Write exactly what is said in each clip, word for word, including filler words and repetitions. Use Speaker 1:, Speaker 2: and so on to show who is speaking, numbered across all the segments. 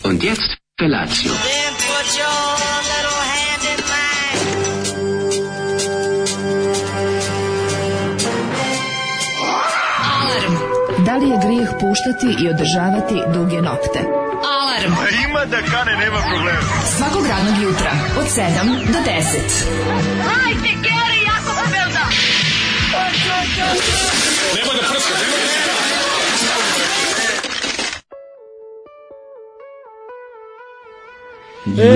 Speaker 1: Und jetzt Felatio.
Speaker 2: Then put your little hand in mine.
Speaker 3: Alarm. Da li je grijeh puštati i održavati duge nokte? Alarm.
Speaker 4: A ima da kane, nema problema.
Speaker 3: Svakog radnog jutra od sedam do deset.
Speaker 2: Hajde, Geri, jako se velda.
Speaker 4: Nema da prska, nema da prska.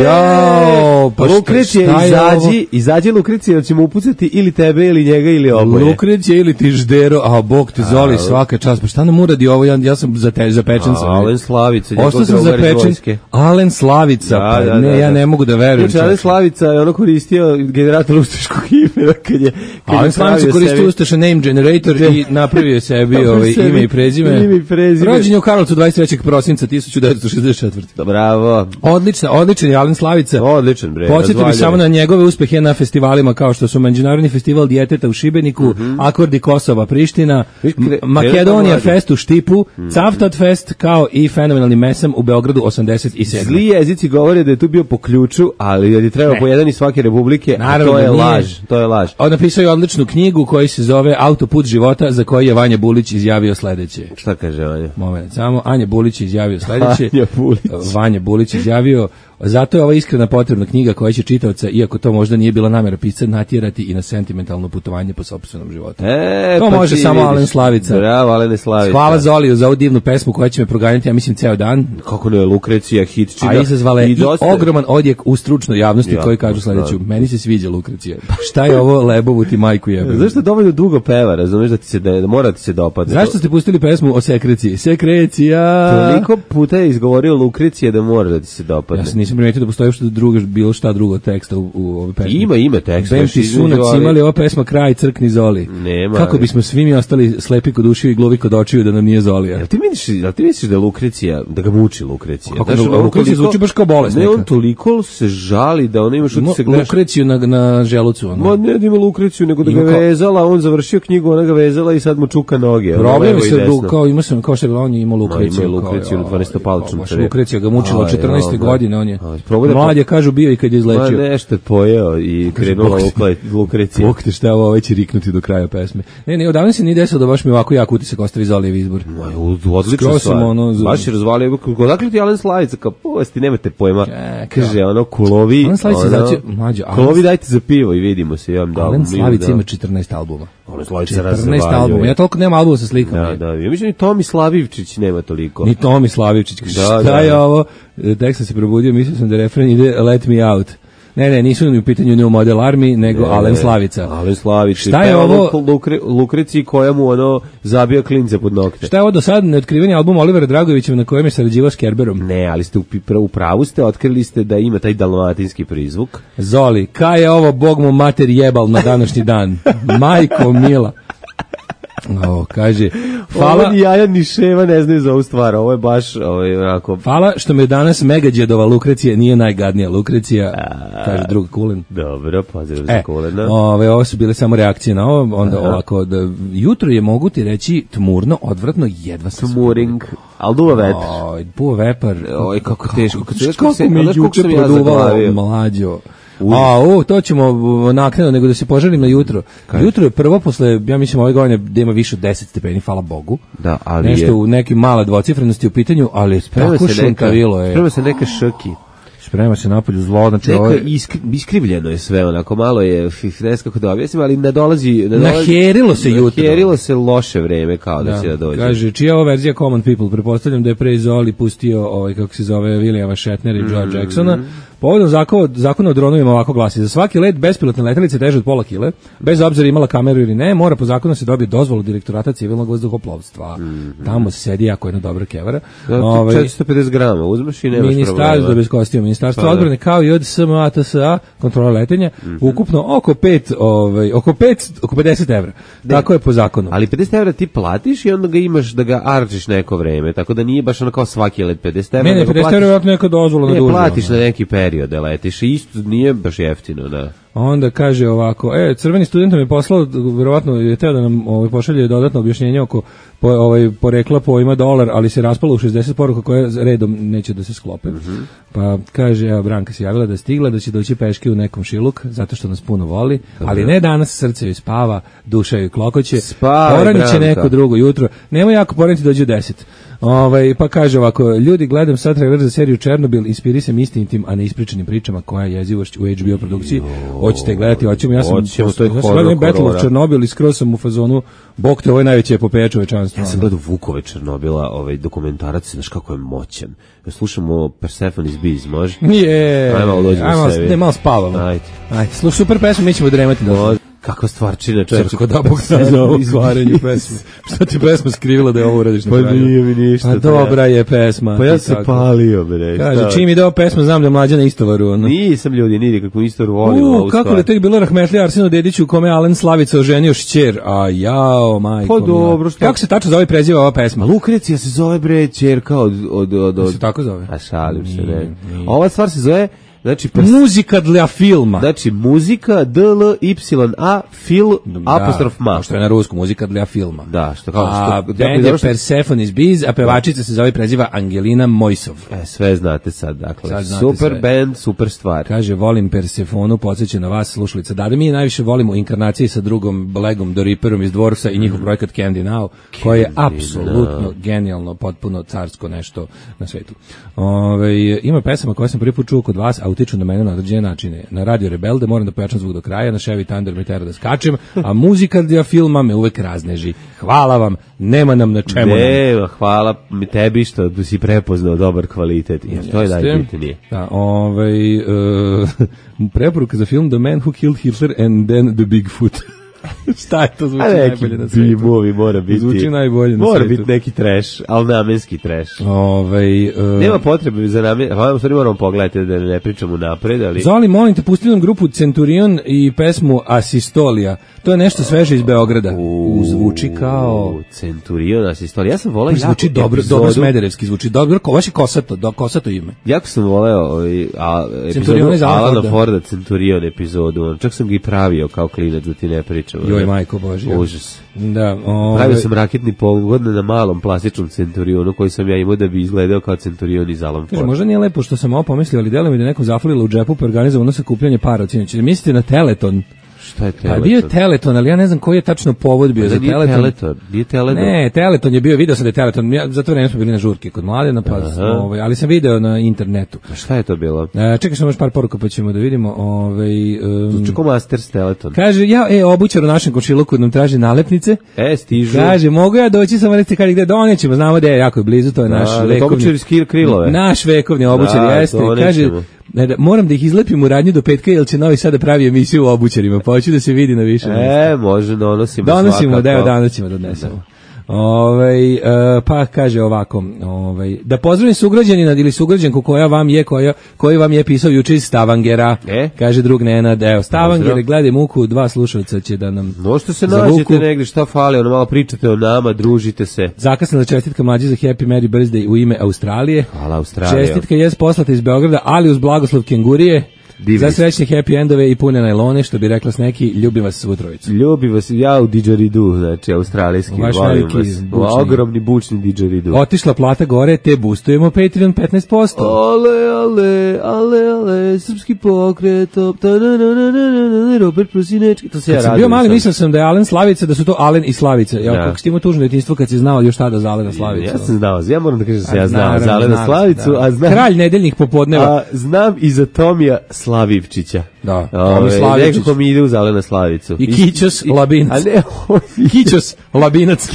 Speaker 5: Jao, pa
Speaker 6: Lukrecije, izađi, izađi Lukrecije, da ćemo upucati ili tebe, ili njega, ili oboje.
Speaker 5: Lukrecije ili ti ždero, a bog te Zoli, svaka čast. Pa šta nam uradi ovo, ja, ja sam zate, zapečen sam.
Speaker 6: Alen Slavica,
Speaker 5: Ostao sam zapečen. Alen Slavica,
Speaker 6: da,
Speaker 5: pa
Speaker 6: da,
Speaker 5: ne,
Speaker 6: da,
Speaker 5: ja
Speaker 6: da.
Speaker 5: ne mogu da verujem.
Speaker 6: Znači, Alen Slavica je ono koristio generator ustaškog imena kad je... Kad
Speaker 5: Alen
Speaker 6: je
Speaker 5: Slavica koristio
Speaker 6: sebi...
Speaker 5: ustaša name generator i napravio je sebi ovaj, ime i prezime.
Speaker 6: Ime i prezime.
Speaker 5: Rođen je u Karlovcu dvadeset trećeg prosinca hiljadu devetsto šezdeset četvrte.
Speaker 6: Bravo.
Speaker 5: Odlična, odličan je Alen Slavica.
Speaker 6: Odličan, bre.
Speaker 5: Podsjetio bih samo na njegove uspehe na festivalima kao što su Međunarodni festival djeteta u Šibeniku, mm-hmm. Akordi Kosova Priština,
Speaker 6: Kre,
Speaker 5: Makedonija Fest u Štipu, mm-hmm. Cavtat Fest kao i fenomenalni Mesam u Beogradu osamdeset sedme.
Speaker 6: Zli jezici govore da je tu bio po ključu, ali je treba po jedan iz svake republike,
Speaker 5: naravno,
Speaker 6: a to je
Speaker 5: nije.
Speaker 6: laž. To je laž.
Speaker 5: On napisao je odličnu knjigu koja se zove Autoput života, za koji je Vanja Bulić izjavio sledeće.
Speaker 6: Šta kaže Vanja?
Speaker 5: Moment, samo Anja Bulić je izjavio sledeće.
Speaker 6: Anja Bulić.
Speaker 5: Vanja Bulić izjavio: zato je ova iskrena potrebna knjiga koja će čitaoca, iako to možda nije bila namera pisca, natjerati i na sentimentalno putovanje po sopstvenom životu.
Speaker 6: E,
Speaker 5: to
Speaker 6: pa
Speaker 5: može samo
Speaker 6: vidiš.
Speaker 5: Alen Slavica.
Speaker 6: Bravo, Alen Slavica.
Speaker 5: Hvala Zoliju za ovu divnu pesmu koja će me proganjati, ja mislim, ceo dan.
Speaker 6: Kako ne, Lukrecija, hitčina.
Speaker 5: A izazvale i
Speaker 6: dosta...
Speaker 5: ogroman odjek u stručnoj javnosti,
Speaker 6: ja,
Speaker 5: koji kažu sledeću: meni se sviđa Lukrecija. Šta je ovo, lebovu ti majku jebe?
Speaker 6: Zašto dovoljno dugo peva, razumeš, da ti se da, da mora ti se dopadne?
Speaker 5: Zašto ste pustili pesmu o sekreciji? Sekrecija.
Speaker 6: Toliko puta je izgovorio Lukrecija da mora da ti se dopadne.
Speaker 5: Ja se nisam primetio da postoji što drugo, bilo šta drugo teksta u, u ovoj pesmi.
Speaker 6: Ima, ima teksta.
Speaker 5: Bem ti sunac imali ova pesma Kraj crkni Zoli.
Speaker 6: Nema.
Speaker 5: Kako bismo svi mi ostali slepi kod ušiju i gluvi kod očiju da nam nije Zolija.
Speaker 6: Jel ti misliš, jel ti misliš da Lukrecija, da ga muči Lukrecija?
Speaker 5: Kako da, Lukrecija zvuči baš kao bolest
Speaker 6: ne,
Speaker 5: neka.
Speaker 6: On toliko se žali da ona ima što ti se gledaš.
Speaker 5: Lukreciju na, na želucu. Ono.
Speaker 6: Ma ne da ima Lukreciju, nego da ga kao... vezala, on završio knjigu, ona ga vezala i sad mu čuka noge.
Speaker 5: Problem se du, kao ima sam kao što je on je imao Lukreciju.
Speaker 6: Ima Lukreciju na dvanaestopalčnom crevu.
Speaker 5: Lukrecija ga mučila od četrnaeste godine, on je.
Speaker 6: Da
Speaker 5: mlad je, kažu, bio i kad je izlečio.
Speaker 6: Ma nešto je pojeo i krenula Lukrecija.
Speaker 5: Bog te šta ovo već riknuti do kraja pesme. Ne, ne, odavno se nije desilo da baš mi ovako jak utisak ostavi Zolijev izbor.
Speaker 6: Ma, odlično stvar. Ono, baš je razvalio. Odakle ti Alen Slavica, kao povesti, nemate pojma. Kaže, ono, kulovi.
Speaker 5: Alen Slavica znači, mlađo.
Speaker 6: Kulovi dajte za pivo i vidimo se. Ja da,
Speaker 5: Alen Slavica ima četrnaest albuma.
Speaker 6: Alen Slavica
Speaker 5: četrnaest albuma. Ja toliko nemam albuma sa slikama.
Speaker 6: Da, da. Ja mislim ni Tomi Slavivčić nema toliko.
Speaker 5: Ni Tomi Slavivčić.
Speaker 6: Da,
Speaker 5: šta
Speaker 6: da,
Speaker 5: je
Speaker 6: da.
Speaker 5: ovo? Tek sam se probudio, mislio sam da refren ide Let Me Out. Ne, ne, nisu ni u pitanju New Model Army, nego ne, Alen Slavica.
Speaker 6: Alen Slavica.
Speaker 5: Šta je ovo?
Speaker 6: Lukre, Lukreciji koja mu ono zabija klince pod nokte.
Speaker 5: Šta je ovo do sad neotkriveni album Olivera Dragovića na kojem je sarađivao s Kerberom?
Speaker 6: Ne, ali ste u, u pravu ste, otkrili ste da ima taj dalmatinski prizvuk.
Speaker 5: Zoli, kaj je ovo, Bog mu mater jebal na današnji dan? Majko mila. O, kaže, hvala.
Speaker 6: Ovo ni jaja ni ševa ne znaju za ovu stvar, ovo je baš ovo je onako...
Speaker 5: Hvala što me danas Megađedova Lukrecija nije najgadnija Lukrecija, a, kaže drug Kulin.
Speaker 6: Dobro, pozdrav za
Speaker 5: e,
Speaker 6: Kulina.
Speaker 5: Ove, ovo su bile samo reakcije na ovo, onda aha. Ovako, da, jutro je, mogu ti reći, tmurno, odvratno, jedva sam se...
Speaker 6: Tmuring, ali duva vetar.
Speaker 5: Oj, duva vepar.
Speaker 6: Oj, kako teško. Kako,
Speaker 5: kako, kako mi juče produvao, mlađo.
Speaker 6: Uj.
Speaker 5: A, o, to ćemo naknadno, nego da se požarim na jutro. Kaj? Jutro je prvo posle, ja mislim, ove godine da ima više od deset stepeni, hvala Bogu.
Speaker 6: Da, ali
Speaker 5: nešto
Speaker 6: je...
Speaker 5: u nekim male dvocifrenosti u pitanju, ali
Speaker 6: sprema
Speaker 5: tako
Speaker 6: se
Speaker 5: šunkavilo je.
Speaker 6: Sprema se neke šrki.
Speaker 5: Sprema se napolju zlo, znači
Speaker 6: neka
Speaker 5: ovo...
Speaker 6: iskri, iskrivljeno je sve, onako malo je, ne znam kako da objasnim, ali ne dolazi... Ne dolazi
Speaker 5: naherilo se jutro.
Speaker 6: Naherilo se loše vreme, kao da, da će da dođe.
Speaker 5: Kaže, čija ovo verzija Common People? Prepostavljam da je pre Zoli pustio, ovaj, kako se zove, Williama Shatnera i George mm-hmm. Jacksona. Povodom zakona, zakona o dronovima ovako glasi: za svaki let bespilotne letelice teže od pola kile, bez obzira imala kameru ili ne, mora po zakonu se dobije dozvolu Direktorata civilnog vazduhoplovstva. Mm-hmm. Tamo se sedi jako jedna dobra kevara.
Speaker 6: Da, ovaj, četiristo pedeset grama uzmeš i nemaš problema.
Speaker 5: Ministarstvo bez kostima, Ministarstvo pa, odbrane kao i od S M A T S A, kontrola letenja, mm-hmm. ukupno oko pet, ovaj, oko pet, oko pedeset evra. Da. Tako je po zakonu.
Speaker 6: Ali pedeset evra ti platiš i onda ga imaš da ga arčiš neko vreme, tako da nije baš ono kao svaki let pedeset evra.
Speaker 5: Ne, ne, pedeset evra je neka dozvola na dužu.
Speaker 6: Ne, platiš na neki period. serio da letiš i isto nije baš jeftino, da.
Speaker 5: Onda kaže ovako, e, crveni student mi je poslao, verovatno je teo da nam ovaj, pošalje dodatno objašnjenje oko po, ovaj, porekla pojma dolar, ali se raspalo u šezdeset poruka koje redom neće da se sklope. Mm-hmm. Pa kaže, evo, Branka se javila da je stigla, da će doći peške u nekom šiluk, zato što nas puno voli, mm-hmm. ali ne danas, srce joj spava, duša joj klokoće, poranit će neko drugo jutro, nemoj jako poraniti, dođe u deset. Ovaj, pa kaže ovako, ljudi, gledam sad trailer za seriju Černobil, inspirisan istinitim, a ne ispričanim pričama koja je jezivošć u H B O produkciji. Hoćete gledati, hoćemo, ja sam,
Speaker 6: Oćemo, to je
Speaker 5: ja sam gledam Battle of Černobil i skroz sam u fazonu, bog te, ovo je najveće epopeja čovečanstva.
Speaker 6: Ja sam gledao Vukove Černobila, ovaj dokumentarac, znaš kako je moćan. Ja slušamo Persephone's Bees, može?
Speaker 5: Je,
Speaker 6: ajmo, dođemo sebi.
Speaker 5: Ne, malo spavamo.
Speaker 6: Ajde.
Speaker 5: Ajde, slušaj, super pesmu, mi ćemo dremati do...
Speaker 6: Kakva stvarčina, čovječe.
Speaker 5: Srko, da Bog sam za ovo izvarenju pesme. Što ti pesma skrivila da je ovo uradiš na
Speaker 6: pa
Speaker 5: kraju?
Speaker 6: Pa nije mi ništa.
Speaker 5: Pa dobra je pesma.
Speaker 6: Pa ja se tako palio, bre.
Speaker 5: Kaže, čim ide ova pesma, znam da je mlađa na istovaru. Ono.
Speaker 6: Nisam ljudi, nidi kakvu istovaru volim.
Speaker 5: U, kako li tek bilo rahmetlija Arsenu Dediću u kome Alen Slavica oženio šćer? A jao, majko.
Speaker 6: Pa dobro, što?
Speaker 5: Kako se tačno zove preziva ova pesma?
Speaker 6: Lukrecija se zove, bre, ćerka od... od, od, od...
Speaker 5: Se tako zove?
Speaker 6: A šalim se, ne. Ova stvar se zove... Znači,
Speaker 5: pers... muzika dla filma.
Speaker 6: Znači, muzika D L Y A fil apostrof ma.
Speaker 5: Što je na rusku, muzika dla filma.
Speaker 6: Da, što kao
Speaker 5: a što... band je Persephone's Bees, a pevačica se zove preziva Angelina Mojsov.
Speaker 6: E, sve znate sad, dakle.
Speaker 5: Sad znate
Speaker 6: super
Speaker 5: sve.
Speaker 6: band, super stvar.
Speaker 5: Kaže, volim Persefonu, podsjeća na vas, slušalica. Da, da mi najviše volimo inkarnaciji sa drugom Legom do Reaperom iz Dvorsa i njihov projekat Candy Now, koji je apsolutno no. genijalno, potpuno carsko nešto na svetu. Ove, ima pesama koje sam prvi put čuo kod vas, a utiču na mene na određene načine. Na Radio Rebelde moram da pojačam zvuk do kraja, na Chevy Thunder me tera da skačem, a muzika dia filma me uvek razneži. Hvala vam, nema nam na čemu.
Speaker 6: Ne, nam. Hvala mi tebi što si prepoznao dobar kvalitet. Jer to je najbitnije.
Speaker 5: Da, ovaj, uh, preporuka za film The Man Who Killed Hitler and Then the Bigfoot. Šta je to zvuči najbolje na svijetu?
Speaker 6: Bimovi mora biti.
Speaker 5: Zvuči najbolje na
Speaker 6: mora
Speaker 5: svijetu.
Speaker 6: Mora biti neki trash, ali namenski trash.
Speaker 5: Ovaj uh,
Speaker 6: nema potrebe za namenski. Hvala, stvari moramo pogledati da ne pričamo napred, ali
Speaker 5: Zoli, molim te, pusti nam grupu Centurion i pesmu Asistolija. To je nešto sveže iz Beograda. U, zvuči kao
Speaker 6: Centurion, Asistolija. Ja sam voleo jako.
Speaker 5: Zvuči dobro, epizodu. Dobro smederevski zvuči. Dobro, baš je kosato, do kosato ime.
Speaker 6: Jako sam voleo ovaj a epizodu Alana Forda Centurion epizodu. Čak sam ga i pravio kao klinac da ti ne pričam.
Speaker 5: Joj, majko Božja.
Speaker 6: Užas.
Speaker 5: Da, ove...
Speaker 6: pravio sam raketni pogon na malom plastičnom Centurionu koji sam ja imao da bi izgledao kao Centurion iz Alan Ford.
Speaker 5: Možda nije lepo što sam ovo pomislio, ali delo mi da nekom zafalilo u džepu pa organizovano sakupljanje para od sinoć. Mislite na Teleton?
Speaker 6: Šta je Teleton?
Speaker 5: Pa bio je Teleton, ali ja ne znam koji je tačno povod bio za
Speaker 6: nije
Speaker 5: Teleton.
Speaker 6: Teleton. Nije Teleton.
Speaker 5: Ne, Teleton je bio, video sam da je Teleton. Ja, zato vreme smo bili na žurke kod Mladena, pa smo, ovaj, ali sam video na internetu.
Speaker 6: A šta je to bilo?
Speaker 5: E, čekaj samo još par poruka pa ćemo da vidimo. Ovaj, um,
Speaker 6: Čeko Masters Teleton.
Speaker 5: Kaže, ja, e, obućar u našem komšiluku nam traži nalepnice.
Speaker 6: E, stižu.
Speaker 5: Kaže, mogu ja doći, samo recite kada gde donećemo, znamo da je jako je blizu, to je naš
Speaker 6: da,
Speaker 5: vekovni.
Speaker 6: Obućar iz Krilove.
Speaker 5: Naš vekovni obućar
Speaker 6: da,
Speaker 5: jeste. Kaže, ne, da, moram da ih izlepim u radnju do petka, jer će Novi Sad da pravi emisiju o obućarima, pa hoću da se vidi na više mjesta.
Speaker 6: E, može, donosimo
Speaker 5: Donosimo, da evo danas ćemo da odnesemo. Ovaj, uh, pa kaže ovako, ovaj, da pozdravim sugrađanina ili sugrađanku koja vam je, koja, koji vam je pisao juče iz Stavangera,
Speaker 6: e?
Speaker 5: kaže drug Nenad, evo, Stavanger, gledaj muku, dva slušalca će da nam
Speaker 6: možete se nađete negdje, šta fali, ono malo pričate o nama, družite se.
Speaker 5: Zakasnila čestitka mlađi za Happy Merry Birthday u ime Australije.
Speaker 6: Hvala Australija.
Speaker 5: Čestitka je poslata iz Beograda, ali uz blagoslov kengurije. Divni. Za srećne happy endove i pune najlone, što bi rekla s neki, ljubim vas svu trojicu.
Speaker 6: Ljubim vas, ja u didžeridu, znači australijski, volim vas. Ogromni bučni didžeridu.
Speaker 5: Otišla plata gore, te boostujemo Patreon petnaest posto.
Speaker 6: Ale, ale, ale, ale, srpski pokret, Robert Prosinečki, to se ja radim.
Speaker 5: Kad sam bio mali, mislio sam da je Alen Slavica, da su to Alen i Slavica. Ja, kako si ti imao tužno detinjstvo kad si znao još tada za Alena Slavicu.
Speaker 6: Ja sam znao, ja moram da kažem da se ja znao za Alena Slavicu, a znam...
Speaker 5: Kralj nedeljnih popodneva.
Speaker 6: A znam i za Tomija Slavivčića.
Speaker 5: Da,
Speaker 6: Tomi Slavičić. Nekako mi ide uz Alena Slavicu.
Speaker 5: I Kićos Labinac.
Speaker 6: A ne, on...
Speaker 5: Kićos Labinac.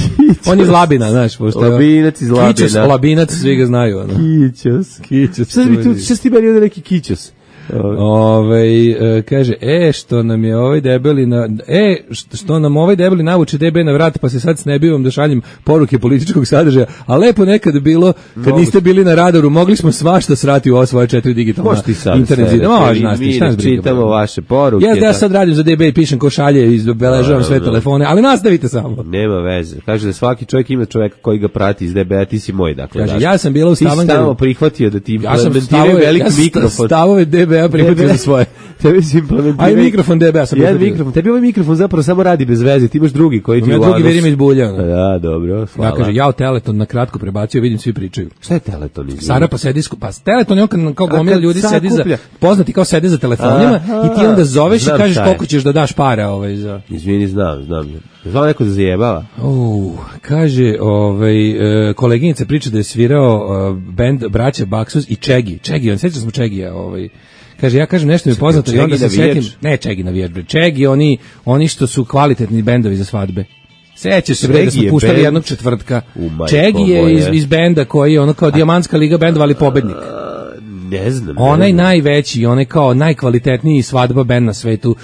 Speaker 5: On je iz Labina, znaš. Pošto
Speaker 6: Labinac iz Labina.
Speaker 5: Kićos Labinac, svi ga znaju. Ono.
Speaker 6: Kićos.
Speaker 5: Kićos.
Speaker 6: Šta mi tu, šta ti meni ovdje neki Kićos?
Speaker 5: Ovaj e, kaže, e, što nam je ovaj debeli na... E, što, što nam ovaj debeli navuče D B na vrat, pa se sad snebivam da šaljem poruke političkog sadržaja, a lepo nekad bilo, kad niste bili na radaru, mogli smo svašta srati u ovo svoje četiri digitalna internet zida. Može, nas ti, šta nas briga.
Speaker 6: Čitamo vaše poruke.
Speaker 5: Ja, da ja sad radim za D B i pišem ko šalje i obeležavam sve telefone, ali nastavite samo.
Speaker 6: Nema veze. Kaže da svaki čovjek ima čovjeka koji ga prati iz D B, a ti si moj, dakle.
Speaker 5: Kaže, ja sam bila u Stavangeru.
Speaker 6: Ti si tamo prihvatio da ti
Speaker 5: ja sam stavove,
Speaker 6: veliki
Speaker 5: ja
Speaker 6: mikrofon.
Speaker 5: Stavove D B-a prihvatio za svoje.
Speaker 6: Tebi si implementirao.
Speaker 5: Aj mikrofon D B-a sam
Speaker 6: prihvatio. Jedan mikrofon. Tebi ovaj mikrofon zapravo samo radi bez veze. Ti imaš drugi koji ti
Speaker 5: u drugi verim iz bulja.
Speaker 6: Da, dobro. Hvala.
Speaker 5: Ja kaže, ja o Teleton na kratko prebacio, vidim svi pričaju.
Speaker 6: Šta je Teleton?
Speaker 5: Sara pa sedi, pa Teleton je on kad, kao gomila ljudi sedi za, poznati kao sede za telefonima aha, i ti onda zoveš i kažeš koliko ćeš da daš para ovaj za.
Speaker 6: Izvini, znam, znam. Znam neko da zajebava.
Speaker 5: Uh, kaže, ovaj e, koleginica priča da je svirao uh, bend braća Baksus i Čegi. Čegi, on seća smo Čegija, ovaj. Kaže, ja kažem nešto mi je poznato i onda se setim, ne Čegi navijač, bre. Čegi, oni oni što su kvalitetni bendovi za svadbe. Sećaš se bre da smo puštali band jednog četvrtka. Čegi je iz, iz benda koji je ono kao Dijamantska liga bendova, ali pobednik.
Speaker 6: Ne znam.
Speaker 5: Onaj najveći, onaj kao najkvalitetniji svadba bend na svetu. Uh,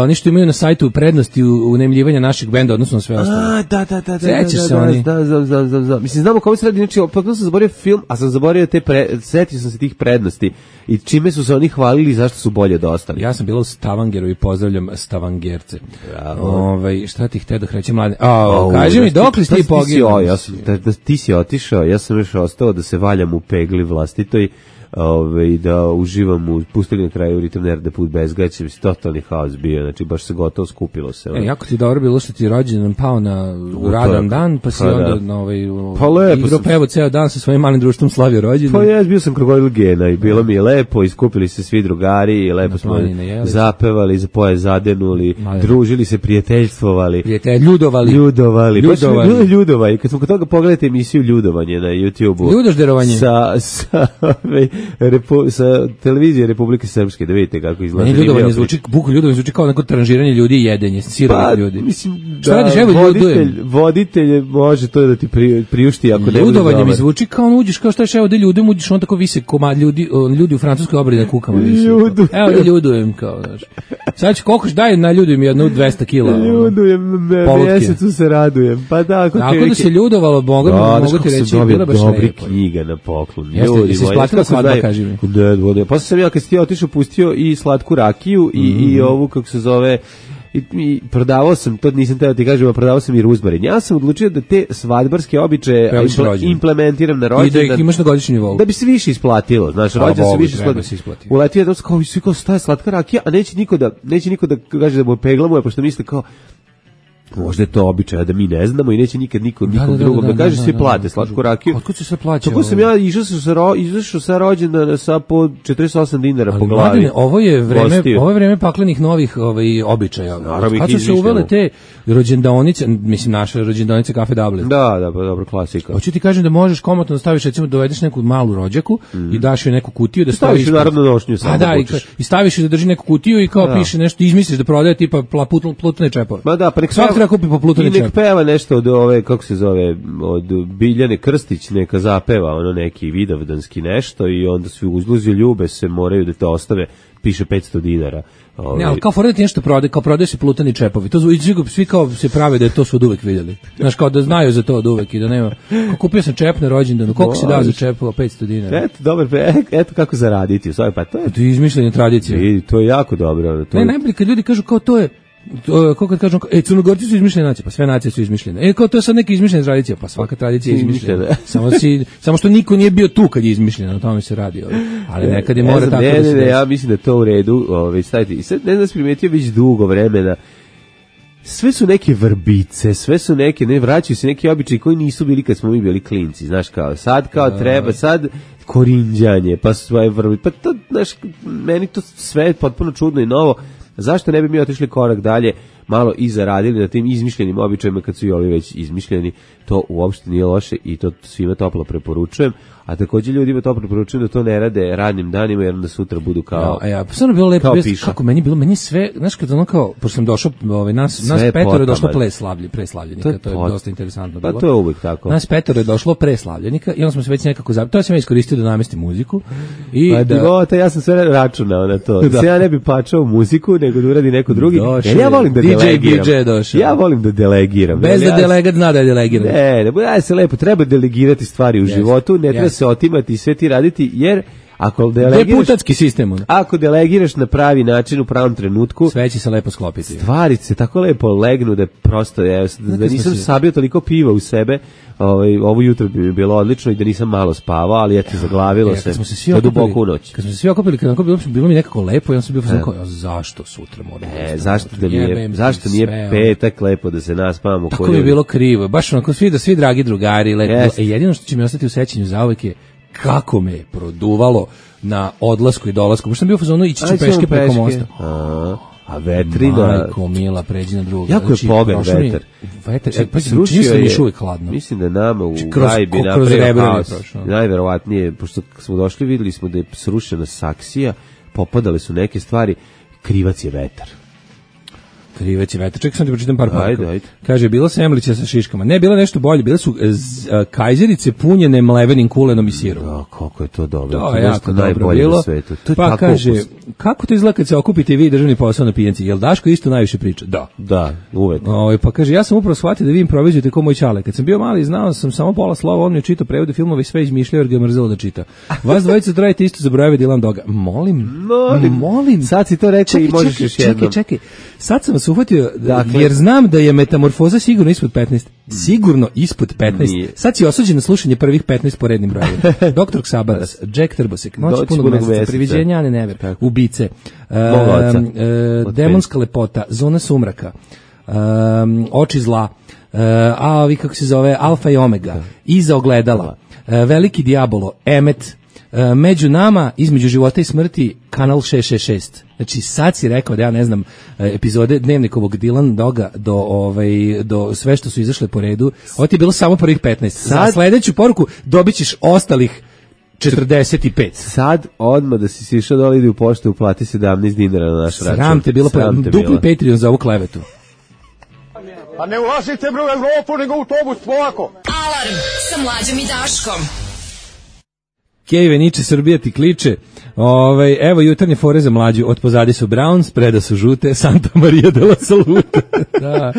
Speaker 5: oni što imaju na sajtu prednosti u unemljivanja naših benda odnosno na sve ostalo.
Speaker 6: A, da, da, da,
Speaker 5: sećaš
Speaker 6: da,
Speaker 5: se
Speaker 6: da,
Speaker 5: oni?
Speaker 6: Da, znam, znam, znam, znam. Mislim, znamo kako se radi, znači, pa sam zaboravio film, a sam zaboravio te, pre, setio sam se tih prednosti i čime su se oni hvalili i zašto su bolje od ostalih.
Speaker 5: Ja sam bila u Stavangeru i pozdravljam Stavangerce.
Speaker 6: Bravo.
Speaker 5: Ovaj, šta ti hteo da kreće mlade? A, kaži mi, dok li si ti poginuo?
Speaker 6: Ja sam, da, da, ti si otišao, ja sam još ostao da se valjam u pegli vlastitoj, Ove, da uživam u pustili na kraju Ritam Nerda put bez gaća, mislim, totalni haos bio, znači baš se gotovo skupilo se.
Speaker 5: E, jako ti dobro bilo što ti rođendan pao na radan dan, pa si pa, onda na ovaj,
Speaker 6: pa lepo
Speaker 5: igro pevo ceo dan sa svojim malim društvom slavio rođendan.
Speaker 6: Pa ja bio sam krokodil gena i bilo mi je lepo, iskupili se svi drugari i lepo smo zapevali, za poje zadenuli, Mali. družili se, prijateljstvovali.
Speaker 5: Prijatelj, ljudovali.
Speaker 6: Ljudovali.
Speaker 5: Ljudovali.
Speaker 6: Pa ljudovali. Kad smo kod toga pogledajte emisiju Ljudovanje na YouTubeu.
Speaker 5: Ljudožderovanje.
Speaker 6: Sa, sa, Repu, sa televizije Republike Srpske, da vidite kako izgleda.
Speaker 5: Ne, ljudovanje zvuči, buku ljudovanje zvuči kao neko tranžiranje ljudi i jedenje, sirovi
Speaker 6: pa,
Speaker 5: ljudi.
Speaker 6: Mislim,
Speaker 5: šta radiš, evo
Speaker 6: voditelj, voditelj može to da ti pri, priušti ako ne.
Speaker 5: Ljudovanje mi zvuči kao on uđeš, kao šta ješ, evo da ljudom uđeš, on tako vise komad ljudi, on, ljudi u francuskoj obradi na kukama visi. Ljudujem. Evo da ljudujem, kao, znaš. Sad ću kokoš, daj na ljudujem jednu dvesta kila.
Speaker 6: Ljudujem, mjesecu se radujem. Pa da, ako
Speaker 5: tako da se ljudovalo, mogu,
Speaker 6: da,
Speaker 5: mogu ti reći,
Speaker 6: bila baš dobri knjiga na poklon.
Speaker 5: Jeste, se isplatila svadba, kaži mi.
Speaker 6: Da, da, pa sam ja kad si ti otišao pustio i slatku rakiju i, mm. i ovu, kako se zove, i, i prodavao sam, to nisam teo ti kažem, a prodavao sam i ruzmarin. Ja sam odlučio da te svadbarske običaje impl- implementiram na rođendan.
Speaker 5: I da ih imaš na godišnji nivou.
Speaker 6: Da bi se više isplatilo. Znaš, rođendan se više isplatilo. Uletio je da kao, svi kao, šta je slatka rakija, a neće niko da, neće niko da kaže da mu peglamo, pošto misle kao, možda je to običaj da mi ne znamo i neće nikad niko nikom da, da, drugom da, da, da kaže da, svi plate da, slatku rakiju.
Speaker 5: Otkud se sve plaća?
Speaker 6: Tako sam ja išao sa ro, izašao sa rođendana sa po četrdeset osam dinara ali po glavi. Mladine,
Speaker 5: ovo je vreme, ovo je vreme paklenih novih ovaj običaja. Kad su se uvele te rođendaonice, mislim naše rođendaonice Kafe Dublin.
Speaker 6: Da, da, pa dobro, klasika.
Speaker 5: Hoću ti kažem da možeš komotno da staviš, recimo dovedeš neku malu rođaku mm. i daš joj neku kutiju da staviš
Speaker 6: narodnu nošnju samo.
Speaker 5: A da, i, i staviš da drži neku kutiju i kao da. Piše nešto, izmisliš da prodaje tipa plutne čepove.
Speaker 6: Ma da, pa nek
Speaker 5: svak treba kupi po plutne čepove.
Speaker 6: Nek peva nešto od ove, kako se zove, od Biljane Krstić, neka zapeva ono neki vidovdanski nešto i onda svi uzluzi ljube se moraju da te ostave, piše petsto dinara.
Speaker 5: Ne, ali kao fora da ti nešto prode, kao prodaje se plutani čepovi. To svi, svi kao se prave da je to su od uvek vidjeli. Znaš, kao da znaju za to od uvek i da nema. Kao kupio sam čep na rođendanu, koliko si dao za čepova? petsto dinara.
Speaker 6: Eto, dobro, eto kako zaraditi. Sve, pa to je...
Speaker 5: To je izmišljena tradicija.
Speaker 6: I to je jako dobro. To
Speaker 5: ne, najbolje kad ljudi kažu kao to je to, kako kad kažem, e, Crnogorci su izmišljene nacije, pa sve nacije su izmišljene. E, kao to je sad neka izmišljena tradicija, pa svaka tradicija je izmišljena. samo, si, samo što niko nije bio tu kad je izmišljena, na tome se radi. Ovaj. Ali nekad je mora tako
Speaker 6: ne,
Speaker 5: da se...
Speaker 6: Ne, ne, ja mislim da je to u redu. Ovaj, stavite. I sad ne znam da se primetio već dugo vremena. Sve su neke vrbice, sve su neke, ne, vraćaju se neki običaji koji nisu bili kad smo mi bili klinci, znaš, kao sad kao treba, sad korinđanje, pa svoje vrbice, pa to, znaš, meni to sve je potpuno čudno i novo. Zašto ne bi mi otišli korak dalje, malo i zaradili na tim izmišljenim običajima kad su i ovi već izmišljeni, to uopšte nije loše i to svima toplo preporučujem, a takođe ljudima to preporučujem da to ne rade radnim danima jer onda sutra budu kao.
Speaker 5: Ja, ja, stvarno bilo lepo,
Speaker 6: kao
Speaker 5: bez, kako meni bilo, meni sve, znaš kad ono kao, pošto sam došao, ovaj, nas, nas petoro je došlo pre slavlje, pre slavljenika, to, to je pot... dosta interesantno bilo.
Speaker 6: Pa to je uvijek tako.
Speaker 5: Nas petoro je došlo pre slavljenika i onda smo se već nekako zabili, to sam ja iskoristio da namestim muziku. I
Speaker 6: pa
Speaker 5: da...
Speaker 6: divota, ja sam sve računao na to, da se ja ne bi pačao muziku, nego da uradi neko drugi,
Speaker 5: došao,
Speaker 6: jer ja volim da
Speaker 5: D J
Speaker 6: delegiram.
Speaker 5: D J došao.
Speaker 6: Ja volim da delegiram.
Speaker 5: Bez
Speaker 6: ja,
Speaker 5: da delegat zna da je delegiram.
Speaker 6: Ne, ne, ja se lepo, treba delegirati stvari u yes, životu, ne treba yes. se otimati i sve ti raditi, jer ako delegiraš,
Speaker 5: deputatski sistem. On.
Speaker 6: Ako delegiraš na pravi način u pravom trenutku,
Speaker 5: sve će se lepo sklopiti.
Speaker 6: Stvari se tako lepo legnu da prosto ja, da, da nisam si... sabio toliko piva u sebe, ovaj ovo jutro bi mi bilo odlično i da nisam malo spavao, ali eto zaglavilo
Speaker 5: e,
Speaker 6: se.
Speaker 5: Smo se svi
Speaker 6: okupili, duboko u noć.
Speaker 5: Kad smo se svi okupili, kad bilo, bilo mi nekako lepo, ja sam bio fazon kao zašto sutra moram.
Speaker 6: E, zašto da nije, zašto nije sve, petak lepo da se naspavamo.
Speaker 5: Tako mi je bilo krivo. Baš onako svi da svi dragi drugari lepo. Yes. E, jedino što će mi ostati u sećanju zauvek je kako me je produvalo na odlasku i dolasku. Pošto sam bio u fazonu ići ću peške preko mosta.
Speaker 6: A, a vetrina...
Speaker 5: Majko, mila, pređi na drugu.
Speaker 6: Jako je pogan vetar.
Speaker 5: Vetar, e, pa srušio je, još uvijek hladno.
Speaker 6: Mislim da nama u gajbi napravio haos. Najverovatnije, pošto smo došli, videli smo da je srušena saksija, popadale su neke stvari, krivac je vetar.
Speaker 5: Krivac je vetar. Čekaj, sam ti pročitam par poruka.
Speaker 6: Ajde, ajde.
Speaker 5: Kaže, bila semlića sa šiškama. Ne, bila nešto bolje. Bile su z, a, kajzerice punjene mlevenim kulenom i sirom.
Speaker 6: Da, kako je to dobro.
Speaker 5: To je jako dobro bilo. Na svetu. To je pa kaže, ukus. Kako to izgleda kad se okupite i vi državni posao na pijanci? Jel Daško isto najviše priča? Da.
Speaker 6: Da, uvek.
Speaker 5: O, pa kaže, ja sam upravo shvatio da vi improvizujete kao moj ćale. Kad sam bio mali, znao sam samo pola slova, on mi je čitao prevode filmova i sve izmišljao jer ga je mrzelo da čita. Vas dvojica trajite isto za brojeve Dylan Doga. Molim,
Speaker 6: molim.
Speaker 5: molim.
Speaker 6: Sad si to rekao i možeš još jednom.
Speaker 5: Čekaj, čekaj. Sad sam vas uhvatio, dakle, jer znam da je metamorfoza sigurno ispod petnaest. Sigurno ispod petnaest. Nije. Sad si osuđen na slušanje prvih petnaest po rednim brojevima. Doktor Ksabaras, Jack Trbosek, Noć punog meseca, Priviđenja Ane Never, Ubice, uh, uh, Demonska lepota, Zona sumraka, um, Oči zla, uh, a ovi kako se zove, Alfa i Omega, Iza ogledala, uh, Veliki Diabolo, Emet, Uh, među nama, između života i smrti, kanal šest šest šest. Znači sad si rekao da ja ne znam epizode Dnevnikovog Dylan Doga do ovaj do sve što su izašle po redu. Ovo ti je bilo samo prvih petnaest. Sad, za sledeću poruku dobićeš ostalih četrdeset pet.
Speaker 6: Sad odmah da si sišao dole idi u poštu uplati sedamnaest dinara na naš račun.
Speaker 5: Sram te bilo, Sram te dupli bilo. Patreon za ovu klevetu.
Speaker 1: A ne ulazite bre u Evropu nego u autobus polako.
Speaker 3: Alarm sa Mlađom i Daškom.
Speaker 5: Kejve Niče, Srbija ti kliče. Ovaj, evo jutarnje fore za Mlađu. Od pozadi su Browns, preda su žute, Santa Maria de la Salute. Da.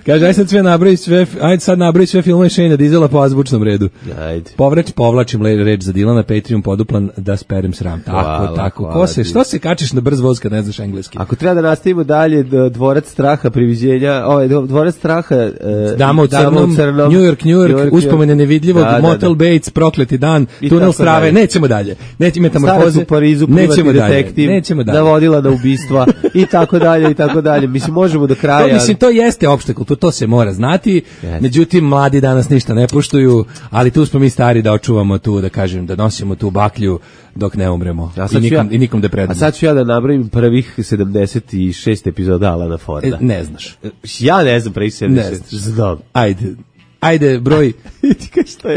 Speaker 5: Kaže, aj sad sve nabravi sve, ajde sad nabravi sve filmove Shane Dizela po azbučnom redu.
Speaker 6: Ajde.
Speaker 5: Povrač, povlačim reč za Dilana, Patreon poduplan da sperem sram. Tako, hvala, tako. Hvala, Ko se, što se kačiš na brz voz kad ne znaš engleski?
Speaker 6: Ako treba da nastavimo dalje, dvorac straha, priviđenja, ovaj, dvorac straha, uh,
Speaker 5: Dama u crnom, crnom, New York, New York, New York uspomene nevidljivog, da, Motel da, da. Bates, prokleti dan, I tunel strave, dalje. Nećemo dalje. Nećemo metamorfoze.
Speaker 6: Parizu, nećemo detektiv, nećemo dalje. Navodila na ubistva i tako dalje i tako dalje. Mislim možemo do kraja.
Speaker 5: To, mislim to jeste opšta kultura, to se mora znati. Yes. Međutim mladi danas ništa ne poštuju, ali tu smo mi stari da očuvamo tu, da kažem, da nosimo tu baklju dok ne umremo. I nikom, ja, i nikom da predamo.
Speaker 6: A sad ću ja da nabrojim prvih sedamdeset šest epizoda Alana Forda.
Speaker 5: E, ne znaš.
Speaker 6: Ja ne znam prvih sedamdeset šest. Znam.
Speaker 5: Ajde. Ajde broj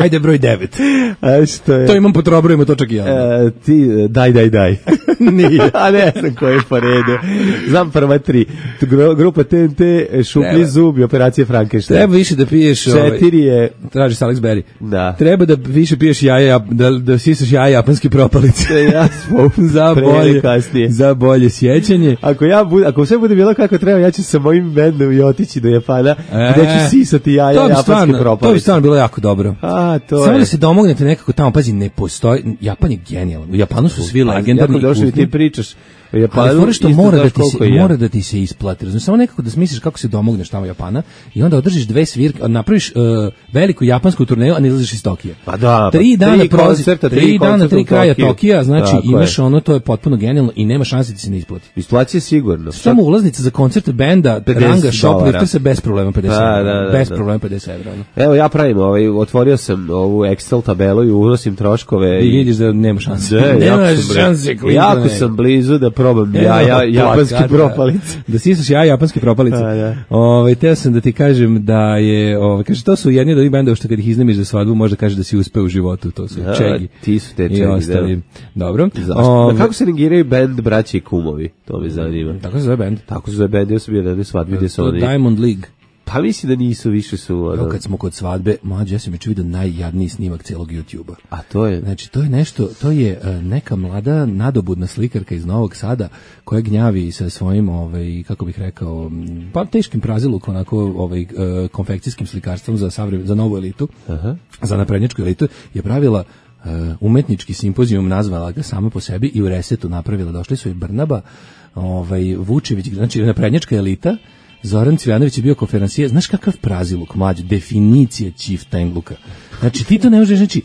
Speaker 5: Ajde broj devet.
Speaker 6: A što je?
Speaker 5: To imam po trobrojima, to čak i ja.
Speaker 6: E, ti daj daj daj.
Speaker 5: Nije.
Speaker 6: A ne znam koje je po redu. Znam prva tri. Grupa T N T, Šuplji zub i Operacija Frankenstein.
Speaker 5: Treba više da piješ.
Speaker 6: Četiri je
Speaker 5: traži Alex Berry.
Speaker 6: Da.
Speaker 5: Treba da više piješ jaja, da da sisaš jaja japanski propalice.
Speaker 6: Ja smo
Speaker 5: za bolje
Speaker 6: kasnije.
Speaker 5: Za bolje sjećanje.
Speaker 6: Ako ja bud, ako sve bude bilo kako treba, ja ću sa mojim bendom i otići do Japana, e, gde ću sisati jaja japanski propalice.
Speaker 5: To bi stvarno bilo jako dobro.
Speaker 6: A, to
Speaker 5: Samo
Speaker 6: je.
Speaker 5: da se domognete nekako tamo, pazi, ne postoji, Japan je genijalan. U Japanu su svi legendarni.
Speaker 6: Jako došli ti pričaš.
Speaker 5: Ali fore što mora da, ti se, ja. mora da ti se isplati. Znači, samo nekako da smisliš kako se domogneš tamo Japana i onda održiš dve svirke, napraviš uh, veliku japansku turneju, a ne izlaziš iz Tokija.
Speaker 6: Pa da,
Speaker 5: tri
Speaker 6: pa,
Speaker 5: dana
Speaker 6: tri
Speaker 5: prozi,
Speaker 6: koncerta, tri,
Speaker 5: tri dana, tri kraja
Speaker 6: Tokiju.
Speaker 5: Tokija, znači
Speaker 6: tako
Speaker 5: imaš
Speaker 6: je.
Speaker 5: ono, to je potpuno genijalno i nema šanse da se ne isplati.
Speaker 6: Isplaći je sigurno.
Speaker 5: Samo ulaznica za koncert benda, ranga, shoplifter se bez problema pedeset
Speaker 6: da,
Speaker 5: evra.
Speaker 6: da, da,
Speaker 5: bez
Speaker 6: da.
Speaker 5: problema pedeset evra.
Speaker 6: Evo ja pravim, ovaj, otvorio sam ovu Excel tabelu i unosim troškove.
Speaker 5: I vidiš da nema šanse.
Speaker 6: Da,
Speaker 5: nema
Speaker 6: jako
Speaker 5: šanse.
Speaker 6: Jako sam blizu da probam ja, ja, japanski propalice.
Speaker 5: Da sisaš ja japanski propalice.
Speaker 6: Da, da.
Speaker 5: Ovaj teo sam da ti kažem da je, ovaj kaže to su jedni od ovih bendova što kad ih iznemiš za svadbu može kaže da si uspeo u životu, to su
Speaker 6: Ja,
Speaker 5: Čegi.
Speaker 6: ti su te
Speaker 5: I
Speaker 6: Čegi,
Speaker 5: ostali. Dobro.
Speaker 6: Zašto?
Speaker 5: Ove,
Speaker 6: Kako se negiraju bend braće i kumovi? To me zanima.
Speaker 5: Tako se zove bend.
Speaker 6: Tako se zove bend, ja sam bio na jednoj svadbi gdje su
Speaker 5: To
Speaker 6: oni.
Speaker 5: Diamond League.
Speaker 6: Pa mislim da nisu, više su.
Speaker 5: Evo
Speaker 6: Ono.
Speaker 5: kad smo kod svadbe, mlađe, ja sam juče vidio najjadniji snimak celog YouTubea.
Speaker 6: A to je...
Speaker 5: Znači, to je nešto, to je uh, neka mlada nadobudna slikarka iz Novog Sada koja gnjavi sa svojim, ovaj, kako bih rekao, m, pa teškim prazilukom, onako, ovaj, uh, konfekcijskim slikarstvom za, savre, za novu elitu,
Speaker 6: Aha.
Speaker 5: za naprednjačku elitu, je pravila uh, umetnički simpozijum, nazvala ga sama po sebi i u Resetu napravila. Došli su i Brnaba, ovaj, Vučević, znači naprednjačka elita, Zoran Cvijanović je bio konferencijer. Znaš kakav praziluk, mlađe, definicija chieftainluka. Znači, ti to ne možeš, znači,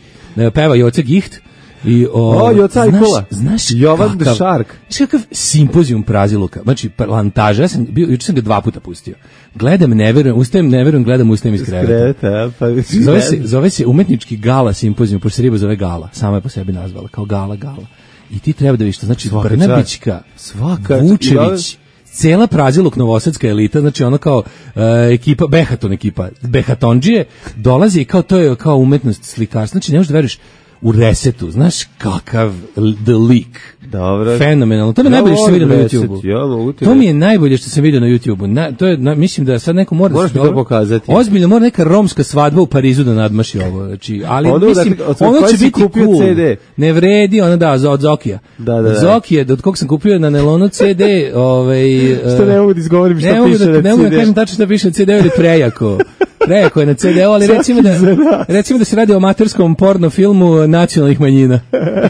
Speaker 5: peva Joca Gicht i o,
Speaker 6: O, Joca
Speaker 5: znaš,
Speaker 6: Ajkula.
Speaker 5: znaš
Speaker 6: Jovan the
Speaker 5: kakav,
Speaker 6: Shark.
Speaker 5: znaš kakav simpozijum praziluka. Znači, plantaža, ja sam bio, juče sam ga dva puta pustio. Gledam, ne verujem, ustajem, ne verujem, gledam, ustajem iz kreveta.
Speaker 6: Kreta, pa...
Speaker 5: Zove se, zove se umetnički gala simpozijum, pošto se riba zove gala, sama je po sebi nazvala, kao gala, gala. I ti treba da vidiš to, znači,
Speaker 6: Svaka
Speaker 5: Brnabićka,
Speaker 6: Svaka
Speaker 5: Vučević, cela praziluk novosadska elita, znači ono kao uh, ekipa, Behaton ekipa, Behatondžije, dolazi i kao to je kao umetnost slikarstva, znači ne možeš da veriš u Resetu, znaš kakav the leak.
Speaker 6: Dobro.
Speaker 5: Fenomenalno. To mi je
Speaker 6: Ja
Speaker 5: najbolje što sam vidio na
Speaker 6: volim
Speaker 5: YouTubeu.
Speaker 6: Reset, ja mogu ti
Speaker 5: To mi
Speaker 6: reći.
Speaker 5: je najbolje što sam vidio na YouTubeu. Na, to je, na, mislim da sad neko mora...
Speaker 6: Moraš
Speaker 5: da
Speaker 6: mi to pokazati.
Speaker 5: Ozbiljno, mora neka romska svadba u Parizu da nadmaši ovo. Znači, ali
Speaker 6: Ono
Speaker 5: mislim,
Speaker 6: da- od
Speaker 5: ono
Speaker 6: koje
Speaker 5: će
Speaker 6: si
Speaker 5: biti
Speaker 6: kupio
Speaker 5: cool.
Speaker 6: ce de.
Speaker 5: Ne vredi, ono da, od Zokija.
Speaker 6: Da, da, da.
Speaker 5: Zokije, od kog sam kupio na nelonu ce de, ovaj...
Speaker 6: Što ne mogu da izgovorim šta
Speaker 5: ne mogu
Speaker 6: piše
Speaker 5: da,
Speaker 6: na
Speaker 5: ne mogu da
Speaker 6: ce de.
Speaker 5: kažem tačno šta piše na ce de, ili prejako. Prejako je na ce de, ali recimo da, recimo da se radi o amaterskom porno filmu nacionalnih manjina.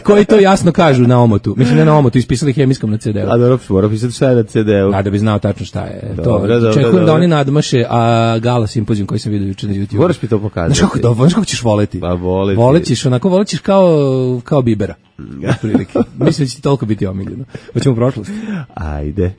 Speaker 5: Koji to jasno kažu na omotu. Mislim, ne na omotu, ispisali hemijskom na ce de.
Speaker 6: A dobro, mora pisati šta je na ce de-u.
Speaker 5: A da bi znao tačno šta je.
Speaker 6: Dobro,
Speaker 5: to
Speaker 6: dobro,
Speaker 5: čekujem
Speaker 6: dobro.
Speaker 5: da oni nadmaše, a gala simpozijum koji sam vidio juče na YouTube.
Speaker 6: Moraš mi to pokazati.
Speaker 5: Znaš kako, da, znaš kako ćeš voleti?
Speaker 6: Pa voleti.
Speaker 5: Volećeš, onako, volećeš kao, kao Bibera. Otprilike. Mislim da će ti toliko biti omiljeno. Hoćemo u prošlost.
Speaker 6: Ajde.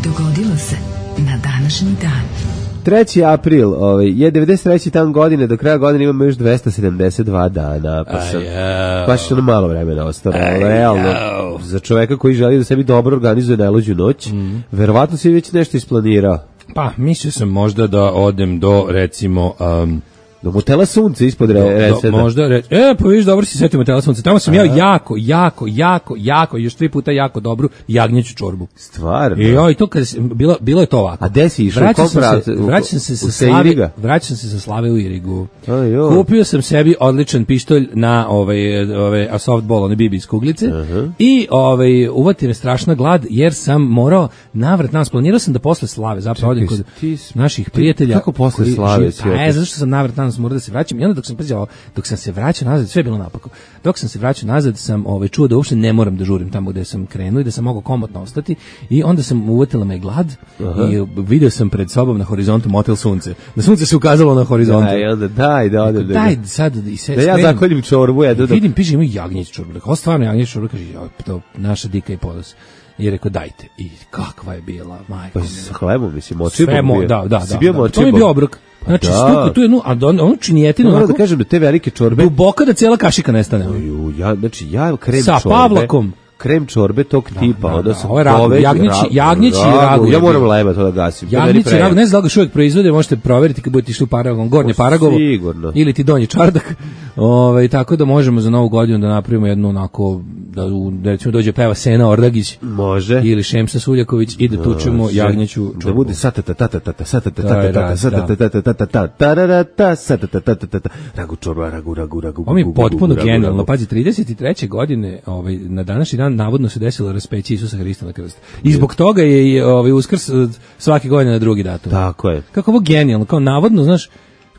Speaker 3: Dogodilo se na današnji dan.
Speaker 6: treći april, ovaj, je devedeset treći dan godine, do kraja godine imamo još dvesta sedamdeset dva dana, pa sam, baš ono malo vremena ostalo, realno, za čoveka koji želi da sebi dobro organizuje najluđu noć, mm. verovatno si već nešto isplanirao.
Speaker 5: Pa, mislio sam možda da odem do, recimo... Um,
Speaker 6: do motela Sunce ispod re, Reseta.
Speaker 5: Možda, re, e, pa vidiš, dobro si setio motela Sunce. Tamo sam jeo jako, jako, jako, jako, još tri puta jako dobru jagnjeću čorbu.
Speaker 6: Stvarno?
Speaker 5: I joj, to kad, bilo, bilo je to ovako.
Speaker 6: A gde si išao?
Speaker 5: Vraćao
Speaker 6: Kom
Speaker 5: sam
Speaker 6: pravcu?
Speaker 5: se, vraćam se
Speaker 6: U-
Speaker 5: sa
Speaker 6: u
Speaker 5: Slave,
Speaker 6: Seiriga?
Speaker 5: vraćam se sa Slave u Irigu.
Speaker 6: Aj, joj.
Speaker 5: Kupio sam sebi odličan pištolj na ovaj, ovaj a softball, one bibi iz kuglice.
Speaker 6: Uh-huh.
Speaker 5: I ovaj, uvati me strašna glad, jer sam morao navrat nas. Planirao sam da posle Slave zapravo odem kod
Speaker 6: ti s-
Speaker 5: naših prijatelja.
Speaker 6: kako posle
Speaker 5: koji
Speaker 6: Slave
Speaker 5: žive-
Speaker 6: si
Speaker 5: Pa,
Speaker 6: otišao?
Speaker 5: e, zato što sam navrat nas morao da se vraćam. I onda dok sam, pazi, ovo, dok sam se vraćao nazad, sve je bilo napako. Dok sam se vraćao nazad, sam ovaj, čuo da uopšte ne moram da žurim tamo gde sam krenuo i da sam mogao komotno ostati. I onda sam uvatila me glad. Aha. I video sam pred sobom na horizontu motel Sunce. Na Sunce se ukazalo na horizontu.
Speaker 6: Daj, onda daj, da odem.
Speaker 5: Daj sad i se
Speaker 6: Da ja
Speaker 5: skrenem.
Speaker 6: zakoljim čorbu, ja da...
Speaker 5: Vidim, piše imaju jagnjeć čorbu. Rekao, stvarno jagnjeć čorbu, kaže, joj, to naša dika i podos. I rekao, dajte. I kakva je bila, majko.
Speaker 6: Pa sa hlebom, mislim, močibom
Speaker 5: Sve mo,
Speaker 6: bio.
Speaker 5: da, da,
Speaker 6: Si
Speaker 5: da.
Speaker 6: bio
Speaker 5: da. To mi je
Speaker 6: močibom?
Speaker 5: bio obrok. Znači,
Speaker 6: da.
Speaker 5: stuku tu jednu, a on, onu činijetinu,
Speaker 6: Moram
Speaker 5: onako,
Speaker 6: da kažem da te velike čorbe...
Speaker 5: duboko da cijela kašika nestane.
Speaker 6: Ju, ja, znači, ja krem
Speaker 5: Sa
Speaker 6: čorbe...
Speaker 5: Pavlakom.
Speaker 6: Krem čorbe tog tipa,
Speaker 5: da,
Speaker 6: onda
Speaker 5: da,
Speaker 6: sam
Speaker 5: ovo je ragu,
Speaker 6: poveć-
Speaker 5: jagnjeći-
Speaker 6: ra-
Speaker 5: jagnjeći ragu je
Speaker 6: Ja moram
Speaker 5: bio.
Speaker 6: leba to da gasim. to je meni
Speaker 5: Jagnjeći
Speaker 6: prejak.
Speaker 5: ragu, ne znam da li ga još uvijek proizvode, možete proveriti kad budete išli u Paragon, Gornje Paragovo,
Speaker 6: sigurno.
Speaker 5: ili ti Donji Čardak. Ovaj tako da možemo za Novu godinu da napravimo jednu onako, da, u- da recimo dođe peva Sena Ordagić
Speaker 6: Može.
Speaker 5: ili Šemsa Suljaković i da tučemo
Speaker 6: Može.
Speaker 5: jagnjeću
Speaker 6: Da
Speaker 5: čorbu.
Speaker 6: bude satatatata, satatatata,
Speaker 5: To je raz, da.
Speaker 6: satatatata, tararata, satatatata, ragu čorba, ragu, ragu, ragu,
Speaker 5: Ovo mi je
Speaker 6: gugu,
Speaker 5: potpuno
Speaker 6: gugu, ragu,
Speaker 5: genijalno.
Speaker 6: ragu.
Speaker 5: Pazi, trideset treće godine, ovaj, na današnji dan navodno se desilo raspeće Isusa Hrista na krst. I zbog toga je i, ovaj, Uskrs eh, svake godine na drugi datum.
Speaker 6: Tako je.
Speaker 5: Kako ovo genijalno, kao navodno, znaš,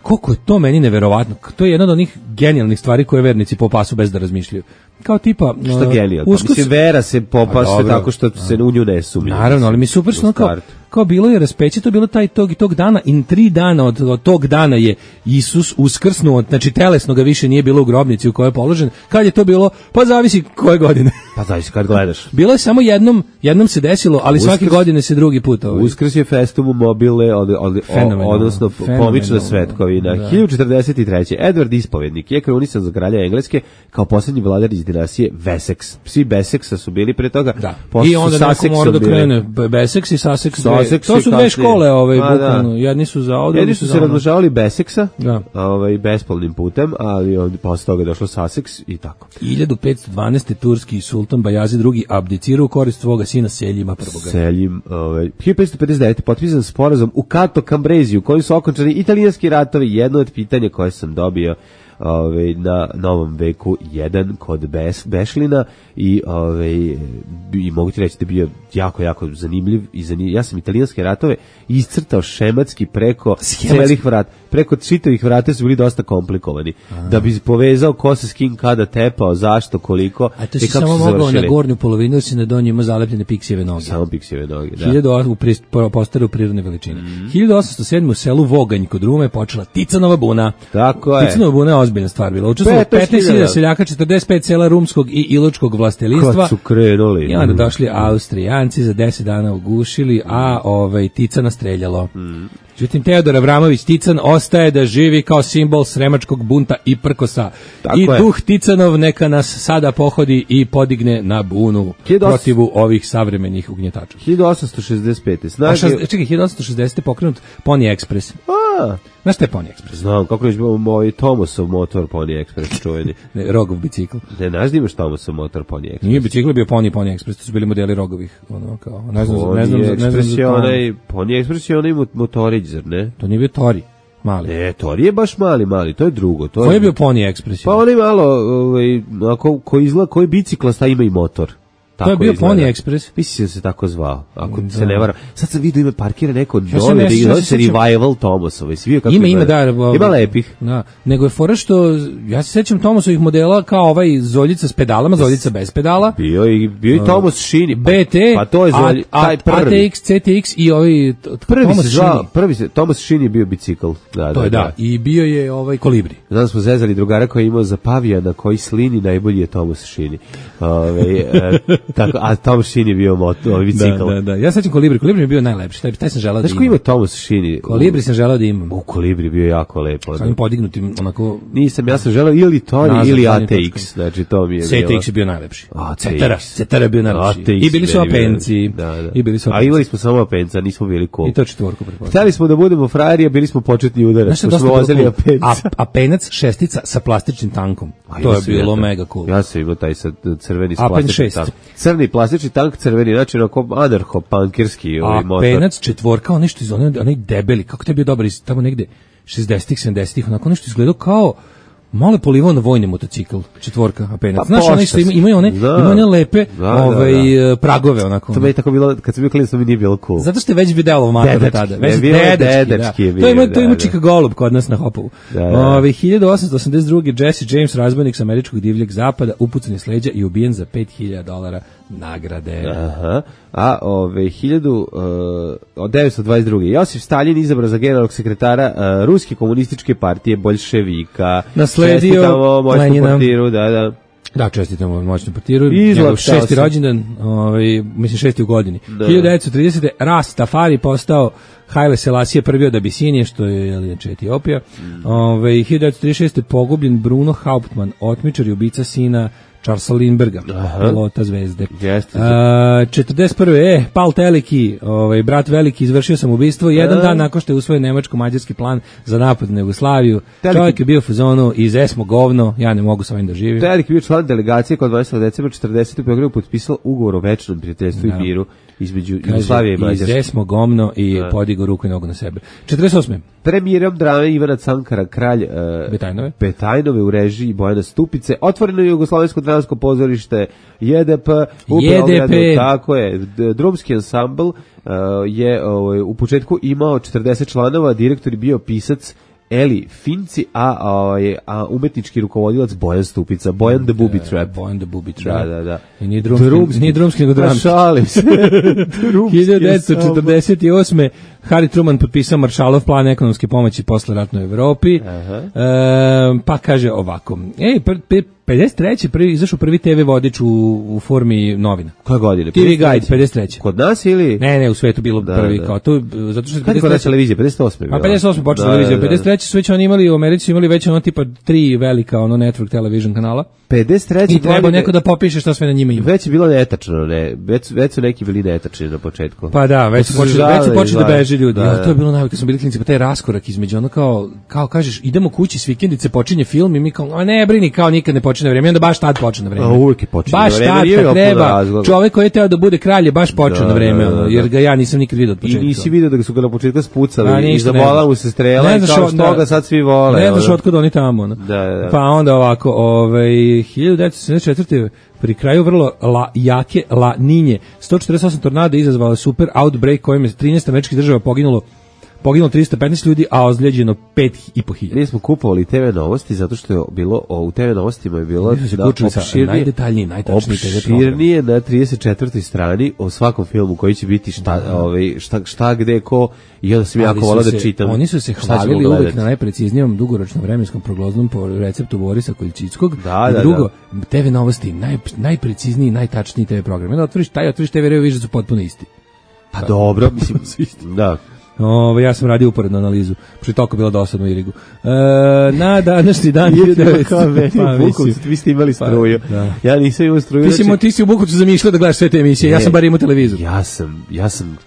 Speaker 5: koliko je to meni neverovatno. To je jedna od onih genijalnih stvari koje vernici popasu bez da razmišljaju. kao tipa
Speaker 6: Šta
Speaker 5: uh,
Speaker 6: genijalno.
Speaker 5: Uskrs...
Speaker 6: Mislim, vera se popase tako što se u nju ne sumnja.
Speaker 5: Naravno, ali mi super što kao, kao bilo je raspeće, to je bilo taj tog i tog dana, i tri dana od, od tog dana je Isus uskrsnuo, znači telesno ga više nije bilo u grobnici u kojoj je položen. Kad je to bilo? Pa zavisi koje godine.
Speaker 6: Pa zavisi kad gledaš.
Speaker 5: Bilo je samo jednom, jednom se desilo, ali
Speaker 6: Uskrs,
Speaker 5: svake godine se drugi put. Ovaj.
Speaker 6: Uskrs je festum mobile, od, od, odnosno pomična svetkovina. Da. hiljadu četrdeset treće. Edward Ispovednik je krunisan za kralja Engleske kao posljednji vladar iz dinastije Wessex. Svi Beseksa su bili pre toga.
Speaker 5: Da. I onda neko mora da krene Beseks i Sussex.
Speaker 6: Sussex
Speaker 5: to su dve škole, ovaj,
Speaker 6: a,
Speaker 5: bukvalno. Jedni su za ovdje,
Speaker 6: jedni su se razmnožavali Beseksa,
Speaker 5: da.
Speaker 6: ovaj, bespolnim putem, ali ovdje posle toga je došlo Sussex i tako.
Speaker 5: hiljadu petsto dvanaeste. turski sultan Bajazid drugi abdicirao u korist svoga sina Seljima prvog.
Speaker 6: Seljim, ovaj, hiljadu petsto pedeset devete. potpisan sporazum u Cato Cambreziju, kojim su okončani italijanski ratovi. Jedno od pitanja koje sam dobio Ove, na Novom veku jedan kod Bes, Bešlina i, ove, i mogu ti reći da je bio jako, jako zanimljiv i zanimljiv. Ja sam italijanske ratove iscrtao šematski preko celih vrata. Preko čitavih vrata su bili dosta komplikovani. A. Da bi povezao ko se s kim kada tepao, zašto, koliko.
Speaker 5: A to si samo mogao na gornju polovinu, ili si na donju ima zalepljene piksijeve noge.
Speaker 6: Samo piksijeve noge, da.
Speaker 5: hiljadu u postaru prirodne veličine. Mm. hiljadu osamsto sedme. u selu Voganj kod Rume počela Ticanova buna.
Speaker 6: Tako je.
Speaker 5: Ticanova buna je ozbiljna stvar bila. Učestvovalo petnaest hiljada seljaka, četrdeset pet sela rumskog i iločkog vlastelistva.
Speaker 6: Kad su krenuli.
Speaker 5: I onda došli Austrijanci, za deset dana ugušili, a ovaj, Ticana streljalo. Mm. Međutim, Teodor Avramović Tican ostaje da živi kao simbol sremačkog bunta i prkosa. Tako I je. Duh Ticanov neka nas sada pohodi i podigne na bunu protivu ovih savremenih ugnjetača.
Speaker 6: hiljadu osamsto šezdeset pete.
Speaker 5: Snage... Šaz... Čekaj, hiljadu osamsto šezdesete. pokrenut Pony Express.
Speaker 6: A,
Speaker 5: znaš šta je Pony Express?
Speaker 6: Znam, kako je moj Thomasov motor Pony Express čuveni.
Speaker 5: Ne, Rogov bicikl.
Speaker 6: Ne, znaš da imaš Thomasov motor Pony Express?
Speaker 5: Nije bicikl, bio Pony Pony Express, to su bili modeli Rogovih. Ono, kao, ne znam,
Speaker 6: Pony
Speaker 5: ne znam,
Speaker 6: Express
Speaker 5: ne znam,
Speaker 6: je onaj, Pony Express je onaj motorić, zar ne?
Speaker 5: To nije bio Tori. Mali.
Speaker 6: Ne, Tori je baš mali, mali, to je drugo. To
Speaker 5: Ko je bio Pony Express?
Speaker 6: Pa onaj malo, ovaj, ako, ko izgleda, koji biciklasta ima i motor.
Speaker 5: Tako to je bio izgleda. Pony Express.
Speaker 6: Mislim da se tako zvao, ako da. se ne varam. Sad sam vidio ime parkira neko
Speaker 5: ja
Speaker 6: nove, da je se Revival Thomasova. Ima,
Speaker 5: ima, ima, da.
Speaker 6: Ima lepih.
Speaker 5: Da. Nego je fora što, ja se sećam Thomasovih modela kao ovaj Zoljica s pedalama, Zoljica bez pedala.
Speaker 6: Bio i, bio i Thomas Šini. Pa,
Speaker 5: B T,
Speaker 6: pa to je Zolj,
Speaker 5: a,
Speaker 6: taj prvi.
Speaker 5: A T X, C T X i ovaj
Speaker 6: prvi
Speaker 5: Thomas
Speaker 6: se zvao, prvi se, Thomas Šini je bio bicikl. Da,
Speaker 5: to
Speaker 6: da,
Speaker 5: je da.
Speaker 6: da.
Speaker 5: I bio je ovaj Kolibri.
Speaker 6: Znam smo zezali drugara koji je imao za pavijana koji slini, najbolji je Thomas Šini. Ove, e, tako, a Thomas Šini je bio moto, ovaj bicikl.
Speaker 5: Da, da, da. Ja sećam Kolibri, Kolibri je bio najlepši. Taj, taj sam želeo da imam.
Speaker 6: Znaš ko ima Thomas Šini?
Speaker 5: Kolibri sam želeo da imam.
Speaker 6: U Kolibri bio jako lepo.
Speaker 5: Sa njim podignutim onako.
Speaker 6: Nisam, ja sam želeo ili Tori ili A T X. Znači to mi je
Speaker 5: bilo. C T X je bio najlepši. Cetera, Cetera je bio najlepši. I bili su Apenci.
Speaker 6: Da, da.
Speaker 5: I bili su
Speaker 6: A imali smo samo Apenca, nismo bili cool.
Speaker 5: I to četvorku pretpostavljam.
Speaker 6: Hteli smo da budemo frajeri, a bili smo početni udarac. Što smo vozili Apenca.
Speaker 5: Apenac šestica sa plastičnim tankom. To je bilo mega cool.
Speaker 6: Ja sam imao taj sa crveni plastični tank. Crni plastični tank, crveni, znači onako anarcho-punkirski ovaj motor.
Speaker 5: A Penac četvorka, on nešto iz onaj, onaj debeli, kako te je bio dobar iz tamo negde šezdesetih, sedamdesetih, onako nešto izgledao kao malo polivao na vojni motocikl, četvorka, a Penac. Pa znaš, ono što ima, imaju one, da, ima one lepe da, ovaj, da, da. pragove, onako.
Speaker 6: To mi je tako bilo, kad sam bio klinac, to mi nije bilo cool.
Speaker 5: Zato što je već video mator tada. Već
Speaker 6: je dedečki, dedečki je bio.
Speaker 5: To ima, to ima Čika Golub kod nas na Hopovu. Da, da. Ove, hiljadu osamsto osamdeset druge. Jesse James, razbojnik s američkog divljeg zapada, upucan iz leđa i ubijen za pet hiljada dolara nagrade.
Speaker 6: Aha. A ove hiljadu devetsto dvadeset druge. Josif Stalin izabran za generalnog sekretara uh, Ruske komunističke partije boljševika.
Speaker 5: Nasledio Lenjina.
Speaker 6: Portiru, da, da.
Speaker 5: Da, čestitamo moćnom portiru. Njegov šesti rođendan, ovaj, mislim šesti u godini. Da. hiljadu devetsto tridesete. Rastafari postao Haile Selassie prvi od Abisinije, što je inače Etiopija. Mm. Ove, hiljadu devetsto trideset šeste. pogubljen Bruno Hauptmann, otmičar i ubica sina Charlesa Lindberga, pilota Zvezde.
Speaker 6: Jeste.
Speaker 5: Uh, četrdeset prve. E, Pal Teleki, ovaj, brat veliki, izvršio sam ubistvo. Jedan uh. dan nakon što je usvojen nemačko-mađarski plan za napad na Jugoslaviju. Teleki. Čovjek je bio u fazonu, iz esmo govno, ja ne mogu sa ovim da živim.
Speaker 6: Teleki je bio član delegacije kod dvadesetog decembra četrdesetog. u Beogradu potpisao ugovor o večnom prijateljstvu i miru između Jugoslavije i Mađarske.
Speaker 5: Iz esmo govno i da. Podigao ruku i nogu na sebe. četrdeset osme.
Speaker 6: Premijerom drame Ivana Cankara, kralj uh,
Speaker 5: Betajnove.
Speaker 6: Betajnove u režiji Bojana Stupice, otvoreno je Jugoslovensko dramsko pozorište J D P u Beogradu, tako je. Drumski ansambl uh, je uh, u početku imao četrdeset članova, direktor je bio pisac Eli Finci, a, a, a umetnički rukovodilac Bojan Stupica, Bojan the Booby Trap.
Speaker 5: Bojan the Booby Trap.
Speaker 6: Da, da, da.
Speaker 5: I nije drumski, nije drumski nego dramski.
Speaker 6: Šalim se.
Speaker 5: hiljadu devetsto četrdeset osme. Harry Truman potpisao Marshallov plan ekonomske pomoći posle ratnoj Evropi. E, pa kaže ovako. Ej, pr, pr, pedeset treće prvi izašao prvi te ve vodič u, u formi novina.
Speaker 6: Koje godine?
Speaker 5: te ve Guide pedeset treće.
Speaker 6: Kod nas ili?
Speaker 5: Ne, ne, u svetu bilo da, prvi da. Kao to zato što
Speaker 6: kad je kod nas televizija pedeset osme.
Speaker 5: A pedeset osme počela da, televizija, da, da. pedeset treće su već oni imali u Americi su imali već ono tipa tri velika ono network television kanala.
Speaker 6: pedeset treće
Speaker 5: i treba neko da popiše šta sve na njima ima.
Speaker 6: Već je bilo netačno, ne. Već već su neki bili netačni na početku.
Speaker 5: Pa da, već su počeli već su počeli da beže ljudi. Da, ja, to je bilo najbolje kad smo bili klinci, pa taj raskorak između ono kao kao kažeš idemo kući s vikendice, počinje film i mi kao a ne brini kao nikad ne počinje na vreme, onda baš tad počne na vreme.
Speaker 6: A uvijek je počinje
Speaker 5: baš
Speaker 6: na vreme.
Speaker 5: Baš treba. Čovjek koji je teo da bude kralj je baš počeo na vreme, da, da, da. Jer ga ja nisam nikad vidio od početka.
Speaker 6: I nisi vidio da su ga na početku spucali i zabola mu se strela i kao što ga sad svi vole.
Speaker 5: Ne znaš otkud oni tamo. Da, da. Pa onda ovako, ovaj hiljadu devetsto sedamdeset četvrte pri kraju vrlo la, jake La Ninje, sto četrdeset osam tornada izazvala super outbreak kojim je trinaest američkih država poginulo poginulo trista petnaest ljudi, a ozlijeđeno pet i po hiljada.
Speaker 6: Mi smo kupovali te ve novosti zato što je bilo o, u te ve novostima je bilo
Speaker 5: da opširnije, najdetaljniji, najtačniji te ve program.
Speaker 6: Opširnije na trideset četvrtoj strani o svakom filmu koji će biti šta, da. ovaj, šta, šta gde, ko i onda sam jako volao da čitam.
Speaker 5: Oni su se hvalili uvek na najpreciznijom dugoročnom vremenskom prognoznom po receptu Borisa Koljčickog.
Speaker 6: Da, da,
Speaker 5: drugo, da. te ve novosti, naj, najprecizniji, najtačniji te ve program. Onda otvoriš taj, otvoriš te ve reviju, vidiš da su potpuno isti.
Speaker 6: Pa dobro, mislim, da.
Speaker 5: Ove, ja sam radio uporednu analizu, što je toliko bilo dosadno u Irigu. E, na današnji dan...
Speaker 6: pa, vi ste imali struju. Pa, ja nisam imao struju.
Speaker 5: Ti si, znači... ti si u Bukovcu zamišljao da gledaš sve te emisije, ne, ja sam bar imao televizor.
Speaker 6: Ja sam, ja sam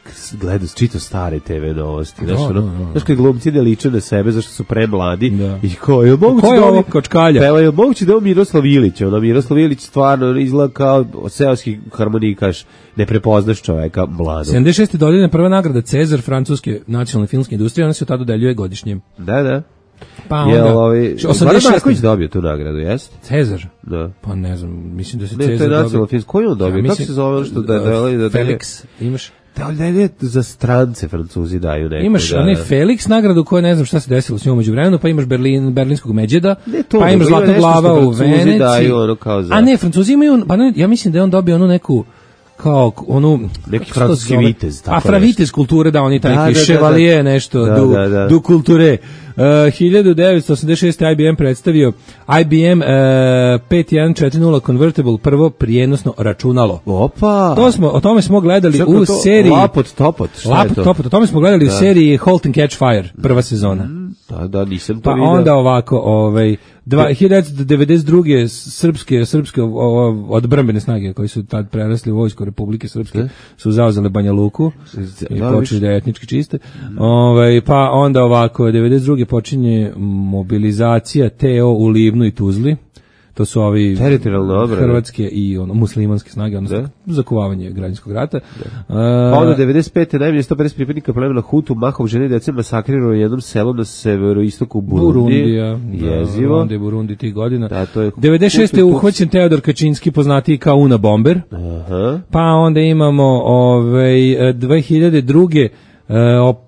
Speaker 6: gledao, čitao stare te ve novosti. Znaš, no, no, no. Znaš kad glumci ne liče na sebe, zašto su premladi. Da. I ko je moguće
Speaker 5: ko je
Speaker 6: da
Speaker 5: ovo kočkalja?
Speaker 6: Pa je moguće da je ovo Miroslav Ilić. Ono, Miroslav Ilić stvarno izgleda kao seoski harmonikaš. Ne prepoznaš čoveka mladog.
Speaker 5: sedamdeset šeste dodeljena prva nagrada Cezar francuske nacionalne filmske industrije, ona se tada dodeljuje godišnje.
Speaker 6: Da, da.
Speaker 5: Pa onda, je
Speaker 6: ovaj osamdeset Marković dobio tu nagradu, jeste?
Speaker 5: Cezar?
Speaker 6: Da.
Speaker 5: Pa ne znam, mislim da se
Speaker 6: ne,
Speaker 5: Cezar
Speaker 6: dobio. Ne, to je koji on dobio? Ja, kako se zove što da da da
Speaker 5: Felix, imaš?
Speaker 6: Da li ne za strance Francuzi daju neko.
Speaker 5: Imaš
Speaker 6: da,
Speaker 5: onaj Felix nagradu koja ne znam šta se desilo s njom međuvremenu, pa imaš Berlin, berlinskog Međeda,
Speaker 6: to,
Speaker 5: pa imaš Zlatna glava u Veneciji.
Speaker 6: Daju, ono kao za...
Speaker 5: A ne, Francuzi imaju, pa ne, ja mislim da je on dobio onu neku kao onu
Speaker 6: neki francuski vitez,
Speaker 5: tako. A fravitez kulture da oni taj da, chevalier da, da, nešto
Speaker 6: da,
Speaker 5: du
Speaker 6: da, da.
Speaker 5: du kulture. Uh, hiljadu devetsto osamdeset šeste I B M predstavio I B M uh, pet jedan četiri nula Convertible, prvo prijenosno računalo.
Speaker 6: Opa.
Speaker 5: To smo o tome smo gledali
Speaker 6: Čekaj,
Speaker 5: u
Speaker 6: to,
Speaker 5: seriji
Speaker 6: Lapot Topot.
Speaker 5: Lapot Topot, o tome smo gledali da. u seriji Halt and Catch Fire, prva sezona.
Speaker 6: Mm, da, da, nisam to
Speaker 5: pa
Speaker 6: vidio.
Speaker 5: Onda ovako, ovaj hiljadu devetsto devedeset druge srpske srpske odbrambene snage koji su tad prerasli u vojsku Republike Srpske e? su zauzele Banja Luku i da, počeli da etnički čiste. Mm. Ovaj pa onda ovako devedeset druge počinje mobilizacija T O u Livnu i Tuzli. To su ovi hrvatske i ono muslimanske snage, odnosno zakuvavanje građanskog rata.
Speaker 6: Da. Pa onda devedeset pete najmanje sto pedeset pripadnika plemena Hutu mahom žene i dece masakrirano u jednom selu na severoistoku Burundi.
Speaker 5: Burundija.
Speaker 6: Jezivo.
Speaker 5: Burundi, Burundi tih godina.
Speaker 6: Da, to je
Speaker 5: devedeset šeste je uhvaćen Teodor Kačinski, poznatiji kao Una Bomber.
Speaker 6: Aha.
Speaker 5: Pa onda imamo ovaj dve hiljade druge E,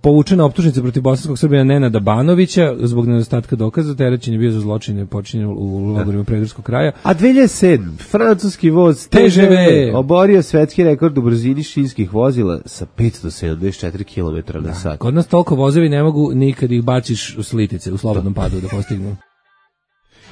Speaker 5: povučena optužnica protiv bosanskog Srbina Nenada Banovića zbog nedostatka dokaza, terećen je bio za zločine počinjene u logorima Predraskog kraja.
Speaker 6: A dve hiljade sedme francuski voz T G V oborio svetski rekord u brzini šinskih vozila sa petsto sedamdeset četiri kilometra na sat.
Speaker 5: Kod nas toliko vozovi ne mogu nikad ih baciš u slitice, u slobodnom padu da postignu.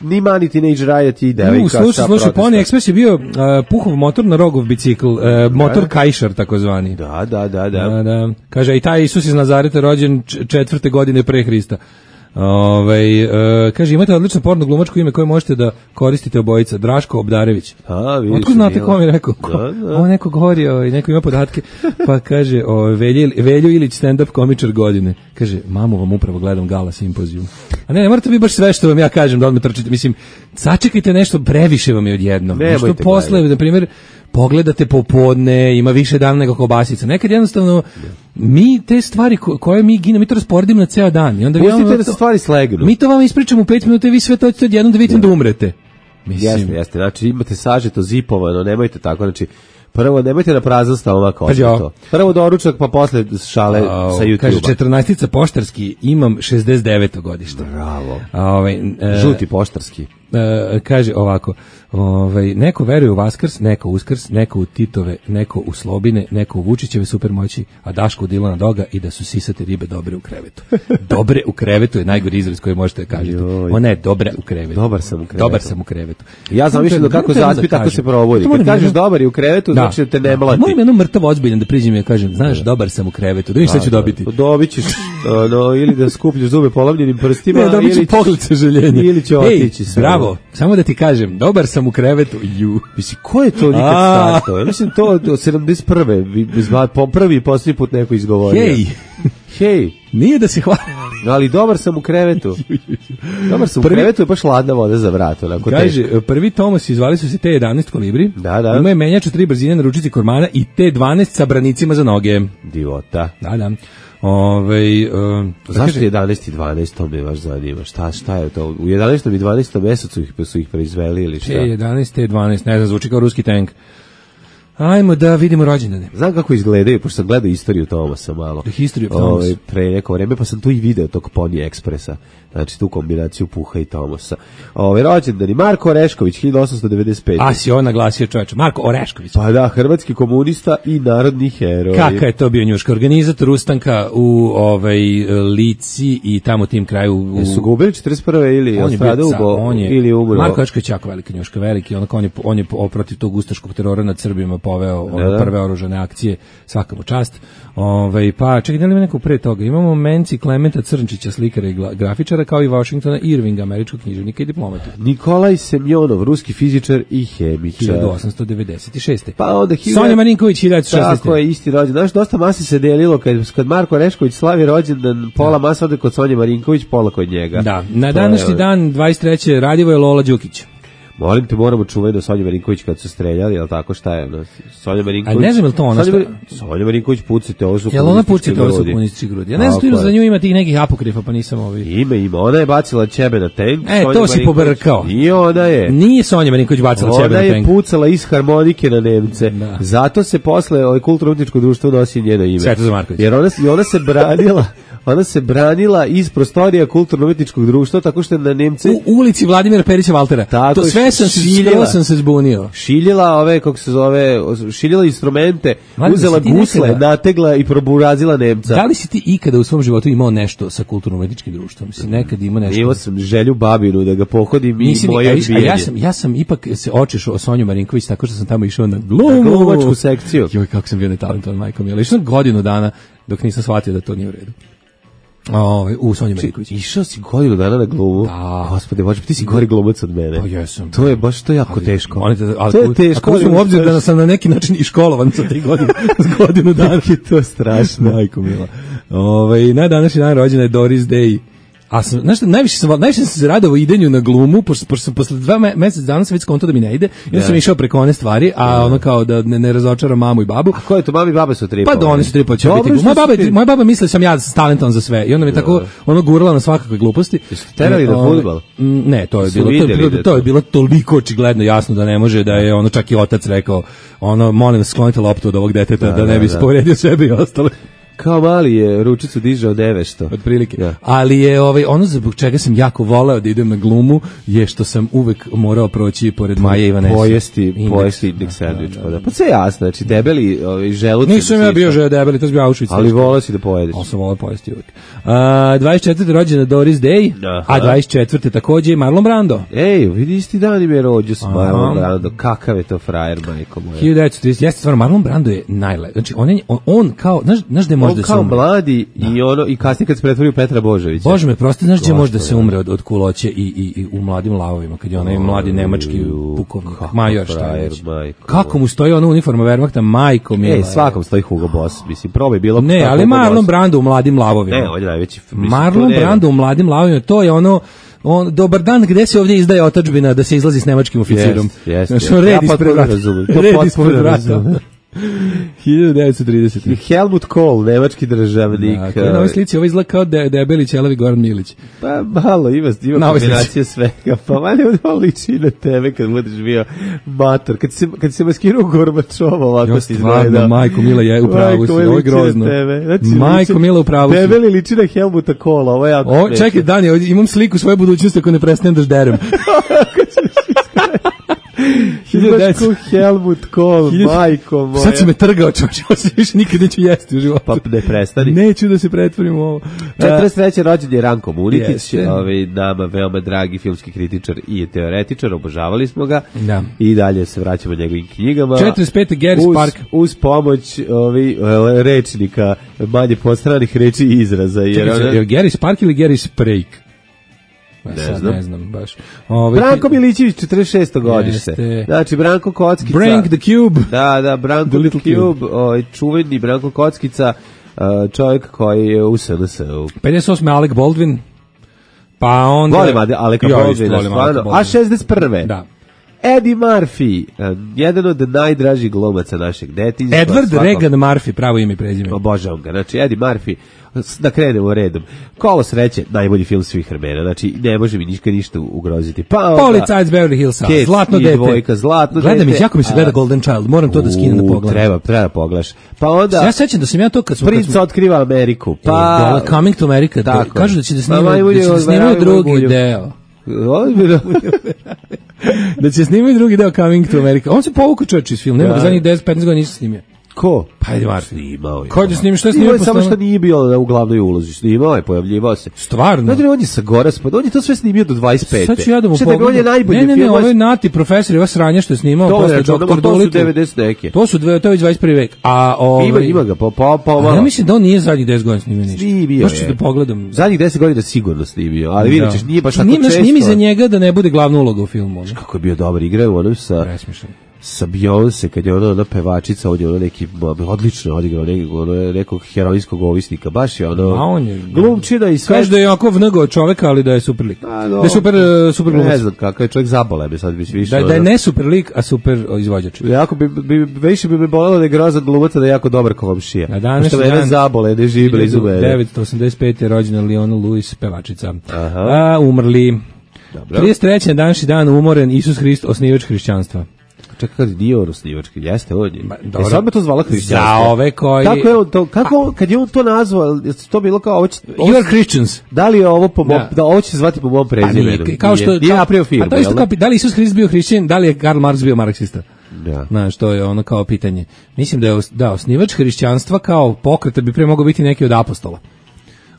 Speaker 6: Ni Mani Teenage Riot i devojka.
Speaker 5: Slušaj, slušaj, Pony Express je bio uh, Puhov motor na Rogov bicikl, uh, motor Kajšar takozvani.
Speaker 6: Da, da, da, da.
Speaker 5: Da, da. Kaže, i taj Isus iz Nazareta rođen četvrte godine pre Hrista. Ove, uh, kaže, imate odlično porno glumačko ime koje možete da koristite obojica, Draško Obdarević.
Speaker 6: A, vidiš.
Speaker 5: Otkud znate ko mi je rekao? Ko? Da, da. Ovo neko govori, o, neko ima podatke, pa kaže, o, Velju, Velju Ilić, stand-up komičar godine. Kaže, mamu vam upravo gledam Gala simpozijum. A ne, ne morate vi baš sve što vam ja kažem da odmah trčite. Mislim, sačekajte nešto, previše vam je odjednom. Nešto posle, na primjer, pogledate popodne, ima više dana nego kobasica. Nekad jednostavno mi te stvari ko, koje mi gine, mi to rasporedimo na ceo dan. I onda
Speaker 6: pustite vi da se stvari slegnu.
Speaker 5: Mi to vam ispričamo u pet minuta i vi sve to ćete odjednom da vidite da umrete.
Speaker 6: Mislim. Jeste, jeste. Znači imate sažeto, zipovano, nemojte tako. Znači, Prvo, nemojte na prazan stomak to. Prvo doručak, pa posle šale
Speaker 5: A,
Speaker 6: sa YouTube-a.
Speaker 5: Kaže, četrnaestica poštarski, imam šezdeset deveto godište.
Speaker 6: Bravo.
Speaker 5: A, ovaj, e,
Speaker 6: Žuti poštarski.
Speaker 5: E, kaže ovako, ovaj, neko veruje u Vaskrs, neko u Uskrs, neko u Titove, neko u Slobine, neko u Vučićeve supermoći, a Daško u Dilana Doga i da su sisate ribe dobre u krevetu. Dobre u krevetu je najgori izraz koji možete kažete. Ona je dobra u krevetu.
Speaker 6: Dobar sam u krevetu.
Speaker 5: Dobar sam u krevetu.
Speaker 6: Ja zamišljam da kako zaspi, tako se provodi. Kad kažeš dobar je u krevetu, znači da te ne mlati.
Speaker 5: Moram jednom mrtav ozbiljan da priđem i ja kažem, znaš, dobar sam u krevetu, da vidiš šta ću dobiti.
Speaker 6: Dobit ćeš, no, ili da skupljaš zube polavljenim prstima,
Speaker 5: ne, dobit ću pogled sažaljenja.
Speaker 6: Ili će otići sve.
Speaker 5: Bravo, samo da ti kažem, dobar sam u krevetu. Ju.
Speaker 6: Mislim, ko je to nikad startao? Ja mislim, to od sedamdeset prve po prvi i posljednji put neko izgovorio.
Speaker 5: Hej!
Speaker 6: Hej!
Speaker 5: Nije da se hvali.
Speaker 6: Ali dobar sam u krevetu. Dobar sam prvi, u krevetu je baš hladna voda za vrat. Onako
Speaker 5: kaže,
Speaker 6: teško.
Speaker 5: Prvi Tomos zvali su se T jedanaest kolibri.
Speaker 6: Da, da.
Speaker 5: Ima je menjač u tri brzine na ručici kormana i T dvanaest sa branicima za noge.
Speaker 6: Divota.
Speaker 5: Da, da. Ove, um,
Speaker 6: zašto jedanaest i dvanaest, to me baš zanima. Šta, šta je to? U jedanaestom i dvanaestom mesecu ih, su ih proizveli ili šta?
Speaker 5: T jedanaest, T dvanaest, ne znam, zvuči kao ruski tank. Ajmo da vidimo rođendane.
Speaker 6: Znam kako izgledaju, pošto sam gledao istoriju Tomasa malo.
Speaker 5: The history of Thomas.
Speaker 6: Ove, pre neko vreme, pa sam tu i video tog Pony Expressa. Znači tu kombinaciju Puha i Tomasa. Ove, rođendani Marko Orešković, hiljadu osamsto devedeset pete.
Speaker 5: A si on naglasio čovječe, Marko Orešković.
Speaker 6: Pa da, hrvatski komunista i narodni heroj.
Speaker 5: Kaka je to bio njuška, organizator ustanka u ovaj Lici i tamo tim kraju. U...
Speaker 6: Jesu ga ubili četrdeset prve ili on je bio, ubo, on je, ili umro?
Speaker 5: Marko Orešković jako velika njuška, veliki, onako on je, on je protiv tog ustaškog terora nad Srbima poveo ono, da, da. prve oružane akcije, svaka mu čast. Ove, pa čekaj, da li ima neko pre toga? Imamo Menci Klementa Crnčića, slikara i grafičara, kao i Washingtona Irvinga, američkog književnika i diplomata.
Speaker 6: Nikolaj Semjonov, ruski fizičar i hemičar.
Speaker 5: hiljadu osamsto devedeset šeste.
Speaker 6: Pa onda
Speaker 5: hiljadu... Sonja Marinković, hiljadu šesnaeste.
Speaker 6: Tako je, isti rođendan. Znaš, dosta masi se delilo, kad, kad Marko Orešković slavi rođendan, pola masa ode kod Sonje Marinković, pola kod njega.
Speaker 5: Da, na današnji je... dan, dvadeset treće Radivoje Lola Đukić.
Speaker 6: Molim te, moramo čuvati do Sonja Marinković kad su streljali, jel tako, šta je? No, Sonja Marinković...
Speaker 5: A ne znam je li to ona?
Speaker 6: Sonja, Mar... Sonja Marinković pucite, ovo su
Speaker 5: komunistički grudi. Jel ona pucite, ovo su komunistički grudi? Ja ne znam što za nju ima tih nekih apokrifa, pa nisam ovi...
Speaker 6: Ima, ima. Ona je bacila ćebe na tank.
Speaker 5: E,
Speaker 6: Sonja
Speaker 5: to si pobrkao.
Speaker 6: Nije ona je.
Speaker 5: Nije Sonja Marinković bacila ćebe na tank.
Speaker 6: Ona je pucala iz harmonike na Nemce. Da. Zato se posle ovaj kulturno-umjetničko društvo nosi njeno ime.
Speaker 5: Svetozar Marković.
Speaker 6: Jer ona, ona se branila... Ona se branila iz prostorija kulturno-umjetničkog društva tako što je na Nemce
Speaker 5: u ulici Vladimira Perića Valtera. Tako to sve sam šiljila, sam se zbunio.
Speaker 6: Šiljila ove kako se zove, šiljila instrumente, Vladim, uzela gusle, nekada... nategla i proburazila Nemca.
Speaker 5: Da li si ti ikada u svom životu imao nešto sa kulturno-umjetničkim društvom? Si nekad imao nešto?
Speaker 6: Imao sam želju babinu da ga pohodim i moje odbijanje.
Speaker 5: Ja sam ja sam ipak se očešao o Sonju Marinković tako što sam tamo išao na glumu,
Speaker 6: na glumačku sekciju.
Speaker 5: Joj, kako sam bio netalentovan, majko mi. Ali išao godinu dana dok nisam shvatio da to nije u redu. Ovaj u Sonji Marinković.
Speaker 6: Išao si godinu dana na glumu.
Speaker 5: Da.
Speaker 6: Gospode, Bože, ti si gori glumac od mene.
Speaker 5: Pa jesam.
Speaker 6: To je baš to jako ali, teško.
Speaker 5: Molite, ali
Speaker 6: to je teško.
Speaker 5: Ako uzmem u obzir da sam na neki način i školovan sa tri godine, s godinu dana,
Speaker 6: je to strašno.
Speaker 5: Majko mila. Ovaj na današnji dan rođena je Doris Day. A sam, znaš šta, najviše sam, najviše sam se radovao idenju na glumu, pošto, pošto sam posle dva me, mesec dana sam već skonto da mi ne ide, i onda sam išao preko one stvari, a yeah. ono kao da ne, ne razočaram mamu i babu.
Speaker 6: A ko je to, mami i baba su tripa?
Speaker 5: Pa da, oni su tripa, će biti moja baba, moja baba misli sam ja talentovan za sve, i onda mi yeah. tako ono gurala na svakakve gluposti.
Speaker 6: Jeste terali na fudbal?
Speaker 5: Ne, to je bilo, to je bilo, to je bilo toliko očigledno jasno da ne može, da je ono čak i otac rekao, ono, molim vas sklonite loptu od ovog deteta, da, da ne bi da, povredio sebe i ostale.
Speaker 6: Kao mali je ručicu dižao devesto.
Speaker 5: Otprilike. Ja. Ali je ovaj ono zbog čega sam jako voleo da idem na glumu je što sam uvek morao proći pored Maje Ivanesa.
Speaker 6: Pojesti, pojesti indeks sandvič. Da, da, da. Pa sve jasno, znači debeli ovaj želuci.
Speaker 5: Nisam ja bio že debeli, to je bio Auschwitz.
Speaker 6: Ali voleo si da pojedeš.
Speaker 5: On sam voleo pojesti uvek. A, dvadeset četvrte rođena Doris Day, aha. A dvadeset četvrte takođe Marlon Brando.
Speaker 6: Ej, vidi isti dan ime rođu s Marlon Brando. Kakav je to frajer, majko moja.
Speaker 5: hiljadu devetsto trideset Jeste stvarno, Marlon Brando je najlepši. Znači on, je, on, on kao, znaš, znaš da može da se
Speaker 6: umre. Mladi da. I ono i kasnije kad se pretvori u Petra Božovića.
Speaker 5: Bože me, prosto znaš gdje može da se umre od, od kuloće i, i, i u mladim lavovima, kad je onaj mladi nemački pukovnik, major šta je već. Kako mu stoji ona uniforma Wehrmachta, majko mila.
Speaker 6: Ej, svakom stoji Hugo Boss, mislim, probaj bilo.
Speaker 5: Ne, ali Marlon Brando u mladim lavovima.
Speaker 6: Ne, on je najveći. Mislim,
Speaker 5: Marlon Brando u mladim lavovima, to je ono, on, dobar dan, gde se ovdje izdaje otadžbina da se izlazi s nemačkim oficirom.
Speaker 6: Yes, yes,
Speaker 5: znači, yes. Red
Speaker 6: ja
Speaker 5: ispred vrata. Red ispred vrata. hiljadu devetsto tridesete.
Speaker 6: Helmut Kohl, nemački državnik.
Speaker 5: Da, na ovoj slici, ovo izgleda kao de, debeli ćelavi Goran Milić.
Speaker 6: Pa malo, ima, ima kombinacija svega. Pa manje ovo liči na tebe kad budeš bio mator. Kad se, kad se maskirao Gorbačova, ovako si izgleda.
Speaker 5: Majko Mila je u pravu, ovo je grozno.
Speaker 6: Znači,
Speaker 5: Majko Mila u pravu.
Speaker 6: Debeli liči na Helmuta Kohla, ovo je jako
Speaker 5: o, čekaj, Dani, imam sliku svoje budućnosti ako ne prestanem da žderem.
Speaker 6: Imaš ko Helmut Kohl, majko moja.
Speaker 5: Sad si me trgao, čoče, ovo se više nikad neću jesti u životu.
Speaker 6: Pa ne prestani.
Speaker 5: Neću da se pretvorim u ovo.
Speaker 6: četrdeset treće rođen je Ranko Munitić,
Speaker 5: Jeste.
Speaker 6: ovaj, nama veoma dragi filmski kritičar i teoretičar, obožavali smo ga.
Speaker 5: Da.
Speaker 6: I dalje se vraćamo njegovim knjigama.
Speaker 5: četrdeset pete Gary
Speaker 6: uz,
Speaker 5: Spark.
Speaker 6: Uz pomoć ovi, rečnika, manje postranih reči i izraza. Jer
Speaker 5: Čekaj,
Speaker 6: ona...
Speaker 5: je Gary Spark ili Gary Sprake?
Speaker 6: Ne
Speaker 5: sad
Speaker 6: znam.
Speaker 5: ne znam baš. Ove,
Speaker 6: Branko Milićević, četrdeset šesto godište.
Speaker 5: Jeste.
Speaker 6: Znači, Branko Kockica.
Speaker 5: Brank the Cube.
Speaker 6: Da, da, Branko
Speaker 5: The Little
Speaker 6: the Cube, ovaj, čuveni Branko Kockica, uh, čovjek koji je u S N S-u.
Speaker 5: pedeset osme Alec Baldwin. Pa onda...
Speaker 6: Volim Aleka
Speaker 5: Ja,
Speaker 6: Baldwina,
Speaker 5: volim
Speaker 6: stvarno.
Speaker 5: Aleka Baldwina.
Speaker 6: A šezdeset prve.
Speaker 5: Da.
Speaker 6: Eddie Murphy, uh, jedan od najdražih glumaca našeg detinjstva.
Speaker 5: Edward
Speaker 6: svakog...
Speaker 5: Regan Murphy, pravo ime i prezime.
Speaker 6: Obožavam ga. Znači, Eddie Murphy, da krenemo redom. Kolo sreće, najbolji film svih vremena. Znači, ne može mi ništa ništa ugroziti. Pa onda...
Speaker 5: Policajac Beverly Hillsa,
Speaker 6: Cats
Speaker 5: Zlatno
Speaker 6: i
Speaker 5: dete.
Speaker 6: Dvojka, Zlatno
Speaker 5: Gledam,
Speaker 6: dete.
Speaker 5: jako mi se gleda Golden Child, moram to da skinem da
Speaker 6: U,
Speaker 5: pogledam.
Speaker 6: Treba, treba da pogledaš. Pa onda...
Speaker 5: Ja sećam da sam ja to kad smo...
Speaker 6: Prince otkriva Ameriku.
Speaker 5: Pa...
Speaker 6: Pa...
Speaker 5: Dole, Coming to America,
Speaker 6: Tako.
Speaker 5: kažu da će da
Speaker 6: Pa,
Speaker 5: snimaju,
Speaker 6: majmulje,
Speaker 5: da će da snimaju
Speaker 6: odveravaju
Speaker 5: drugi
Speaker 6: majmulju.
Speaker 5: deo.
Speaker 6: Ozbiljno.
Speaker 5: Da će snimaju drugi deo Coming to America. On se povukao čovječ iz filma, nema
Speaker 6: Da.
Speaker 5: ga zadnjih deset petnaest godina nisam snimio.
Speaker 6: Ko?
Speaker 5: Pa Eddie Murphy.
Speaker 6: Snimao je.
Speaker 5: Ko da snimi, što je
Speaker 6: Snimao
Speaker 5: snimio
Speaker 6: je samo
Speaker 5: posle?
Speaker 6: što nije bio u glavnoj ulozi. Snimao je, pojavljivao se.
Speaker 5: Stvarno?
Speaker 6: Znači, on je sa Goraspad, on je to sve snimio do dvadeset pete.
Speaker 5: Sad ću ja da mu
Speaker 6: Šta da ga, on je
Speaker 5: pogledam.
Speaker 6: najbolji
Speaker 5: Ne, ne, ne,
Speaker 6: film.
Speaker 5: ovo je Nati profesor i ova sranja što je snimao
Speaker 6: To je,
Speaker 5: posle
Speaker 6: znači,
Speaker 5: doktor
Speaker 6: to su
Speaker 5: Dolittle.
Speaker 6: devedeset neke.
Speaker 5: To su dve, to je već dvadeset prvi vek. A ovaj
Speaker 6: Ima, ima ga, pa, pa, pa,
Speaker 5: a ja mislim da on nije zadnjih deset godina snimio ništa.
Speaker 6: Snimio
Speaker 5: Baš ću
Speaker 6: je.
Speaker 5: da pogledam.
Speaker 6: Zadnjih deset godina sigurno snimio, ali vidjet ćeš, nije baš tako
Speaker 5: Nije,
Speaker 6: često.
Speaker 5: Nije mi za njega da ne bude glavna uloga u filmu. Ono.
Speaker 6: Kako je bio dobar, igrao u onom sa...
Speaker 5: Presmišan.
Speaker 6: sa Beyoncé, kad je ona, ona pevačica, on je ono neki, odlično odigrao nekog, ono, nekog heroinskog ovisnika, baš je ono,
Speaker 5: A on je
Speaker 6: glumčina i sve.
Speaker 5: Kaže da je jako vnego čoveka, ali da je super lik.
Speaker 6: A, no,
Speaker 5: da je super, uh, super glumac.
Speaker 6: Ne znam kakav je čovjek, zabole me sad bi više.
Speaker 5: Da, da je ne super lik, a super o, izvođač.
Speaker 6: Jako bi, bi, više bi me bolelo da je grozan glumac, da je jako dobar komšija.
Speaker 5: Na današnji
Speaker 6: Što mene
Speaker 5: dan-
Speaker 6: zabole, ne živi blizu mene.
Speaker 5: devetsto osamdeset pete je rođena Leona Lewis, pevačica.
Speaker 6: Aha.
Speaker 5: A, umrli.
Speaker 6: Dobro.
Speaker 5: trideset treće na današnji dan umoren Isus Hrist, osnivač hrišćanstva.
Speaker 6: Čekaj, kad nije on osnivački, jeste on je.
Speaker 5: dobro.
Speaker 6: E sad me to zvala hrišćanstvo.
Speaker 5: Za ove koji-
Speaker 6: Kako je on to, kako, on- kad je on to nazvao, je to bilo kao, ovo će, ovo
Speaker 5: You
Speaker 6: će-
Speaker 5: are Christians.
Speaker 6: da li je ovo po mom,
Speaker 5: Da.
Speaker 6: da ovo će se zvati po mom
Speaker 5: Pa
Speaker 6: prezimenu?
Speaker 5: nije, kao što
Speaker 6: Nije, nije
Speaker 5: kao-
Speaker 6: napravio firmu,
Speaker 5: a to je isto
Speaker 6: jel
Speaker 5: kao,
Speaker 6: da?
Speaker 5: pi- da li Isus Hrist bio hrišćanin, da li je Karl Marx bio marksista?
Speaker 6: Da.
Speaker 5: Znaš, to je ono kao pitanje. Mislim da je os- da, osnivač hrišćanstva kao pokreta bi pre mogao biti neki od apostola.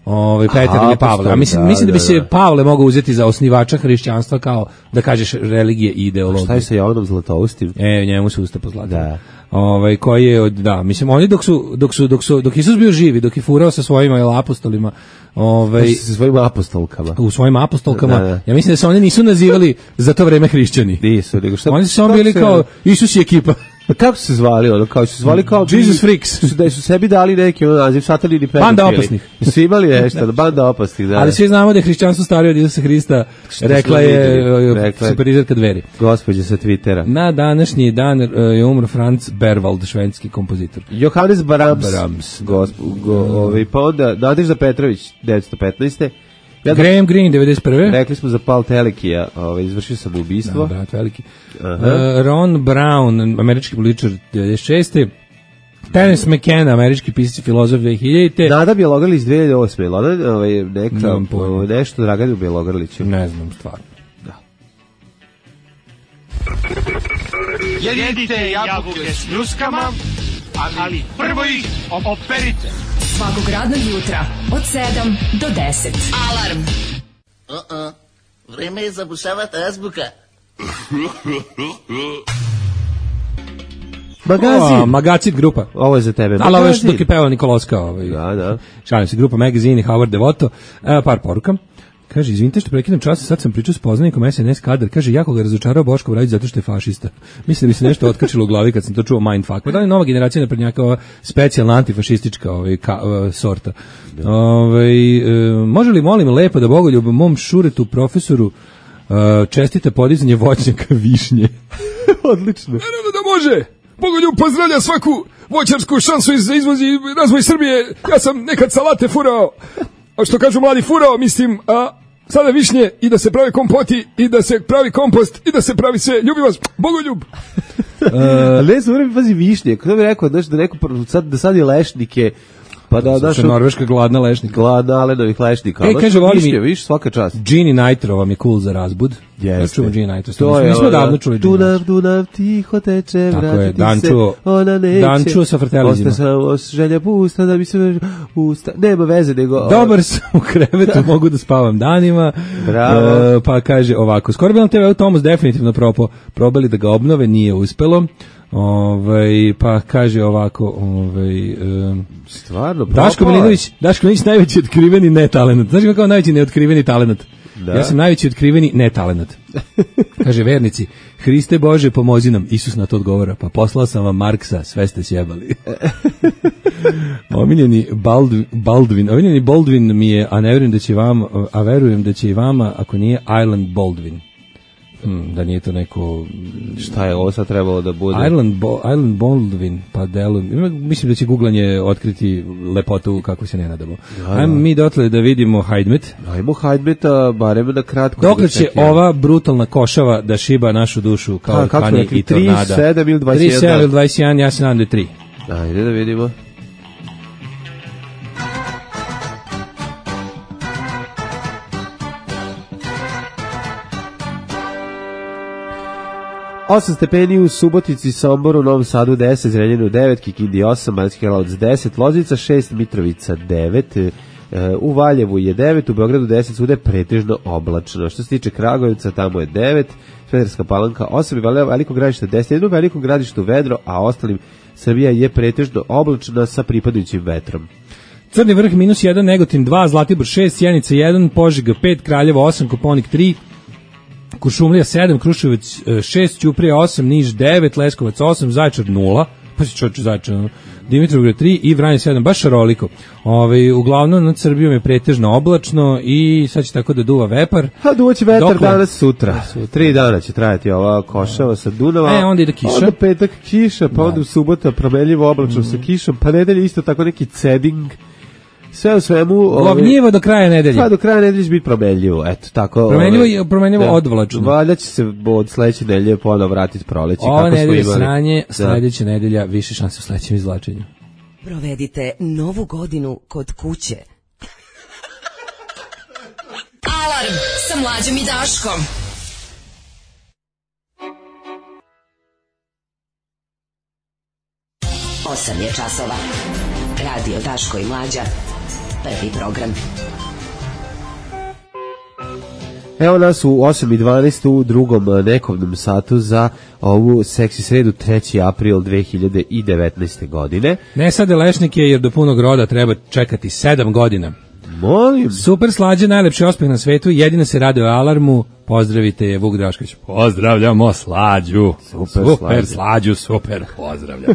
Speaker 5: Ovaj Petar
Speaker 6: Aha,
Speaker 5: ili Pavle. A
Speaker 6: apostoli,
Speaker 5: mislim,
Speaker 6: da,
Speaker 5: mislim da bi
Speaker 6: da,
Speaker 5: se
Speaker 6: da.
Speaker 5: Pavle mogao uzeti za osnivača hrišćanstva kao, da kažeš, religije i ideologije.
Speaker 6: Šta je sa Jovanom Zlatoustim?
Speaker 5: E, njemu se usta pozlatio.
Speaker 6: Da.
Speaker 5: Ovaj koji je od da, mislim oni dok su dok su dok su dok Isus bio živi, dok je furao sa svojim jel, apostolima, ovaj
Speaker 6: Sa svojim apostolkama.
Speaker 5: u svojim apostolkama,
Speaker 6: Da, da.
Speaker 5: ja mislim da se oni nisu nazivali za to vreme hrišćani.
Speaker 6: Nisu, nego šta...
Speaker 5: Oni su samo
Speaker 6: kako
Speaker 5: bili
Speaker 6: se-
Speaker 5: kao Isus i ekipa.
Speaker 6: Pa kako su se zvali, ono, kao su se zvali kao...
Speaker 5: Jesus Freaks.
Speaker 6: Su, da su sebi dali neki ono naziv, satelini pedofili.
Speaker 5: Banda opasnih.
Speaker 6: Su imali nešto, banda opasnih, da.
Speaker 5: Ali svi znamo da je hrišćanstvo starije od Isusa Hrista,
Speaker 6: Što
Speaker 5: rekla
Speaker 6: smo
Speaker 5: je
Speaker 6: vidjeli,
Speaker 5: e,
Speaker 6: rekla je.
Speaker 5: superizerka Dveri.
Speaker 6: Gospođa sa Twittera.
Speaker 5: Na današnji dan e, je umro Franz Berwald, švedski kompozitor.
Speaker 6: Johannes Brahms.
Speaker 5: Brahms.
Speaker 6: Gosp, go, ovaj, pa onda Nadežda Petrović, devetsto petnaeste. Ja
Speaker 5: Graham Greene, devedeset prve.
Speaker 6: Rekli smo za Paul Telekija, ovaj, izvršio sam ubistvo.
Speaker 5: Da, brat veliki.
Speaker 6: Aha.
Speaker 5: E, Ron Brown, američki političar devedeset šeste. Terence McKenna, američki pisac i filozof dve hiljadite.
Speaker 6: Nada Bjelogrlić dve hiljade osme. Ona, ovaj, neka,
Speaker 5: Nemam pojma.
Speaker 6: ovaj, nešto Draganu Bjelogrliću.
Speaker 5: Ne znam, stvarno.
Speaker 4: Jedite jabuke s ljuskama, ali prvo ih operite.
Speaker 3: Svakog radnog jutra od sedam do deset.
Speaker 2: Alarm.
Speaker 7: Uh-uh. Vreme je zabušavati azbuka.
Speaker 6: Magazin.
Speaker 5: O, Magacin grupa.
Speaker 6: Ovo je za tebe.
Speaker 5: Ali ovo još
Speaker 6: Magazin.
Speaker 5: dok je pevao Nikoloska. Ovaj.
Speaker 6: Da, da.
Speaker 5: Šalim se, grupa Magazine i Howard Devoto. E, par poruka. Kaže, izvinite što prekidam čas, sad sam pričao s poznanikom S N S kadar. Kaže, jako ga razočarao Boško Obradović zato što je fašista. Mislim da mi se nešto otkačilo u glavi kad sam to čuo mindfuck. Pa da li nova generacija naprednjaka ova specijalna antifašistička ovaj, ka, uh, sorta. Ovaj, e, može li, molim, lepo da Bogoljub mom šuretu profesoru uh, čestite podizanje voćnjaka višnje?
Speaker 6: Odlično.
Speaker 5: Naravno da može!
Speaker 8: Bogoljub pozdravlja svaku voćarsku šansu za izvoz i razvoj Srbije. Ja sam nekad salate furao, a što kažu mladi furao, mislim, a sada višnje i da se pravi kompoti i da se pravi kompost i da se pravi sve. Ljubim vas, Bogoljub.
Speaker 6: Uh, ne znam, mi pazi višnje. Kako bih rekao, znaš, da neko sad, da sad je lešnike, pa da,
Speaker 5: znaš, Norveška gladna lešnika.
Speaker 6: Gladna alenovih lešnika.
Speaker 5: E, kaže, voli
Speaker 6: višnje,
Speaker 5: mi,
Speaker 6: viš, svaka čast.
Speaker 5: Gini Nitro vam je cool za razbud.
Speaker 6: Jeste.
Speaker 5: Ja čuvam Gini Nitro.
Speaker 6: To je,
Speaker 5: nismo davno čuli Gini
Speaker 6: Dunav, Dunav, tiho teče, vratiti
Speaker 5: Dančuo,
Speaker 6: se, ona neće.
Speaker 5: Dančuo sa fratelizima.
Speaker 6: Ostaje samo želja pusta da bi se usta. Nema veze, nego...
Speaker 5: Dobar sam u krevetu, mogu da spavam danima.
Speaker 6: Bravo.
Speaker 5: Uh, pa kaže ovako, skoro bi nam te veo Tomas definitivno propo, probali da ga obnove, nije uspelo. Ovaj, pa kaže ovako, ovaj, um,
Speaker 6: stvarno,
Speaker 5: Daško Milinović, Daško Milinović najveći otkriveni netalent. Znaš kako kao najveći neotkriveni talent?
Speaker 6: Da.
Speaker 5: Ja sam najveći otkriveni netalent. Kaže vernici, Hriste Bože pomozi nam. Isus na to odgovara, pa poslao sam vam Marksa, sve ste sjebali. Omiljeni Baldwin, Baldwin, omiljeni Baldwin mi je, a ne verujem da će vam, a verujem da će i vama, ako nije Island Baldwin. Hmm, da nije to neko...
Speaker 6: Šta je ovo sad trebalo da bude?
Speaker 5: Island, Bo, Island Baldwin, pa delu... Mislim da će googlanje otkriti lepotu kako se ne nadamo. Da, ajmo mi dotle da vidimo Hajdmet.
Speaker 6: Ajmo Hajdmeta, barem na kratko.
Speaker 5: Dokle će ova brutalna košava da šiba našu dušu kao
Speaker 6: ha,
Speaker 5: pani i tornada?
Speaker 6: tri, sedam ili dvadeset jedan?
Speaker 5: tri, sedam ili dvadeset jedan, ja se nadam da je tri.
Speaker 6: Ajde da vidimo. osam stepeni u Subotici, Somboru, Novom Sadu deset, Zrenjaninu devet, Kikindi osam, Banatski Karlovac deset, Loznica šest, Mitrovica devet, u Valjevu je devet, u Beogradu deset, svuda je pretežno oblačno. Što se tiče Kragujevca, tamo je devet, Smederevska Palanka osam, Veliko Gradište deset, jedno Veliko Gradište vedro, a ostalim Srbija je pretežno oblačna sa pripadajućim vetrom.
Speaker 5: Crni vrh minus jedan, Negotin dva, Zlatibor šest, Sjenica jedan, Požega pet, Kraljevo osam, Koponik tri, Kuršumlija sedam, Kruševac šest, Ćuprija osam, Niš devet, Leskovac osam, Zaječar nula, pa se čoče Zaječar, Dimitrovgrad tri i Vranje sedam, baš šaroliko. Ove, uglavnom nad Srbijom je pretežno oblačno i sad će tako da duva vepar.
Speaker 6: A duvaće vetar Dokle? danas sutra. sutra. Tri dana će trajati ova košava sa Dunava.
Speaker 5: E, onda ide kiša.
Speaker 6: Onda petak kiša, pa onda u subota promenljivo oblačno mm. sa kišom, pa nedelje isto tako neki ceding. Sve u svemu...
Speaker 5: Glavnjivo do kraja nedelje.
Speaker 6: Pa do kraja nedelje će biti promenljivo, eto, tako...
Speaker 5: Promenljivo i promenljivo odvlačno.
Speaker 6: Valjda će se od sledeće nedelje ponovo vratiti proleće.
Speaker 5: Ova nedelje sranje, sledeća nedelja više šanse u sledećem izvlačenju.
Speaker 9: Provedite novu godinu kod kuće.
Speaker 3: Alarm sa Mlađom i Daškom.
Speaker 9: osam je časova. Radio Daško i Mlađa. Prvi program.
Speaker 6: Evo nas u osam i dvanaest u drugom nekovnom satu za ovu seksi sredu treći april dve hiljade devetnaeste. godine.
Speaker 5: Ne sade lešnike jer do punog roda treba čekati sedam godina.
Speaker 6: Molim.
Speaker 5: Super Slađe, najlepši ospeh na svetu, jedino se radi o Alarmu. Pozdravite je Vuk Drašković. Pozdravljamo Slađu.
Speaker 6: Super,
Speaker 5: super Slađu, super, pozdravljam.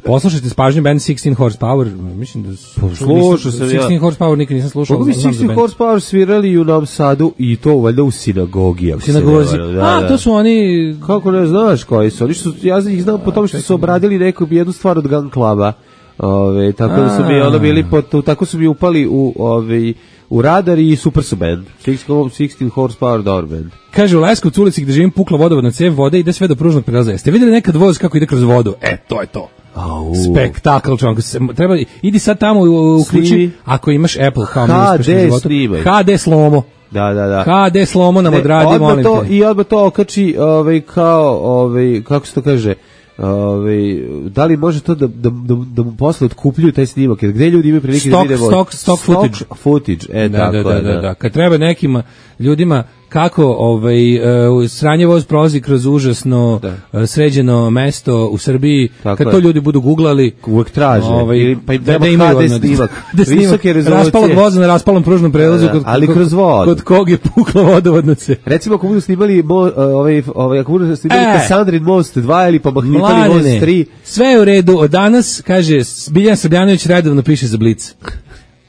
Speaker 5: Poslušajte s pažnjom band šesnaest Horsepower. Mislim da
Speaker 6: slušao sam ja.
Speaker 5: šesnaest Horsepower nikad nisam slušao.
Speaker 6: Kako bi šesnaest Horsepower svirali u Novom Sadu i to valjda u sinagogi.
Speaker 5: U sinagozi. Da, A, da. To su oni...
Speaker 6: Kako ne znaš koji su? Oni su, ja ih znam po tome što su obradili neku jednu stvar od Gun Cluba. Ove, tako da su mi ono bili pot, tako su mi upali u ove, u radar i super su band. šesnaest Horsepower dobar band.
Speaker 5: Kaže u Leskovcu ulici gde živim pukla vodovodna cev, voda ide sve do pružnog prelaza. Jeste videli nekad voz kako ide kroz vodu? E, to je to.
Speaker 6: Au.
Speaker 5: Spektakl, čovjek. Treba, idi sad tamo uključi, ako imaš Apple kao mi uspešno životu. H D slomo.
Speaker 6: Da, da, da.
Speaker 5: H D slomo nam odradi, molim
Speaker 6: to, te. I odmah to okači, ovaj, kao, ovaj, kako se to kaže, Ove, da li može to da, da, da, da mu posle otkupljuju taj snimak, jer gde ljudi imaju prilike
Speaker 5: stock,
Speaker 6: da vide
Speaker 5: stock, stock footage,
Speaker 6: stock footage. E,
Speaker 5: da,
Speaker 6: tako,
Speaker 5: da, da,
Speaker 6: da,
Speaker 5: da, da. Kad treba nekim ljudima kako ovaj uh, sranje voz prolazi kroz užasno uh, sređeno mesto u Srbiji, tako kad je. To ljudi budu guglali,
Speaker 6: uvek traže,
Speaker 5: ovaj,
Speaker 6: pa
Speaker 5: da, da imaju
Speaker 6: H D snimak, visoke rezolucije,
Speaker 5: raspalog voza na raspalom pružnom prelazu,
Speaker 6: da, da, ali kod, kroz vodu.
Speaker 5: Kod kog je pukla vodovodna cev.
Speaker 6: Recimo ako budu snimali mo, ovaj, ovaj, ako budu snimali e, Kasandrin most dva ili pa Mahnitali most tri.
Speaker 5: Sve je u redu, od danas, kaže, Biljan Srbljanović redovno piše za Blic.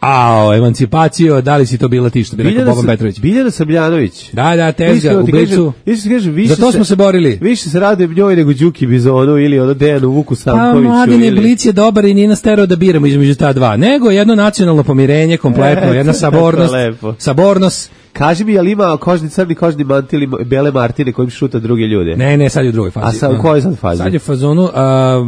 Speaker 5: A, emancipacijo, da li si to bila ti što bi rekao Boban Petrović?
Speaker 6: Biljana Sabljanović.
Speaker 5: Da, da, tezga u Blicu. Zato smo se borili.
Speaker 6: Više se rade njoj nego Đuki Bizonu ili ono Dejanu Vuku Stankoviću.
Speaker 5: Pa, Mladine,
Speaker 6: ili...
Speaker 5: Blic je dobar i nije nas terao da biramo između ta dva. Nego jedno nacionalno pomirenje, kompletno, jedna sabornost. Sabornost.
Speaker 6: Kaži mi, jel ima kožni crni kožni mantil ili bele martine kojim šuta druge ljude?
Speaker 5: Ne, ne, sad je u drugoj fazi.
Speaker 6: A sad u kojoj sad fazi?
Speaker 5: Sad je fazonu a, a,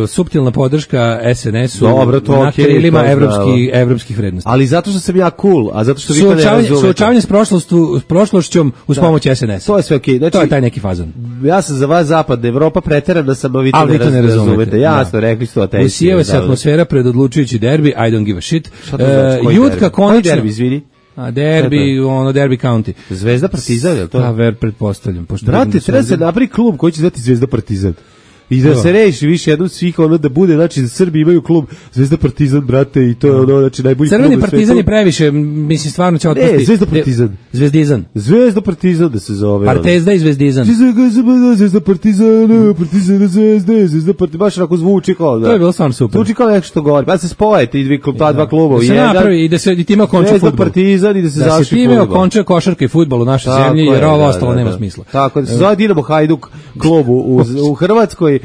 Speaker 5: suptilna podrška es en es-u.
Speaker 6: Dobro, to
Speaker 5: na
Speaker 6: okej,
Speaker 5: krilima
Speaker 6: to
Speaker 5: evropski, evropskih vrednosti.
Speaker 6: Ali zato što sam ja cool, a zato što vi to ne
Speaker 5: Suočavanje,
Speaker 6: razumete.
Speaker 5: suočavanje s, prošlošću, s prošlošćom uz
Speaker 6: Da.
Speaker 5: pomoć es en es-a.
Speaker 6: To je sve okej. Znači,
Speaker 5: to je taj neki fazon.
Speaker 6: Ja sam za vas zapadna Evropa, preterana sam, a vi to
Speaker 5: Ali
Speaker 6: ne,
Speaker 5: vi to ne
Speaker 6: raz-
Speaker 5: razumete.
Speaker 6: razumete. Jasno,
Speaker 5: Da.
Speaker 6: rekli ste o teški.
Speaker 5: Usijeva se atmosfera pred odlučujući derbi, I don't give a shit.
Speaker 6: Šta to znači?
Speaker 5: E,
Speaker 6: Koji
Speaker 5: Jutka
Speaker 6: derbi?
Speaker 5: konačno...
Speaker 6: Koji derbi, izvini?
Speaker 5: A derbi, ono, derbi county.
Speaker 6: Zvezda Partizan, je li to?
Speaker 5: Pa, ver, pretpostavljam. Pošto vidim
Speaker 6: Brate,
Speaker 5: da su
Speaker 6: treba se
Speaker 5: ovdje-
Speaker 6: napravi klub koji će zvati Zvezda Partizan. I da
Speaker 5: Da.
Speaker 6: se reši više jednom svih, ono da bude, znači da Srbi imaju klub Zvezda Partizan, brate, i to je ono, znači najbolji klub.
Speaker 5: Crveni
Speaker 6: na
Speaker 5: partizan
Speaker 6: svetu.
Speaker 5: je previše, mislim, stvarno će otpasti.
Speaker 6: Ne, Zvezda Partizan.
Speaker 5: Zvezdizan.
Speaker 6: Zvezda Partizan da se zove.
Speaker 5: Partezda i Zvezdizan.
Speaker 6: Zvezda, Zvezda Partizan, Partizan Zvezde, Zvezda Partizan, baš onako zvuči kao da.
Speaker 5: To je bilo stvarno super.
Speaker 6: Zvuči kao nešto što govori. Pa se spoje ti dvi klub, ta dva kluba u
Speaker 5: Da se
Speaker 6: jedan.
Speaker 5: napravi i da se i time okonča
Speaker 6: Zvezda
Speaker 5: fudbal.
Speaker 6: Partizan i da se
Speaker 5: Da se
Speaker 6: završi
Speaker 5: time
Speaker 6: fudbal.
Speaker 5: okonča košarka i fudbal u našoj
Speaker 6: Tako
Speaker 5: zemlji,
Speaker 6: je,
Speaker 5: jer ovo
Speaker 6: da,
Speaker 5: ostalo
Speaker 6: da,
Speaker 5: nema
Speaker 6: da.
Speaker 5: smisla.
Speaker 6: Tako da se zove Dinamo Hajduk klub u, u Hrvatskoj.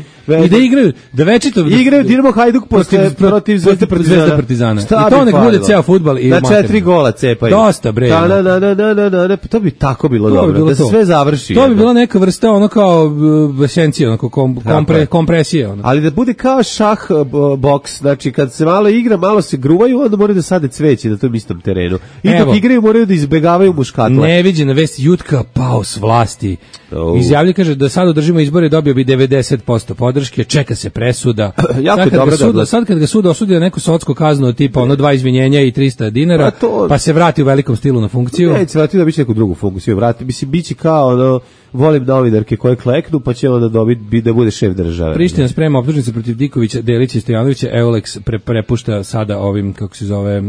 Speaker 5: I da igraju, da večito...
Speaker 6: Igraju Dinamo Hajduk protiv,
Speaker 5: protiv,
Speaker 6: protiv Zvezde Partizana.
Speaker 5: Zvezde Partizana.
Speaker 6: Šta
Speaker 5: I to
Speaker 6: bi
Speaker 5: nek
Speaker 6: falilo?
Speaker 5: bude ceo fudbal i
Speaker 6: na
Speaker 5: materinu.
Speaker 6: četiri gola cepaju.
Speaker 5: Dosta, bre.
Speaker 6: Da, da, da, da, da, da, da, da, to bi tako bilo
Speaker 5: To bi
Speaker 6: dobro,
Speaker 5: bilo
Speaker 6: da se
Speaker 5: to.
Speaker 6: sve završi.
Speaker 5: To bi
Speaker 6: jedno.
Speaker 5: bila neka vrsta ono kao uh, esencija, onako kom, kompre,
Speaker 6: je.
Speaker 5: kompresije. Ono.
Speaker 6: Ali da bude kao šah uh, boks, znači kad se malo igra, malo se gruvaju, onda moraju da sade cveće na tom istom terenu. I
Speaker 5: Evo.
Speaker 6: dok igraju moraju da izbegavaju muškatle.
Speaker 5: Neviđena vest, Jutka pao s vlasti.
Speaker 6: Oh.
Speaker 5: Izjavlja, kaže, da sad održimo izbore, dobio bi devedeset posto podrške, čeka se presuda.
Speaker 6: Jako
Speaker 5: sad,
Speaker 6: je
Speaker 5: kad
Speaker 6: dobro
Speaker 5: ga
Speaker 6: da
Speaker 5: sud,
Speaker 6: odlazi.
Speaker 5: sad kad ga sud osudi na neku sotsku kaznu, tipa ono dva izvinjenja i trista dinara,
Speaker 6: Pa to-
Speaker 5: pa se vrati u velikom stilu na funkciju.
Speaker 6: Neće se vratiti da biće neku drugu funkciju, vrati. Mislim, biće kao, ono, volim novinarke koje kleknu, pa će onda dobiti da bude šef države.
Speaker 5: Priština sprema optužnice protiv Dikovića, Delića i Stojanovića, Eulex pre, prepušta sada ovim, kako se zove, uh,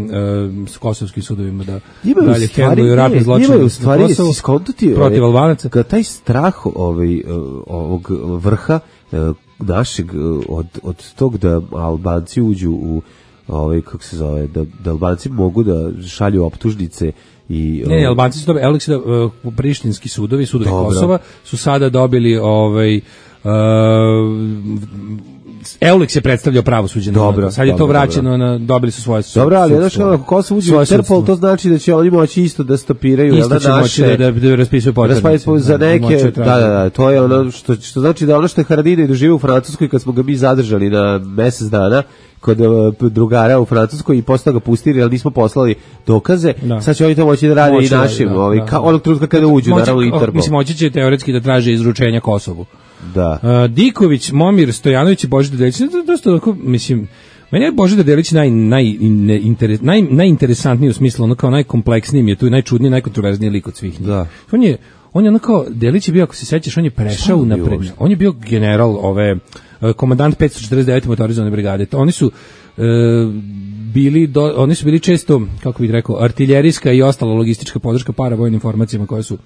Speaker 5: s kosovskim sudovima da
Speaker 6: Imaju
Speaker 5: dalje
Speaker 6: u stvari,
Speaker 5: hendluju ratne
Speaker 6: ne,
Speaker 5: zločine
Speaker 6: imaju u
Speaker 5: na
Speaker 6: stvari,
Speaker 5: Kosovu
Speaker 6: jesi skontati
Speaker 5: protiv Albanaca.
Speaker 6: Kad taj strah ovaj, uh, ovog vrha uh, našeg uh, od, od tog da Albanci uđu u ovaj, kako se zove, da, da Albanci mogu da šalju optužnice i
Speaker 5: Ne, ne, Albanci su dobili, Eulex, uh, prištinski sudovi, sudovi
Speaker 6: Dobro.
Speaker 5: Kosova, su sada dobili ovaj, uh, Eulex je predstavljao pravosuđe. na-
Speaker 6: Dobro,
Speaker 5: sad je to
Speaker 6: dobro,
Speaker 5: vraćeno, na, dobili su svoje sudstvo.
Speaker 6: Dobro, ali znaš kako Kosovo uđe u
Speaker 5: Svoje
Speaker 6: Interpol,
Speaker 5: sudstvo.
Speaker 6: to znači da će oni moći isto da stopiraju
Speaker 5: Isto
Speaker 6: jel
Speaker 5: će
Speaker 6: da,
Speaker 5: moći
Speaker 6: naše,
Speaker 5: da, da, da raspisuju poternice.
Speaker 6: Raspaviti za
Speaker 5: Da,
Speaker 6: neke,
Speaker 5: moći
Speaker 6: da,
Speaker 5: traže.
Speaker 6: da, da, to je ono što, što znači da ono što je Haradinaj doživio u Francuskoj kad smo ga mi zadržali na mesec dana kod uh, drugara u Francuskoj i posle toga pustili, ali nismo poslali dokaze,
Speaker 5: Da.
Speaker 6: sad će oni to moći da rade
Speaker 5: Moći
Speaker 6: i
Speaker 5: da,
Speaker 6: našim,
Speaker 5: da,
Speaker 6: ovaj,
Speaker 5: da.
Speaker 6: ka, onog trenutka kada uđu,
Speaker 5: Moći-
Speaker 6: naravno, u
Speaker 5: o,
Speaker 6: Interpol.
Speaker 5: Mislim, moći će teoretski da traže izručenja Kosovu.
Speaker 6: Da.
Speaker 5: Uh, Diković, Momir Stojanović i Božidar Delić, to je dosta onako, mislim, meni je Božidar Delić naj, naj, ne, interes, naj, najinteresantniji u smislu, ono kao najkompleksniji mi je tu, najčudniji, najkontroverzniji lik od svih njih.
Speaker 6: Da.
Speaker 5: On je, on je ono kao, Delić je bio, ako se sećaš, on je prešao
Speaker 6: on
Speaker 5: u
Speaker 6: bio
Speaker 5: napred,
Speaker 6: uopšte?
Speaker 5: on je bio general ove, uh, komandant petsto četrdeset devete motorizovane brigade. To, oni su uh, bili do, oni su bili često, kako bih rekao, artiljerijska i ostala logistička podrška paravojnim informacijama koje su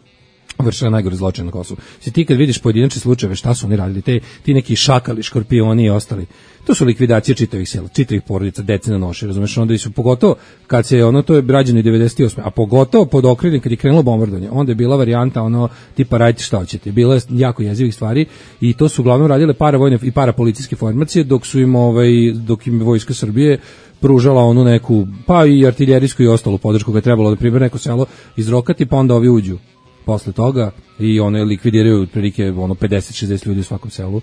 Speaker 5: vršila najgore zločine na Kosovu. Si ti kad vidiš pojedinačne slučajeve, šta su oni radili, te, ti neki šakali, škorpioni i ostali, to su likvidacije čitavih sela, čitavih porodica, dece na noši, razumeš, onda su pogotovo, kad se ono, to je rađeno i devedeset osme a pogotovo pod okriljem, kad je krenulo bombardovanje, onda je bila varijanta, ono, tipa radite šta hoćete, bilo je jako jezivih stvari i to su uglavnom radile paravojne i parapolicijske formacije, dok su im, ovaj, dok im Vojska Srbije pružala onu neku, pa i artiljerijsku i ostalu podršku koja je trebalo da pribere neko selo izrokati, pa onda ovi uđu posle toga i one likvidiraju otprilike ono pedeset šezdeset ljudi u svakom selu.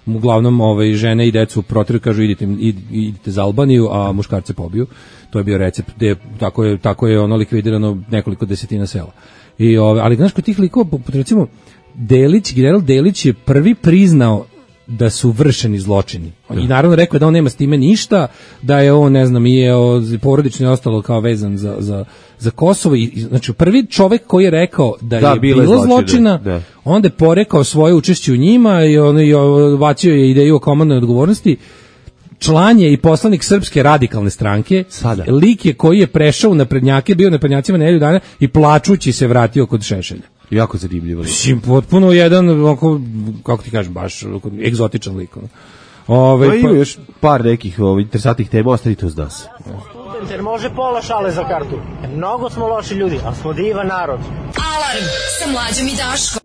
Speaker 5: Uglavnom ovaj žene i decu protiru, kažu idite id, idite za Albaniju, a muškarce pobiju. To je bio recept, gde tako je tako je ono likvidirano nekoliko desetina sela. I ove, ali znaš kod tih likova, poput recimo Delić, general Delić je prvi priznao da su vršeni zločini. I naravno rekao je da on nema s time ništa, da je on, ne znam, i je porodično i ostalo kao vezan za, za, za Kosovo. I, znači, prvi čovek koji je rekao da,
Speaker 6: Da,
Speaker 5: je
Speaker 6: bile
Speaker 5: bilo
Speaker 6: zločine,
Speaker 5: zločina,
Speaker 6: da.
Speaker 5: onda je porekao svoje učešće u njima i on je bacio je ideju o komandnoj odgovornosti. Član je i poslanik Srpske radikalne stranke.
Speaker 6: Sada.
Speaker 5: Lik je koji je prešao u naprednjake, bio naprednjacima nedelju dana i plačući se vratio kod Šešelja.
Speaker 6: Jako zanimljivo.
Speaker 5: Mislim, potpuno jedan, onako, kako ti kažem, baš onako, egzotičan lik. Ono. Ove,
Speaker 6: pa ima još par nekih ovaj, interesantnih tema, ostavite uz nas.
Speaker 10: Jer može pola šale za kartu. Mnogo smo loši ljudi, ali smo divan narod.
Speaker 9: Alarm sa Mlađom i Daškom.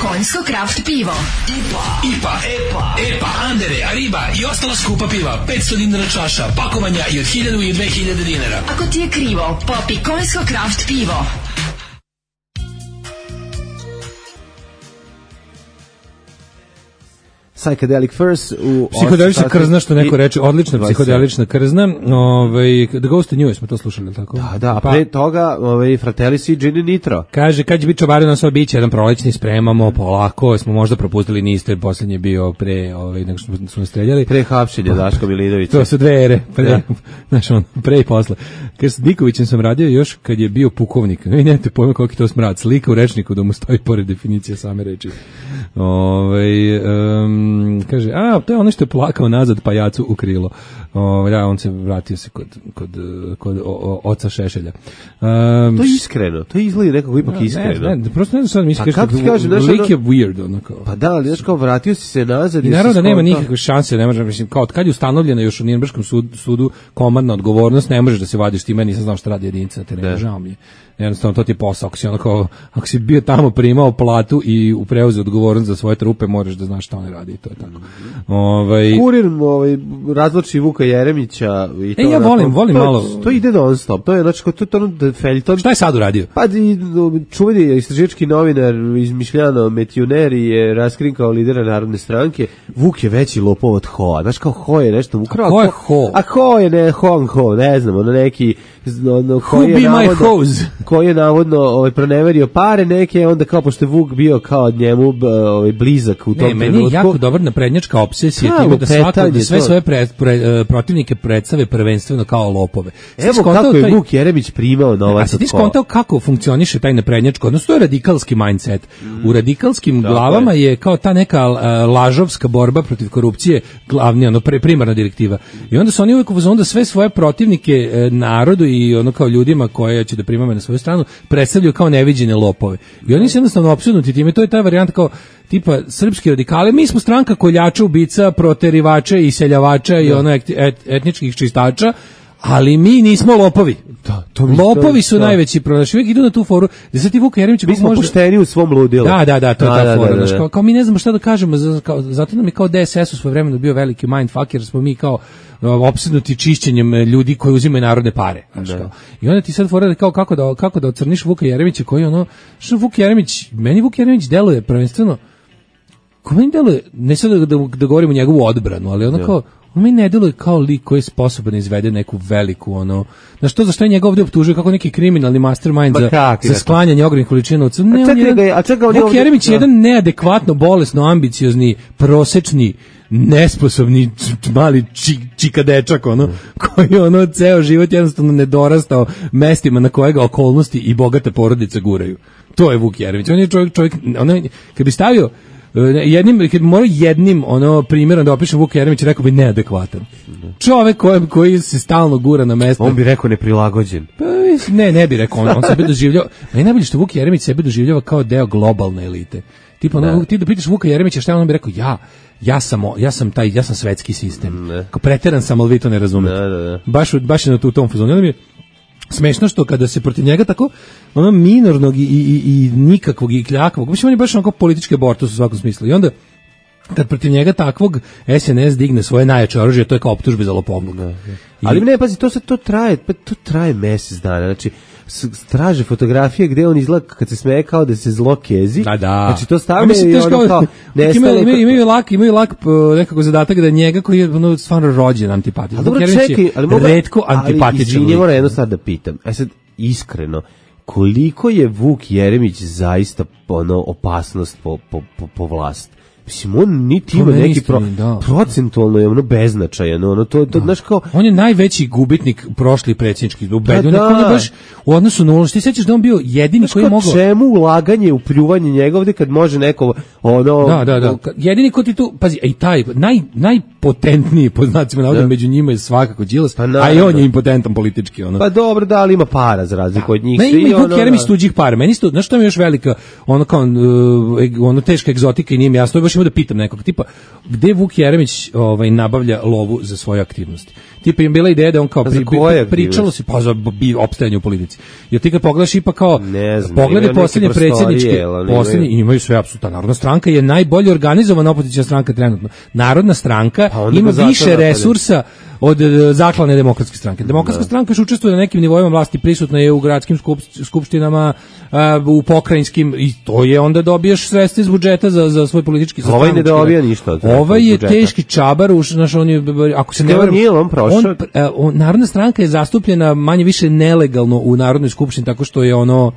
Speaker 9: Konjsko kraft pivo. I P A,
Speaker 11: I P A, E P A, E P A, Andere, Ariba i ostala skupa piva. petsto dinara čaša, pakovanja i od hiljadu i dve hiljade dinara.
Speaker 9: Ako ti je krivo, popi Konjsko kraft pivo.
Speaker 6: Psychedelic Furs u
Speaker 5: psihodelična krzna, što neko reče, odlična psihodelična krzna. Ovaj The Ghost in You smo to slušali, tako?
Speaker 6: Da, da, a pre toga, ovaj Fratellis i Gin Nitro.
Speaker 5: Kaže kad će biti čobarino na svoj biće, jedan prolećni spremamo, polako, smo možda propustili, niste, poslednji je bio pre, ovaj nego što smo streljali.
Speaker 6: Pre hapšenja Daško Milinovića.
Speaker 5: To su dve ere, pre, znači on pre i posle. Kaže s Dikovićem sam radio još kad je bio pukovnik. Vi nemate pojma koliki to smrad, slika u rečniku da mu stoji pored definicije same reči. Ovaj um, kaže, a, to je ono što je plakao nazad pajacu u krilo. O, ja, on se vratio se kod, kod, kod o, o, oca Šešelja. Um,
Speaker 6: to je iskreno, to izgleda nekako ipak iskreno.
Speaker 5: Ne, ne, prosto ne znam šta da misliš,
Speaker 6: pa
Speaker 5: kaže,
Speaker 6: kažem,
Speaker 5: lik je weird. Ono kao.
Speaker 6: Pa da, ali znaš kao, vratio si se nazad.
Speaker 5: I naravno da nema nikakve šanse, ne može, mislim, kao od kad je ustanovljena još u Nirnberškom sudu, sudu komandna odgovornost, ne možeš da se vadiš time, nisam znao šta radi jedinica na terenu, žao mi je. Jednostavno to ti je posao, ako si, ono kao, ako si bio tamo primao platu i preuzeo odgovornost za svoje trupe, moraš da znaš šta oni radi i to je tako. Ovaj
Speaker 6: Kurir ovaj razloči Vuka Jeremića i to.
Speaker 5: E, ja volim, volim
Speaker 6: to,
Speaker 5: malo.
Speaker 6: To ide non stop. To je znači to to ono feljton.
Speaker 5: Šta je sad uradio?
Speaker 6: Pa čuveni istraživački novinar izmišljano Metjuner je raskrinkao lidera Narodne stranke. Vuk je veći lopov od Hoa. Znaš kao Ho je nešto ukrao.
Speaker 5: Ko je Ho?
Speaker 6: A Ho je ne Hong Ho, ne znam, ono neki ono koji je navodno koji je navodno ovaj proneverio pare neke, onda kao pošto je Vuk bio kao njemu ovaj blizak u tom trenutku.
Speaker 5: Ne, meni je jako dobra naprednjačka obsesija time da svako da sve svoje pre, pre, protivnike predstave prvenstveno kao lopove.
Speaker 6: Evo kako je taj Vuk Jeremić primao novac.
Speaker 5: A si ti skontao kako funkcioniše taj naprednjačko, odnosno to je radikalski mindset. Mm. U radikalskim da, glavama je. je kao ta neka uh, lažovska borba protiv korupcije glavni, ono pre, primarna direktiva. I onda su oni uvijek onda sve svoje protivnike uh, narodu i ono kao ljudima koje će da primame na svoju stranu predstavljaju kao neviđene lopove. I oni su jednostavno opsednuti time, to je ta varijanta kao tipa srpski radikali, mi smo stranka koljača, ubica, proterivača i seljavača da. I ono et, et, etničkih čistača, ali mi nismo lopovi.
Speaker 6: Da, to
Speaker 5: lopovi su
Speaker 6: da.
Speaker 5: najveći pronaš. Uvijek idu na tu foru. Da se ti Vuka Jeremić
Speaker 6: mi smo
Speaker 5: možda...
Speaker 6: pošteni u svom ludilu.
Speaker 5: Da, da, da, to je
Speaker 6: da,
Speaker 5: ta
Speaker 6: da,
Speaker 5: fora.
Speaker 6: Da, da, da.
Speaker 5: Kao, kao mi ne znamo šta da kažemo, zato nam je kao D S S u svoje vremenu bio veliki mindfuck, jer smo mi kao opsednuti čišćenjem ljudi koji uzimaju narodne pare. Kao. I onda ti sad fora kao kako da, kako da ocrniš Vuka Jeremića koji ono... Što Vuk Jeremić, meni Vuk Jeremić deluje prvenstveno... Ko meni deluje, ne sad da, da, da govorimo njegovu odbranu, ali ono kao... On mi ne deluje kao lik koji je sposoban da izvede neku veliku, ono... Znaš to, zašto je njega ovdje optužuje kako neki kriminalni mastermind za, za sklanjanje ogromnih količina novca? Ne,
Speaker 6: a čekaj,
Speaker 5: jedan,
Speaker 6: a čekaj,
Speaker 5: Vuk Jeremić je jedan neadekvatno, bolesno, ambiciozni, prosečni, nesposobni mali či, čika dečak, ono, koji ono ceo život jednostavno nedorastao mestima na kojega okolnosti i bogate porodice guraju. To je Vuk Jeremić. On je čovjek, čovjek ono, kad bi stavio jednim, kad mora jednim ono primjerom da opišem Vuka Jeremića, rekao bi neadekvatan. Čovek koji, koji se stalno gura na mesto.
Speaker 6: On bi rekao neprilagođen.
Speaker 5: Pa, ne, ne bi rekao, on, on sebe doživljava. A i najbolje što Vuk Jeremić sebe doživljava kao deo globalne elite. Tipo, ono, ti da pitaš Vuka Jeremića šta on bi rekao, ja, ja sam, ja sam taj, ja sam svetski sistem. Kao preteran sam, ali vi to ne razumete.
Speaker 6: Da, da, da.
Speaker 5: Baš, baš je na tu tom fazonu. Onda mi je smešno što kada se protiv njega tako ono minornog i, i, i nikakvog i kljakvog, mislim on je baš onako politički abortus u svakom smislu. I onda kad protiv njega takvog S N S digne svoje najjače oružje, to je kao optužbe za lopovluk.
Speaker 6: Ali ne, pazi, to se to traje, pa to traje mesec dana. Znači straže fotografije gde on izgleda kad se smeje kao da se zlo kezi.
Speaker 5: Da, da.
Speaker 6: Znači to stavlja i ono kao
Speaker 5: nestale. Imaju, imaju lak, imaju lak nekako zadatak da njega koji je ono stvarno rođen antipatičan.
Speaker 6: Dobro, čekaj, ali mogu
Speaker 5: retko antipatičan.
Speaker 6: Ali moram jedno sad da pitam. E sad, iskreno, koliko je Vuk Jeremić zaista ono opasnost po, po, po, po vlast? Mislim, on niti ima neki pro, da. procentualno je ono beznačajan, ono to, to, znaš kao...
Speaker 5: On je najveći gubitnik prošli predsjednički, ubedio,
Speaker 6: da, da.
Speaker 5: On je baš u odnosu na ono, što ti sećaš da on bio jedini znaš koji je mogao...
Speaker 6: Čemu ulaganje u pljuvanje njega ovdje kad može neko, ono...
Speaker 5: Da, da, da, jedini ko ti tu, pazi, i taj, naj, najpotentniji, po znacima navoda, među njima je svakako Đilas, pa, a i on je impotentan politički, ono.
Speaker 6: Pa dobro, da, ali ima para za razliku od njih.
Speaker 5: Ne, ima i Vuk Jeremić tuđih para, meni isto, znaš što mi je još velika, ono kao, ono teška egzotika i nije mi jasno, baš recimo da pitam nekog tipa, gde Vuk Jeremić ovaj, nabavlja lovu za svoje aktivnosti? Tipa im bila ideja da on kao pri, pri, pričalo se pa za bi opstajanje u politici. Jer ti kad pogledaš ipak kao
Speaker 6: znam,
Speaker 5: pogledaj poslednje predsjedničke, poslednje imaju sve apsolutno. Narodna stranka je najbolje organizovana opoziciona stranka trenutno. Narodna stranka pa ima više resursa od zaklane demokratske stranke. Demokratska da. stranka još učestvuje na nekim nivoima vlasti, prisutna je u gradskim skup, skupštinama, a, u pokrajinskim i to je onda dobiješ sredstva iz budžeta za za svoj politički sastanak.
Speaker 6: Ovaj ne dobija ništa od
Speaker 5: Ovaj je budžeta. Teški čabar, už naš on je, ako se ne varam,
Speaker 6: on prošao. On,
Speaker 5: on, Narodna stranka je zastupljena manje više nelegalno u Narodnoj skupštini tako što je ono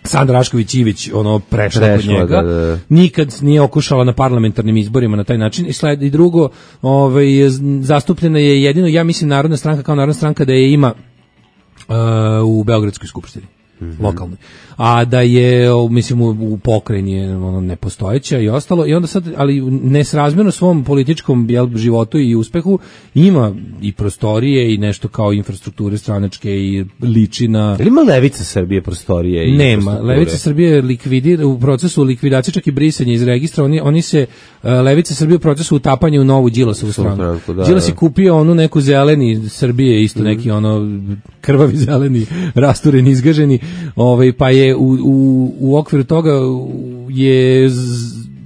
Speaker 5: Sandra Rašković Ivić ono prešla kod njega. Da, da. Nikad nije okušala na parlamentarnim izborima na taj način i sled i drugo, ovaj zastupljena je jedino ja mislim Narodna stranka kao Narodna stranka da je ima uh, u Beogradskoj skupštini. Mm-hmm. Lokalnoj. A da je mislim u, u pokrajini je ono nepostojeća i ostalo i onda sad ali nesrazmjerno svom političkom jel, životu i uspehu ima i prostorije i nešto kao infrastrukture stranačke i liči na
Speaker 6: ili ima Levica Srbije prostorije i
Speaker 5: nema Levica Srbije likvidira u procesu likvidacije čak i brisanja iz registra oni oni se uh, Levica Srbije u procesu utapanja u novu Đilasovu stranku. Da, Đilas je kupio onu neku zeleni Srbije isto mm-hmm. neki ono krvavi zeleni rastureni izgaženi ovaj pa je u, u, u okviru toga je z,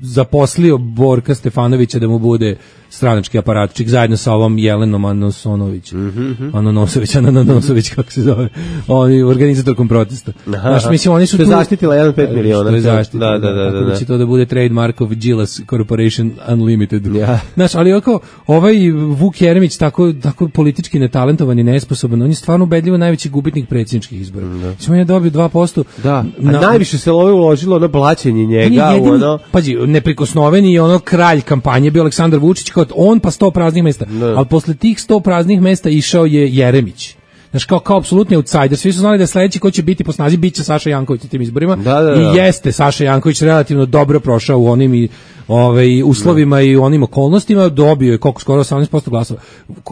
Speaker 5: zaposlio Borka Stefanovića da mu bude stranački aparatčik zajedno sa ovom Jelenom Anosonović. Mm-hmm. Anonosović, Anonosović kako se zove. Oni organizatorkom protesta. Znaš, mislim oni su tu
Speaker 6: zaštitila jedan zarez pet miliona.
Speaker 5: To je zaštitila.
Speaker 6: Da, da, da, da, da.
Speaker 5: Će to da bude trademark of Gilas Corporation Unlimited.
Speaker 6: Ja.
Speaker 5: Znaš, ali oko ovaj Vuk Jeremić tako tako politički netalentovan i nesposoban, on je stvarno ubedljivo najveći gubitnik predsjedničkih izbora. Da. On je dobio dva posto.
Speaker 6: Da. A na, najviše se love uložilo na blaćenje njega, jedini, u ono.
Speaker 5: Pazi, neprikosnoveni je ono kralj kampanje bio Aleksandar Vučić kao on pa sto praznih mesta, ne. Ali posle tih sto praznih mesta išao je Jeremić. Znaš, kao, kao apsolutni outsider. Svi su znali da sledeći ko će biti po snazi biće Saša Janković na tim izborima.
Speaker 6: Da, da, da.
Speaker 5: I jeste Saša Janković relativno dobro prošao u onim i ovaj uslovima da. I u onim okolnostima, dobio je koliko skoro osamnaest posto glasova.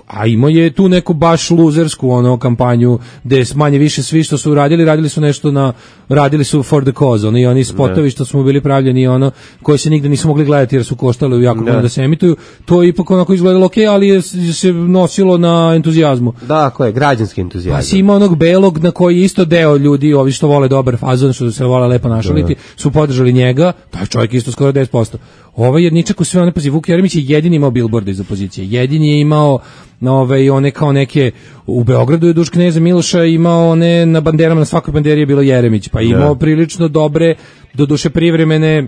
Speaker 5: A imao je tu neku baš luzersku ono kampanju gde manje više svi što su radili, radili su nešto na radili su for the cause. Oni oni spotovi što smo bili pravljeni ono koji se nigde nisu mogli gledati jer su koštali jako puno da se emituju. To je ipak onako izgledalo okej, okay, ali je se nosilo na entuzijazmu.
Speaker 6: Da, ko je građanski entuzijazam.
Speaker 5: Pa si ima onog belog na koji isto deo ljudi, ovi što vole dobar fazon, što se vole lepo našaliti, su podržali njega, taj čovjek isto skoro deset posto. Ovaj jedničak u sve one, pazi, Vuk Jeremić je jedini imao bilborde iz opozicije, jedini je imao ove, one kao neke, u Beogradu je Duška Kneza Miloša imao one na banderama, na svakoj banderi je bilo Jeremić, pa imao prilično dobre, do duše privremene,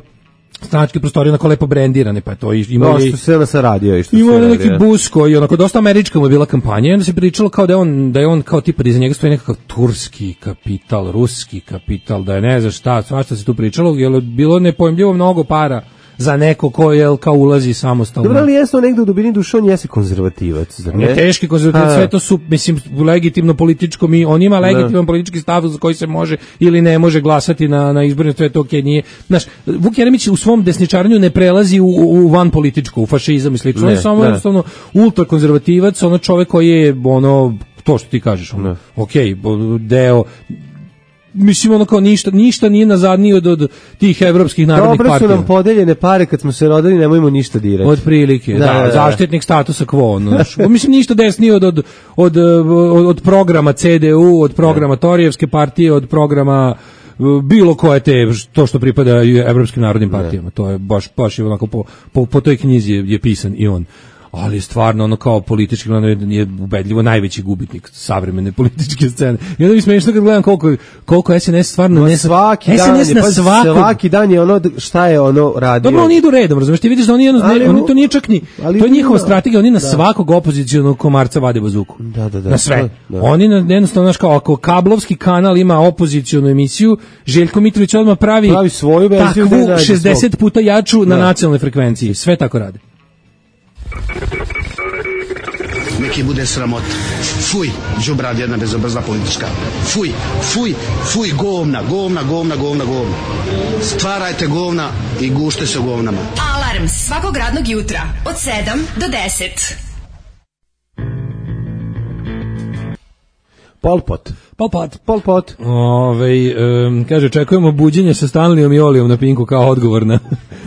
Speaker 5: stranačke prostorije onako lepo brendirane, pa to imao
Speaker 6: je... što se ona saradio i što
Speaker 5: imao
Speaker 6: se
Speaker 5: radio. Imao neki bus koji, onako, dosta američka mu je bila kampanja i onda se pričalo kao da je on, da je on kao tipa da iza njega stoji nekakav turski kapital, ruski kapital, da je ne znaš šta, svašta se tu pričalo, jer je bilo nepojmljivo mnogo para za neko ko je kao ulazi samostalno.
Speaker 6: Dobro, ali jesno negde u dubini duše on jeste konzervativac, zar ne?
Speaker 5: Ne, teški konzervativac, sve to su, mislim, legitimno političko, mi, on ima legitiman politički stav za koji se može ili ne može glasati na, na izborima, to je to okej, okay, nije. Znaš, Vuk Jeremić u svom desničarenju ne prelazi u, u van političko, u fašizam i slično, on je samo jednostavno ultrakonzervativac, ono čovek koji je, ono, to što ti kažeš, ono, okej, okay, deo mislim ono kao ništa, ništa nije nazadnije od, od tih evropskih narodnih partija.
Speaker 6: Dobro su nam podeljene pare kad smo se rodili, nemojmo ništa dirati.
Speaker 5: Od prilike, da, da, da, zaštitnik statusa quo. No, mislim ništa desnije od, od, od, od, od programa C D U, od programa Torijevske partije, od programa bilo koje te, to što pripada evropskim narodnim partijama. To je baš, baš je onako po, po, po toj knjizi je, je pisan i on. Ali stvarno ono kao politički je ubedljivo najveći gubitnik savremene političke scene. I onda mi smiješno kad gledam koliko, koliko S N S stvarno
Speaker 6: no, ne svaki S N S dan, na svakog, svaki dan je ono šta je ono radio.
Speaker 5: Dobro, oni idu redom, razumeš, ti vidiš da oni, jedno, ne, oni to nije čak ni, to je njihova strategija, oni na da. svakog opozicionog komarca vade bazuku.
Speaker 6: Da, da, da.
Speaker 5: Na sve.
Speaker 6: Da, da.
Speaker 5: Oni jednostavno, znaš kao, ako kablovski kanal ima opozicionu emisiju, Željko Mitrović odmah pravi,
Speaker 6: pravi svoju verziju
Speaker 5: takvu šezdeset puta jaču da. na nacionalnoj frekvenciji. Sve tako rade.
Speaker 12: Neki bude sramot. Fuj, đubrad jedna bezobrazna politička. Fuj, fuj, fuj, govna, govna, govna, govna, govna. Stvarajte govna i gušte se govnama.
Speaker 9: Alarm svakog radnog jutra od sedam do deset.
Speaker 6: Pol Pot.
Speaker 5: Pol Pot.
Speaker 6: Pol Pot.
Speaker 5: Ove, um, kaže, čekujemo buđenje sa Stanleyom i Olijom na Pinku kao odgovor na,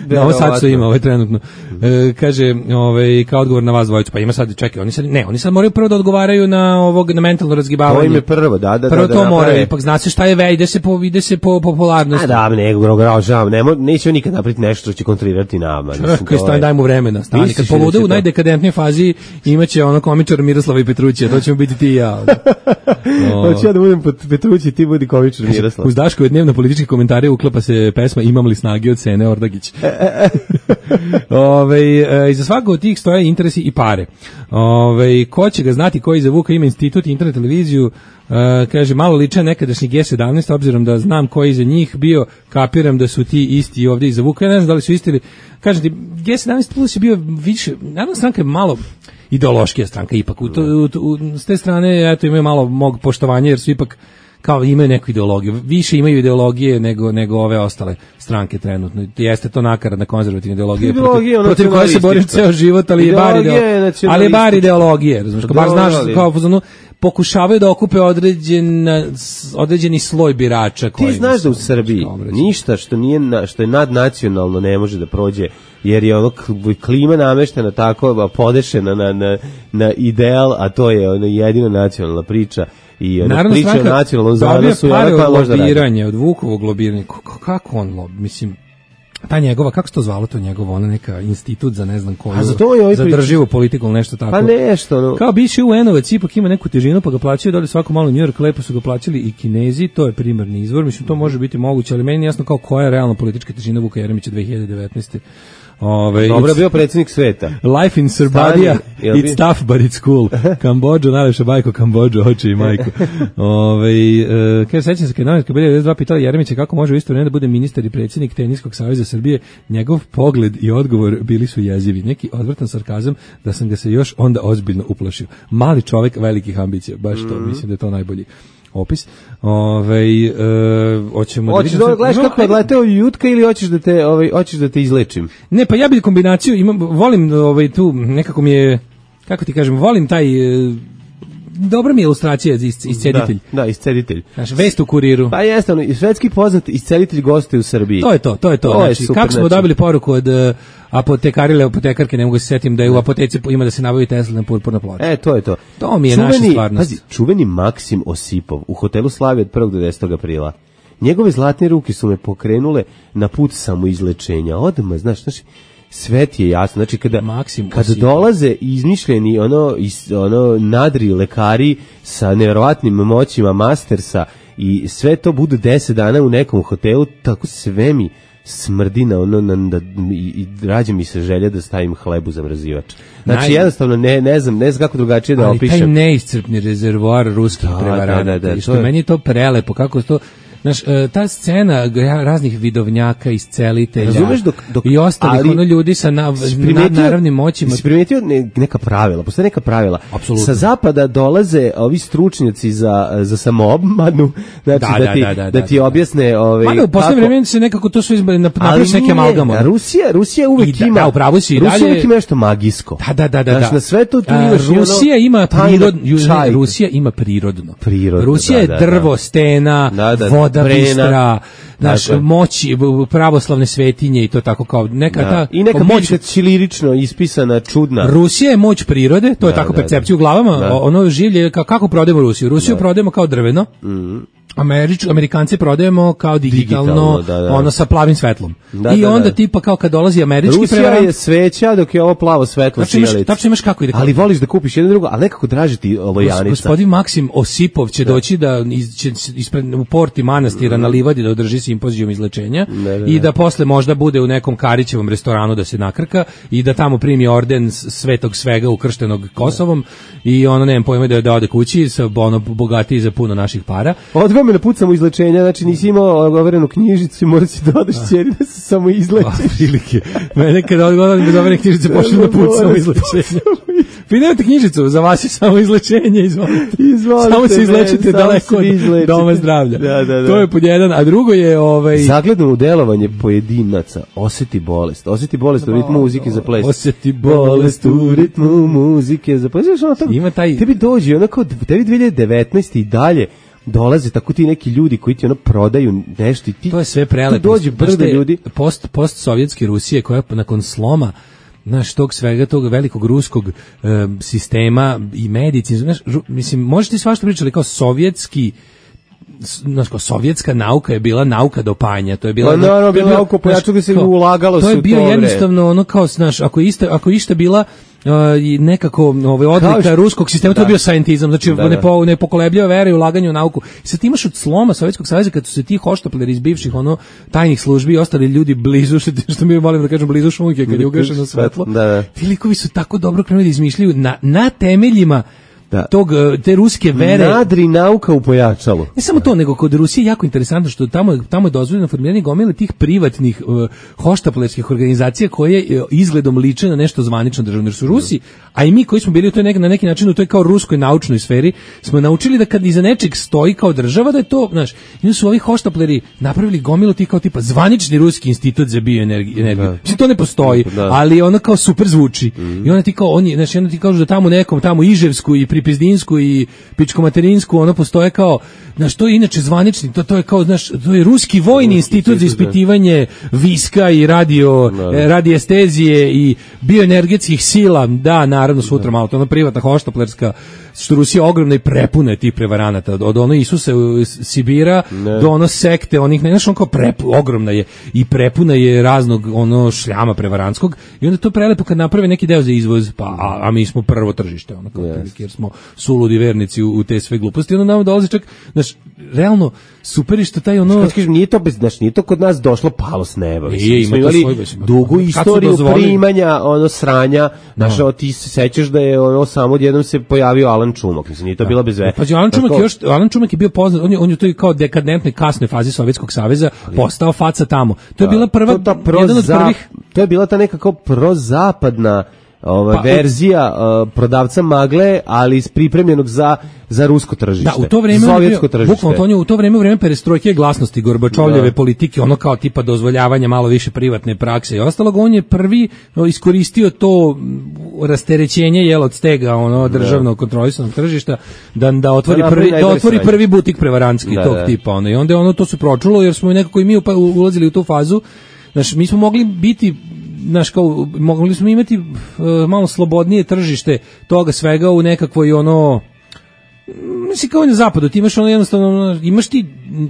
Speaker 5: Novo Sadstvo ima ovaj trenutno. E, kaže, ovaj, kao odgovor na vas dvojicu, pa ima sad, čekaj, oni sad, ne, oni sad moraju prvo da odgovaraju na ovog, na mentalno razgibavanje.
Speaker 6: To im je prvo, da, da,
Speaker 5: prvo
Speaker 6: da.
Speaker 5: to
Speaker 6: da,
Speaker 5: moraju,
Speaker 6: naprave.
Speaker 5: ipak zna se šta je ve, ide se po, ide se po popularnosti.
Speaker 6: A da, nego, grogražavam, nemo, neće on nikad napraviti nešto što će kontrolirati nama.
Speaker 5: Čekaj, stani, daj mu vremena, stani, kad polude u najdekadentnijoj fazi imaće ono komičar Miroslava i Petrućija, to ćemo biti ti i ja.
Speaker 6: Hoću ja da budem Petrući, ti budi komičar Miroslav.
Speaker 5: Uz Daškove dnevno političke komentare uklapa se pesma Imam li snage od Sene Ordagić. Ove, e, iza svakog od tih stoje interesi i pare. Ove, ko će ga znati koji za Vuka ima institut, internet, televiziju, e, kaže, malo liče nekadašnji G sedamnaest, obzirom da znam koji za njih bio, kapiram da su ti isti ovdje iza Vuka. Ja ne znam da li su isti ili, kažem ti, G sedamnaest plus je bio više, naravno stranka je malo ideološkija stranka ipak. U to, u, u, s te strane, eto, imaju malo mog poštovanja, jer su ipak kao imaju neku ideologiju, više imaju ideologije nego nego ove ostale stranke trenutno. Jeste to nakaradna konzervativna ideologija protiv, protiv koje se boriš ceo život, ali je bar ideologija, ali je bar ideologije, razumiješ, bar znaš kao ono, pokušavaju da okupe određen određeni sloj birača koji.
Speaker 6: Ti znaš da u Srbiji ništa što nije na, što je nadnacionalno ne može da prođe, jer je ono klima nameštena tako podešena na, na, na ideal, a to je ono jedina nacionalna priča. I ona priča o nacionalnom zanosu,
Speaker 5: pare od lobiranja, od Vukovog lobiranja, kako on lobi, mislim, ta njegova, kako se to zvalo to njegovo, ona neka institut za ne znam koju,
Speaker 6: za, ovaj
Speaker 5: za drživu politiku, nešto tako.
Speaker 6: Pa nešto, no.
Speaker 5: Kao bivši U N-ovac, ipak ima neku težinu, pa ga plaćaju dole svako malo New York, lepo su ga plaćali i Kinezi, to je primarni izvor, mislim, to može biti moguće, ali meni je jasno kao koja je realna politička težina Vuka Jeremića dve hiljade devetnaeste. Ove,
Speaker 6: dobro je bio predsjednik sveta.
Speaker 5: Life in Srbija, it's tough but it's cool. Kambodža, najlepša bajko, Kambodža, oči i majko. Ove, uh, kaže, sećam se kad novinarka B devedeset dva pitala Jeremića kako može u isto vreme da bude ministar i predsjednik Teniskog saveza Srbije, njegov pogled i odgovor bili su jezivi. Neki odvrtan sarkazam da sam ga se još onda ozbiljno uplašio. Mali čovjek velikih ambicija, baš to, mm-hmm. mislim da je to najbolji opis. Ovaj e, hoćemo
Speaker 6: hoćeš da vidimo. Gledaš kako je leteo jutka ili hoćeš da te ovaj hoćeš da te izlečim?
Speaker 5: Ne, pa ja bih kombinaciju imam, volim ovaj tu nekako mi je, kako ti kažem, volim taj dobra mi je ilustracija iz isceditelj.
Speaker 6: Da, da, isceditelj.
Speaker 5: Znaš, vest u Kuriru.
Speaker 6: Pa jeste, ono, svetski poznat isceditelj gostuje u Srbiji.
Speaker 5: To je to, to je to. to znači, je super, kako smo znači. dobili poruku od uh, apotekarile, apotekarke, ne mogu se setim da je u apoteci ima da se nabavi Tesla na purpurna ploča.
Speaker 6: E, to je to.
Speaker 5: To mi je
Speaker 6: čuveni,
Speaker 5: naša stvarnost.
Speaker 6: Pazi, čuveni Maksim Osipov u hotelu Slavija od prvog do desetog aprila. Njegove zlatne ruke su me pokrenule na put samoizlečenja. Odmah, znaš, znači, sve ti je jasno, znači kada, kada dolaze izmišljeni ono, is, ono nadri lekari sa nevjerovatnim moćima mastersa i sve to bude deset dana u nekom hotelu, tako sve mi smrdi na ono, na, da, i, i rađe mi se želja da stavim hleb u zamrzivač. Znači Naj... jednostavno ne, ne znam, ne znam kako drugačije da opišem.
Speaker 5: Ali taj neiscrpni rezervoar ruskih da, prevaranata, da, da, da, što je... meni je to prelepo, kako to... Znaš, ta scena raznih vidovnjaka, iscelitelja dok, dok, i ostalih ali, ono ljudi sa na, naravnim moćima.
Speaker 6: Si primetio ne, neka pravila, postoje neka pravila.
Speaker 5: Absolutno.
Speaker 6: Sa zapada dolaze ovi stručnjaci za, za samoobmanu, znači da, da, ti, da, da, da, da ti objasne... Ovaj,
Speaker 5: Mada, u posljednje vremena se nekako to su izbali na neke amalgama.
Speaker 6: Rusija, Rusija uvek
Speaker 5: da,
Speaker 6: ima...
Speaker 5: Da, upravo si i
Speaker 6: Rusija
Speaker 5: dalje...
Speaker 6: uvek ima nešto magijsko.
Speaker 5: Da, da, da. da,
Speaker 6: znači,
Speaker 5: da.
Speaker 6: na sve to tu
Speaker 5: A,
Speaker 6: imaš...
Speaker 5: Rusija
Speaker 6: ono,
Speaker 5: ima prirodno... Rusija ima prirodno.
Speaker 6: Prirodno,
Speaker 5: Rusija je
Speaker 6: da, da,
Speaker 5: drvo, stena,
Speaker 6: da, da,
Speaker 5: voda,
Speaker 6: brena,
Speaker 5: Istra, naš moći pravoslavne svetinje i to tako kao neka
Speaker 6: da.
Speaker 5: ta
Speaker 6: i neka
Speaker 5: moć
Speaker 6: ćirilično ispisana čudna.
Speaker 5: Rusija je moć prirode, to je
Speaker 6: da,
Speaker 5: tako
Speaker 6: da,
Speaker 5: percepcija
Speaker 6: da.
Speaker 5: u glavama,
Speaker 6: da.
Speaker 5: ono življe kako, kako prodajemo Rusiju. Rusiju da. prodajemo kao drveno.
Speaker 6: Mhm.
Speaker 5: Američ, Amerikanci prodajemo kao digitalno, digitalno da, da. ono sa plavim svetlom.
Speaker 6: Da,
Speaker 5: I
Speaker 6: da,
Speaker 5: onda
Speaker 6: da.
Speaker 5: tipa kao kad dolazi američki
Speaker 6: Rusija
Speaker 5: prevarant.
Speaker 6: Rusija je sveća dok je ovo plavo svetlo
Speaker 5: sijalica. Tačno imaš kako ide.
Speaker 6: Ali voliš da kupiš jedno drugo, ali nekako draži ti lojanica.
Speaker 5: Gospodin Maksim Osipov će da. doći da iz, će ispred, u porti manastira mm. na livadi da održi simpozijum izlečenja ne, ne, i da posle možda bude u nekom Karićevom restoranu da se nakrka i da tamo primi orden svetog svega ukrštenog Kosovom ne. i ono nemam pojma da, da ode kući sa ono bogatiji za puno naših para.
Speaker 6: Odgoj me na put samoizlečenja, znači nisi imao overenu knjižicu i moraš si dodaš ćeri da se samo izlečiš.
Speaker 5: Prilike. Mene kada odgovaram bez overene knjižice pošli na put samoizlečenja. Vi nemate knjižicu, za vas je samo izlečenje, izvolite.
Speaker 6: Izvolite.
Speaker 5: Samo se izlečite daleko od
Speaker 6: izlečite.
Speaker 5: doma zdravlja.
Speaker 6: Da, da, da.
Speaker 5: To je pod jedan, a drugo je... Ovaj...
Speaker 6: Zagledno u delovanje pojedinaca, osjeti bolest. Osjeti bolest u ritmu muzike za ples.
Speaker 5: Osjeti bolest u ritmu muzike za ples.
Speaker 6: Ima taj... Tebi dođe, onako, tebi dve hiljade devetnaeste i dalje dolaze tako ti neki ljudi koji ti ono prodaju nešto i ti
Speaker 5: to je sve prelepo.
Speaker 6: Tu dođe brdo ljudi.
Speaker 5: Post, post sovjetske Rusije koja nakon sloma znaš, tog svega, tog velikog ruskog e, sistema i medicine, znaš, ru, mislim, možete svašta pričali kao sovjetski znaš, kao sovjetska nauka je bila nauka dopanja, to je bila...
Speaker 6: Pa naravno, bila nauka pojaču gde se ulagalo su
Speaker 5: to je bio
Speaker 6: to
Speaker 5: jednostavno ono kao, znaš, ako je ista, ako je ista bila Uh, i nekako ovaj odlika što, ruskog sistema, da. To je bio scientizam, znači da, ne, po, ne pokolebljiva vera i ulaganje u nauku. I sad imaš od sloma Sovjetskog saveza kad su se ti hoštapleri iz bivših ono tajnih službi i ostali ljudi blizu, što, što mi volim da kažem blizu šunke kad je ugašeno svetlo,
Speaker 6: da, da.
Speaker 5: Ti likovi su tako dobro krenuli da izmišljaju na, na temeljima da. Tog, te ruske vere.
Speaker 6: Nadri nauka u pojačalu.
Speaker 5: Ne samo to, nego kod Rusije jako interesantno što tamo, tamo je dozvoljeno formiranje gomile tih privatnih uh, hoštaplerskih organizacija koje uh, izgledom liče na nešto zvanično državno. Jer su Rusi, a i mi koji smo bili u toj nek, na neki način u toj kao ruskoj naučnoj sferi, smo naučili da kad iza nečeg stoji kao država, da je to, znaš, i su ovi hoštapleri napravili gomilu tih kao tipa zvanični ruski institut za bioenergiju. Mislim, to ne postoji, da. Ali ono kao super zvuči. Mm-hmm. I onda ti kao, oni, znaš, onda ti kažu da tamo nekom, tamo Iževsku i Pripizdinsku i Pičko-Materinsku, ono postoje kao, znaš, to je inače zvanični, to, to je kao, znaš, to je ruski vojni ruski institut za ispitivanje viska i radio, eh, radiestezije i bioenergetskih sila, da, naravno, sutra malo, to je ona privatna hoštaplerska, što Rusija ogromna i prepuna je tih prevaranata, od, od ono Isusa Sibira ne. Do ono sekte, onih, ne, znaš, on kao prepu, ogromna je i prepuna je raznog ono šljama prevarantskog i onda to prelepo kad naprave neki deo za izvoz, pa, a, a mi smo prvo tržište, ono, kao yes. Jer smo suludi vernici u, u te sve gluposti, onda nam dolazi čak, znaš, realno, super je što taj ono...
Speaker 6: Što kažem, nije to, bez, znaš, nije to kod nas došlo palo s neba.
Speaker 5: Nije,
Speaker 6: smo imali svoj, dugu istoriju primanja, ono, sranja, znaš, no. Ti se sećaš da je ono, samo odjednom se pojavio Alan Čumak, mislim, nije to da. Bila bez veze.
Speaker 5: Pa Alan Čumak, još, Alan Čumak je bio poznat, on je, on je to kao dekadentnoj kasnoj fazi Sovjetskog saveza postao faca tamo. To je da. Bila prva, to, jedan od prvih...
Speaker 6: To je bila ta neka kao prozapadna ova pa, verzija uh, prodavca magle, ali pripremljenog za za rusko tržište.
Speaker 5: Da, u to vreme sovjetsko tržište. Bukvalno to je u to vreme u vreme perestrojke glasnosti Gorbačovljeve da. Politike, ono kao tipa dozvoljavanja malo više privatne prakse i ostalog, on je prvi no, iskoristio to rasterećenje jel od stega ono državno kontrolisanog tržišta da da otvori da, prvi da otvori sranje. Prvi butik prevarantski da, tog da. Tipa ono i onda ono to se pročulo jer smo nekako i mi ulazili u tu fazu. Znači mi smo mogli biti znaš, kao, mogli smo imati uh, malo slobodnije tržište toga svega u nekakvoj ono, mislim kao na zapadu, ti imaš ono jednostavno, imaš ti,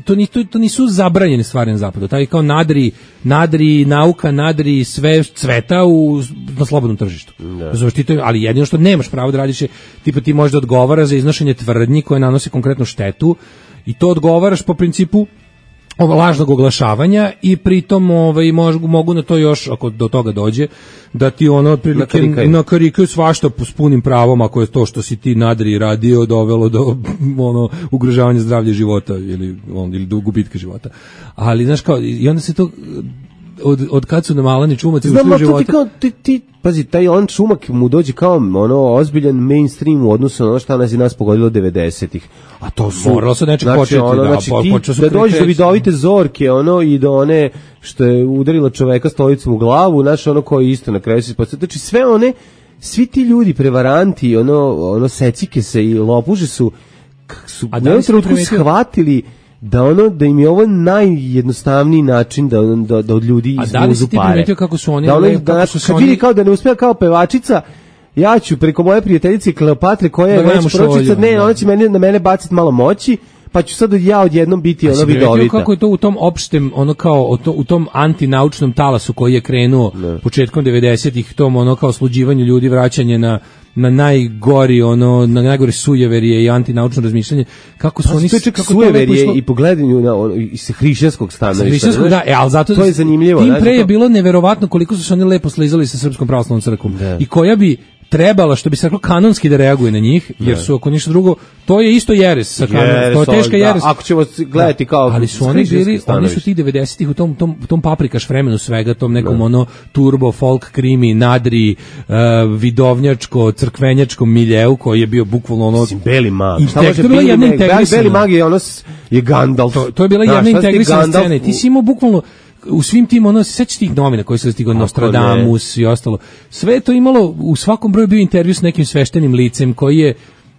Speaker 5: to, ni, to, to nisu zabranjene stvari na zapadu, taj kao nadri, nadri nauka, nadri sve cveta u, na slobodnom tržištu. Da. Ti to, ali jedino što nemaš pravo da radiš je, tipa ti možda odgovara za iznošenje tvrdnji koje nanose konkretnu štetu i to odgovaraš po principu ovo lažnog oglašavanja i pritom ovaj mogu, mogu na to još ako do toga dođe da ti ono otprilike nakarikaju svašta s punim pravom ako je to što si ti nadri radio dovelo do ono ugrožavanja zdravlja života ili on ili do gubitka života. Ali znaš kao i onda se to od od kad su nam Alani Čumaci ušli u život.
Speaker 6: Znam, ti, ti, pazi, taj Alan Čumak mu dođe kao ono ozbiljan mainstream u odnosu na ono što nas i nas pogodilo devedesetih. A to su...
Speaker 5: Moralo se nečeg znači, početi,
Speaker 6: ono,
Speaker 5: da,
Speaker 6: znači,
Speaker 5: po,
Speaker 6: ti, da dođeš do vidovite zorke, ono, i do one što je udarila čoveka stolicom u glavu, znači ono koji isto na kraju se ispostavlja. Znači sve one, svi ti ljudi, prevaranti, ono, ono secike se i lopuže su, su u jednom trenutku shvatili da ono da im je ovo najjednostavniji način da da, da od ljudi izvuzu pare. A da li si ti primetio
Speaker 5: kako su oni...
Speaker 6: Da oni, kako su kad oni... vidi kao da ne uspeva kao pevačica, ja ću preko moje prijateljice Kleopatre koja je već pročica, ne, ona će mene, na mene baciti malo moći, pa ću sad ja odjednom biti ono vidovita.
Speaker 5: Kako je to u tom opštem, ono kao to, u tom antinaučnom talasu koji je krenuo ne. Početkom devedesetih, tom ono kao sluđivanju ljudi, vraćanje na na najgori ono na najgore sujeverije i antinaučno razmišljanje kako su pa, oni
Speaker 6: kako sujeverije i pogledanju na ono, iz hrišćanskog stanovišta
Speaker 5: da, e, al zato
Speaker 6: to je zanimljivo.
Speaker 5: Tim pre je bilo neverovatno koliko su se oni lepo slizali sa Srpskom pravoslavnom crkvom i koja bi trebala, što bi se reklo, kanonski da reaguje na njih, jer su ako ništa drugo, to je isto jeres sa kanon, to je teška jeres.
Speaker 6: Da, ako ćemo gledati kao...
Speaker 5: Ali su oni bili, oni su tih devedesetih u tom, tom, tom paprikaš vremenu svega, tom nekom da. Ono turbo, folk, krimi, nadri, uh, vidovnjačko, crkvenjačkom miljeu, koji je bio bukvalno ono...
Speaker 6: Mislim, beli mag.
Speaker 5: I tek, to je bila jedna integrisana...
Speaker 6: Beli mag je ono, je Gandalf.
Speaker 5: To, to je bila jedna integrisana scena. Ti si imao bukvalno u svim tim, ono, sećaš tih novina koji su stigao, Nostradamus ne. I ostalo, sve to imalo, u svakom broju bio intervju s nekim sveštenim licem koji je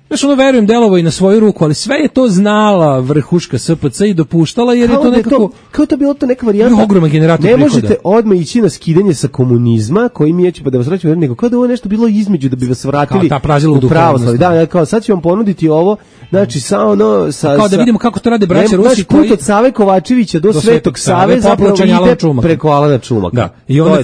Speaker 5: Znaš, ono, verujem, delovo i na svoju ruku, ali sve je to znala vrhuška S P C i dopuštala, jer
Speaker 6: kao
Speaker 5: je to
Speaker 6: da
Speaker 5: nekako...
Speaker 6: To, kao to bilo to neka varijanta.
Speaker 5: Ogroman generator
Speaker 6: ne
Speaker 5: prihoda.
Speaker 6: Možete odmah ići na skidanje sa komunizma, koji mi je će pa da vas vraćamo, nego kao da ovo nešto bilo između da bi vas vratili
Speaker 5: kao ta prazila
Speaker 6: u pravoslavlje. Da, da, kao sad ću vam ponuditi ovo, znači sa ono... Sa,
Speaker 5: kao da vidimo kako to rade braća Rusi
Speaker 6: koji...
Speaker 5: koji...
Speaker 6: od Save Kovačevića do, do Svetog Save zapravo ide preko Alana Čumaka.
Speaker 5: Da, i onda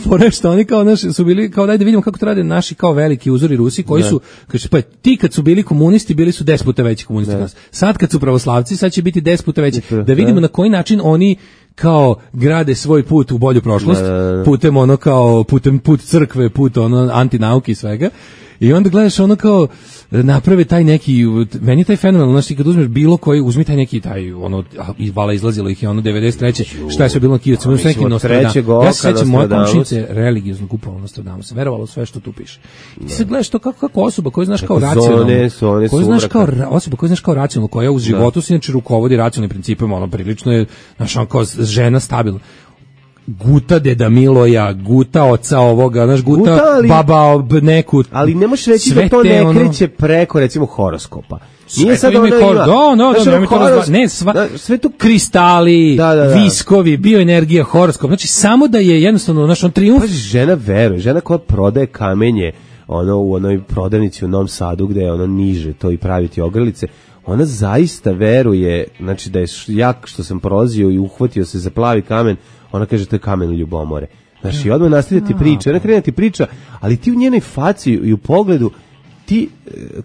Speaker 5: forešta, oni kao naši su bili, kao daj da vidimo kako to rade naši kao veliki uzori Rusi, koji su, kaže, pa ti kad su bili komunisti, bili su deset puta veći komunisti od nas. Sad kad su pravoslavci, sad će biti deset puta veći. Da vidimo na koji način oni kao grade svoj put u bolju prošlost, putem ono kao, putem put crkve, put ono antinauke i svega. I onda gledaš ono kao naprave taj neki, meni je taj fenomen, znači kad uzmeš bilo koji, uzmi taj neki taj ono i vala izlazilo ih je ono devedeset treće šta je sve bilo na Kijevcu, uzmi neki Nostradamus. Ja se sećam moje komšinice religiozno kupovalo Nostradamus, verovalo sve što tu piše. I ti se gledaš to kako kako osoba koju znaš kao racionalno, koju znaš kao osoba koju znaš kao racionalno, koja u životu se inače rukovodi racionalnim principima, ono prilično je naš on kao žena stabilna. Guta deda Miloja, guta oca ovoga, znaš, guta, guta ali, baba neku.
Speaker 6: Ali ne možeš reći da to ne ono, kreće preko, recimo, horoskopa. Nije sad ono ima...
Speaker 5: Da, no, no, no, horos... ne, sva, da, sve to kristali, da, da, da. Viskovi, bioenergija, horoskop. Znači, samo da je jednostavno, znaš, on trijumf.
Speaker 6: Pazi, žena veruje, žena koja prodaje kamenje, ono, u onoj prodavnici u Novom Sadu, gde je ono niže to i praviti ogrlice, ona zaista veruje, znači da je jak što sam prolazio i uhvatio se za plavi kamen, ona kaže to je kamen ljubomore. Znači, odmah nastavlja ti priča, ona krene ti priča, ali ti u njenoj faci i u pogledu ti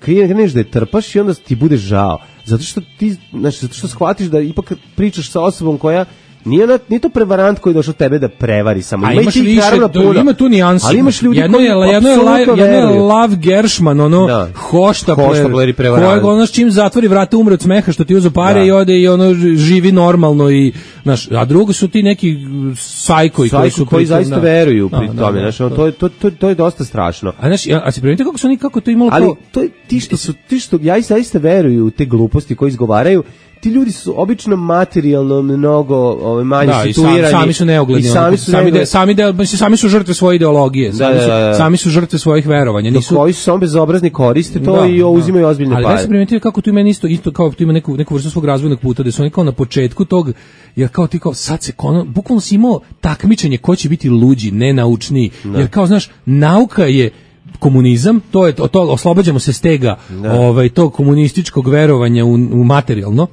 Speaker 6: kreneš da je trpaš i onda ti bude žao. Zato što ti, znači, zato što shvatiš da ipak pričaš sa osobom koja nije, ona, nije to prevarant koji je došao tebe da prevari samo.
Speaker 5: A ima imaš više, puno, ima tu nijansi.
Speaker 6: Ali imaš ljudi
Speaker 5: jedno
Speaker 6: koji
Speaker 5: je, jedno je, la, jedno je Lav Gershman, ono, da. hoštapler,
Speaker 6: i prevarant.
Speaker 5: Kojeg ono s čim zatvori vrata umre od smeha što ti uzo pare da. I ode i ono živi normalno i, znaš, a drugo su ti neki sajkoji koji su
Speaker 6: koji zaista da. Veruju pri da, tome, da, znaš, to, to, to, to, to je dosta strašno.
Speaker 5: A znaš, a se primetite kako su oni, kako to imalo
Speaker 6: ali
Speaker 5: kao...
Speaker 6: to je, ti što su, ti što, ja i zaista veruju u te gluposti koji izgovaraju, ti ljudi su obično materijalno mnogo ovaj manje
Speaker 5: da,
Speaker 6: situirani
Speaker 5: i sam, sami su neugledni,
Speaker 6: i sami su
Speaker 5: sami, de, sami, de, sami su žrtve svoje ideologije, sami, da, da, da. Su, sami su žrtve svojih verovanja, nisu
Speaker 6: koji su samo bezobrazni koriste to da, i uzimaju ozbiljne
Speaker 5: ali
Speaker 6: pare.
Speaker 5: Ali da se primetio kako tu ima isto isto kao tu ima neku neku vrstu svog razvojnog puta da su oni kao na početku tog, jer kao ti kao sad se kono, bukvalno si imao takmičenje ko će biti luđi, nenaučniji, da. Jer kao znaš nauka je komunizam, to je to, to oslobađamo se stega da. Ovaj tog komunističkog verovanja u, u materijalno,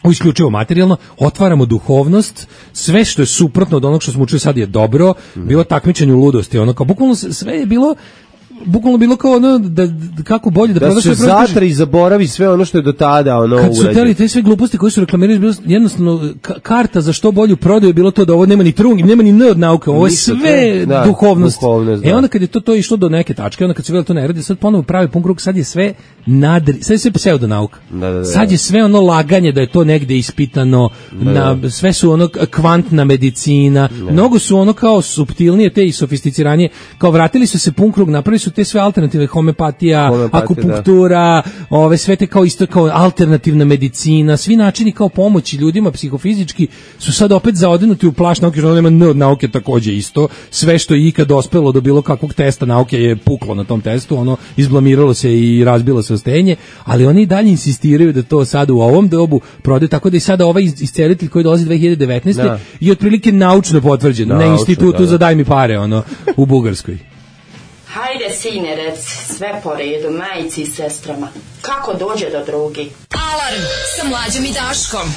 Speaker 5: u isključivo materijalno, otvaramo duhovnost, sve što je suprotno od onog što smo učili sad je dobro, bilo takmičenje u ludosti, ono kao bukvalno sve je bilo bukvalno bilo kao ono da, da kako bolje da,
Speaker 6: da
Speaker 5: prodaš
Speaker 6: se zatra i zaboravi sve ono što je do tada ono
Speaker 5: kad su teli te sve gluposti koje su reklamirali bilo jednostavno karta za što bolju prodaju je bilo to da ovo nema ni trung, nema ni n od nauke, ovo je sve da, duhovnost. duhovnost da. E onda kad je to to išlo do neke tačke, onda kad se videlo to ne radi, sad ponovo pravi pun krug, sad je sve nadri, sad je sve pseudonauka. Da, da, da. Sad je sve ono laganje da je to negde ispitano, da, da. Na, sve su ono kvantna medicina, da. Mnogo su ono kao suptilnije te i sofisticiranije, kao vratili su se pun krug, napravili su te sve alternative, homeopatija, Homeopatija, akupunktura, da. Ove sve te kao isto kao alternativna medicina, svi načini kao pomoći ljudima psihofizički su sad opet zaodenuti u plašt nauke, što nema n od nauke takođe isto, sve što je ikad dospelo do bilo kakvog testa nauke je puklo na tom testu, ono izblamiralo se i razbilo se ostenje, ali oni i dalje insistiraju da to sad u ovom dobu prodaju, tako da i sada ovaj iscelitelj koji dolazi dve hiljade devetnaeste Da. I otprilike naučno potvrđen na institutu da, da. Za daj mi pare, ono, u Bugarskoj.
Speaker 13: Hajde, sine, rec, sve po redu, majici i sestrama. Kako dođe do drugi?
Speaker 9: Alarm sa Mlađom i Daškom.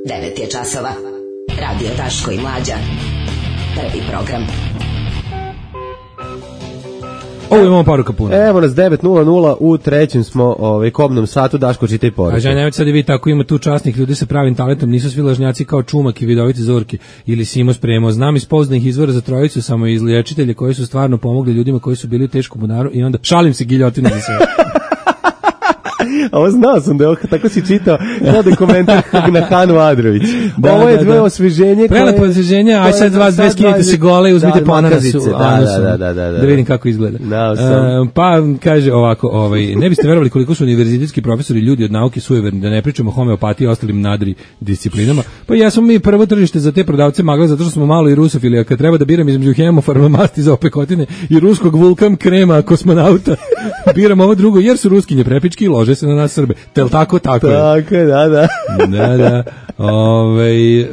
Speaker 9: Devet je časova. Radio Daško i Mlađa. Prvi program.
Speaker 5: Ovo imamo poruka puno.
Speaker 6: Evo nas devet nula nula, u trećem smo ovaj, kobnom satu, Daško čitaj poruke.
Speaker 5: A žaj, nemojte sad i vi tako, ima tu časnih ljudi sa pravim talentom, nisu svi lažnjaci kao Čumak i vidoviti Zorki ili Simo spremao. Znam iz poznanih izvora za trojicu samo izliječitelje koji su stvarno pomogli ljudima koji su bili u teškom bunaru i onda šalim se, giljotinu za sve.
Speaker 6: A ovo znao sam da je ovo, tako si čitao, kao da je komentar na Hanu Adrović.
Speaker 5: Da,
Speaker 6: ovo je
Speaker 5: da,
Speaker 6: dvoje
Speaker 5: da.
Speaker 6: osveženje.
Speaker 5: Prelepo
Speaker 6: koje-
Speaker 5: osveženje, aj sad
Speaker 6: koje-
Speaker 5: vas dve skinite se gole i uzmite
Speaker 6: da,
Speaker 5: po ananasu.
Speaker 6: makazice, da,
Speaker 5: anusom,
Speaker 6: da, da, da, da.
Speaker 5: da vidim kako izgleda.
Speaker 6: Znao sam.
Speaker 5: E, pa kaže ovako, ovaj, ne biste verovali koliko su univerzitetski profesori ljudi od nauke sujeverni, da ne pričamo o homeopatiji i ostalim nadri disciplinama. Pa ja smo mi prvo tržište za te prodavce magla zato što smo malo i rusofili, a kad treba da biram između hemofarmamasti za opekotine i ruskog vulkan krema kosmonauta, biram ovo drugo jer su ruskinje prepički i lože se na nas Srbe. Tel tako, tako je.
Speaker 6: Tako je, da, da.
Speaker 5: Da, da. Ove, e,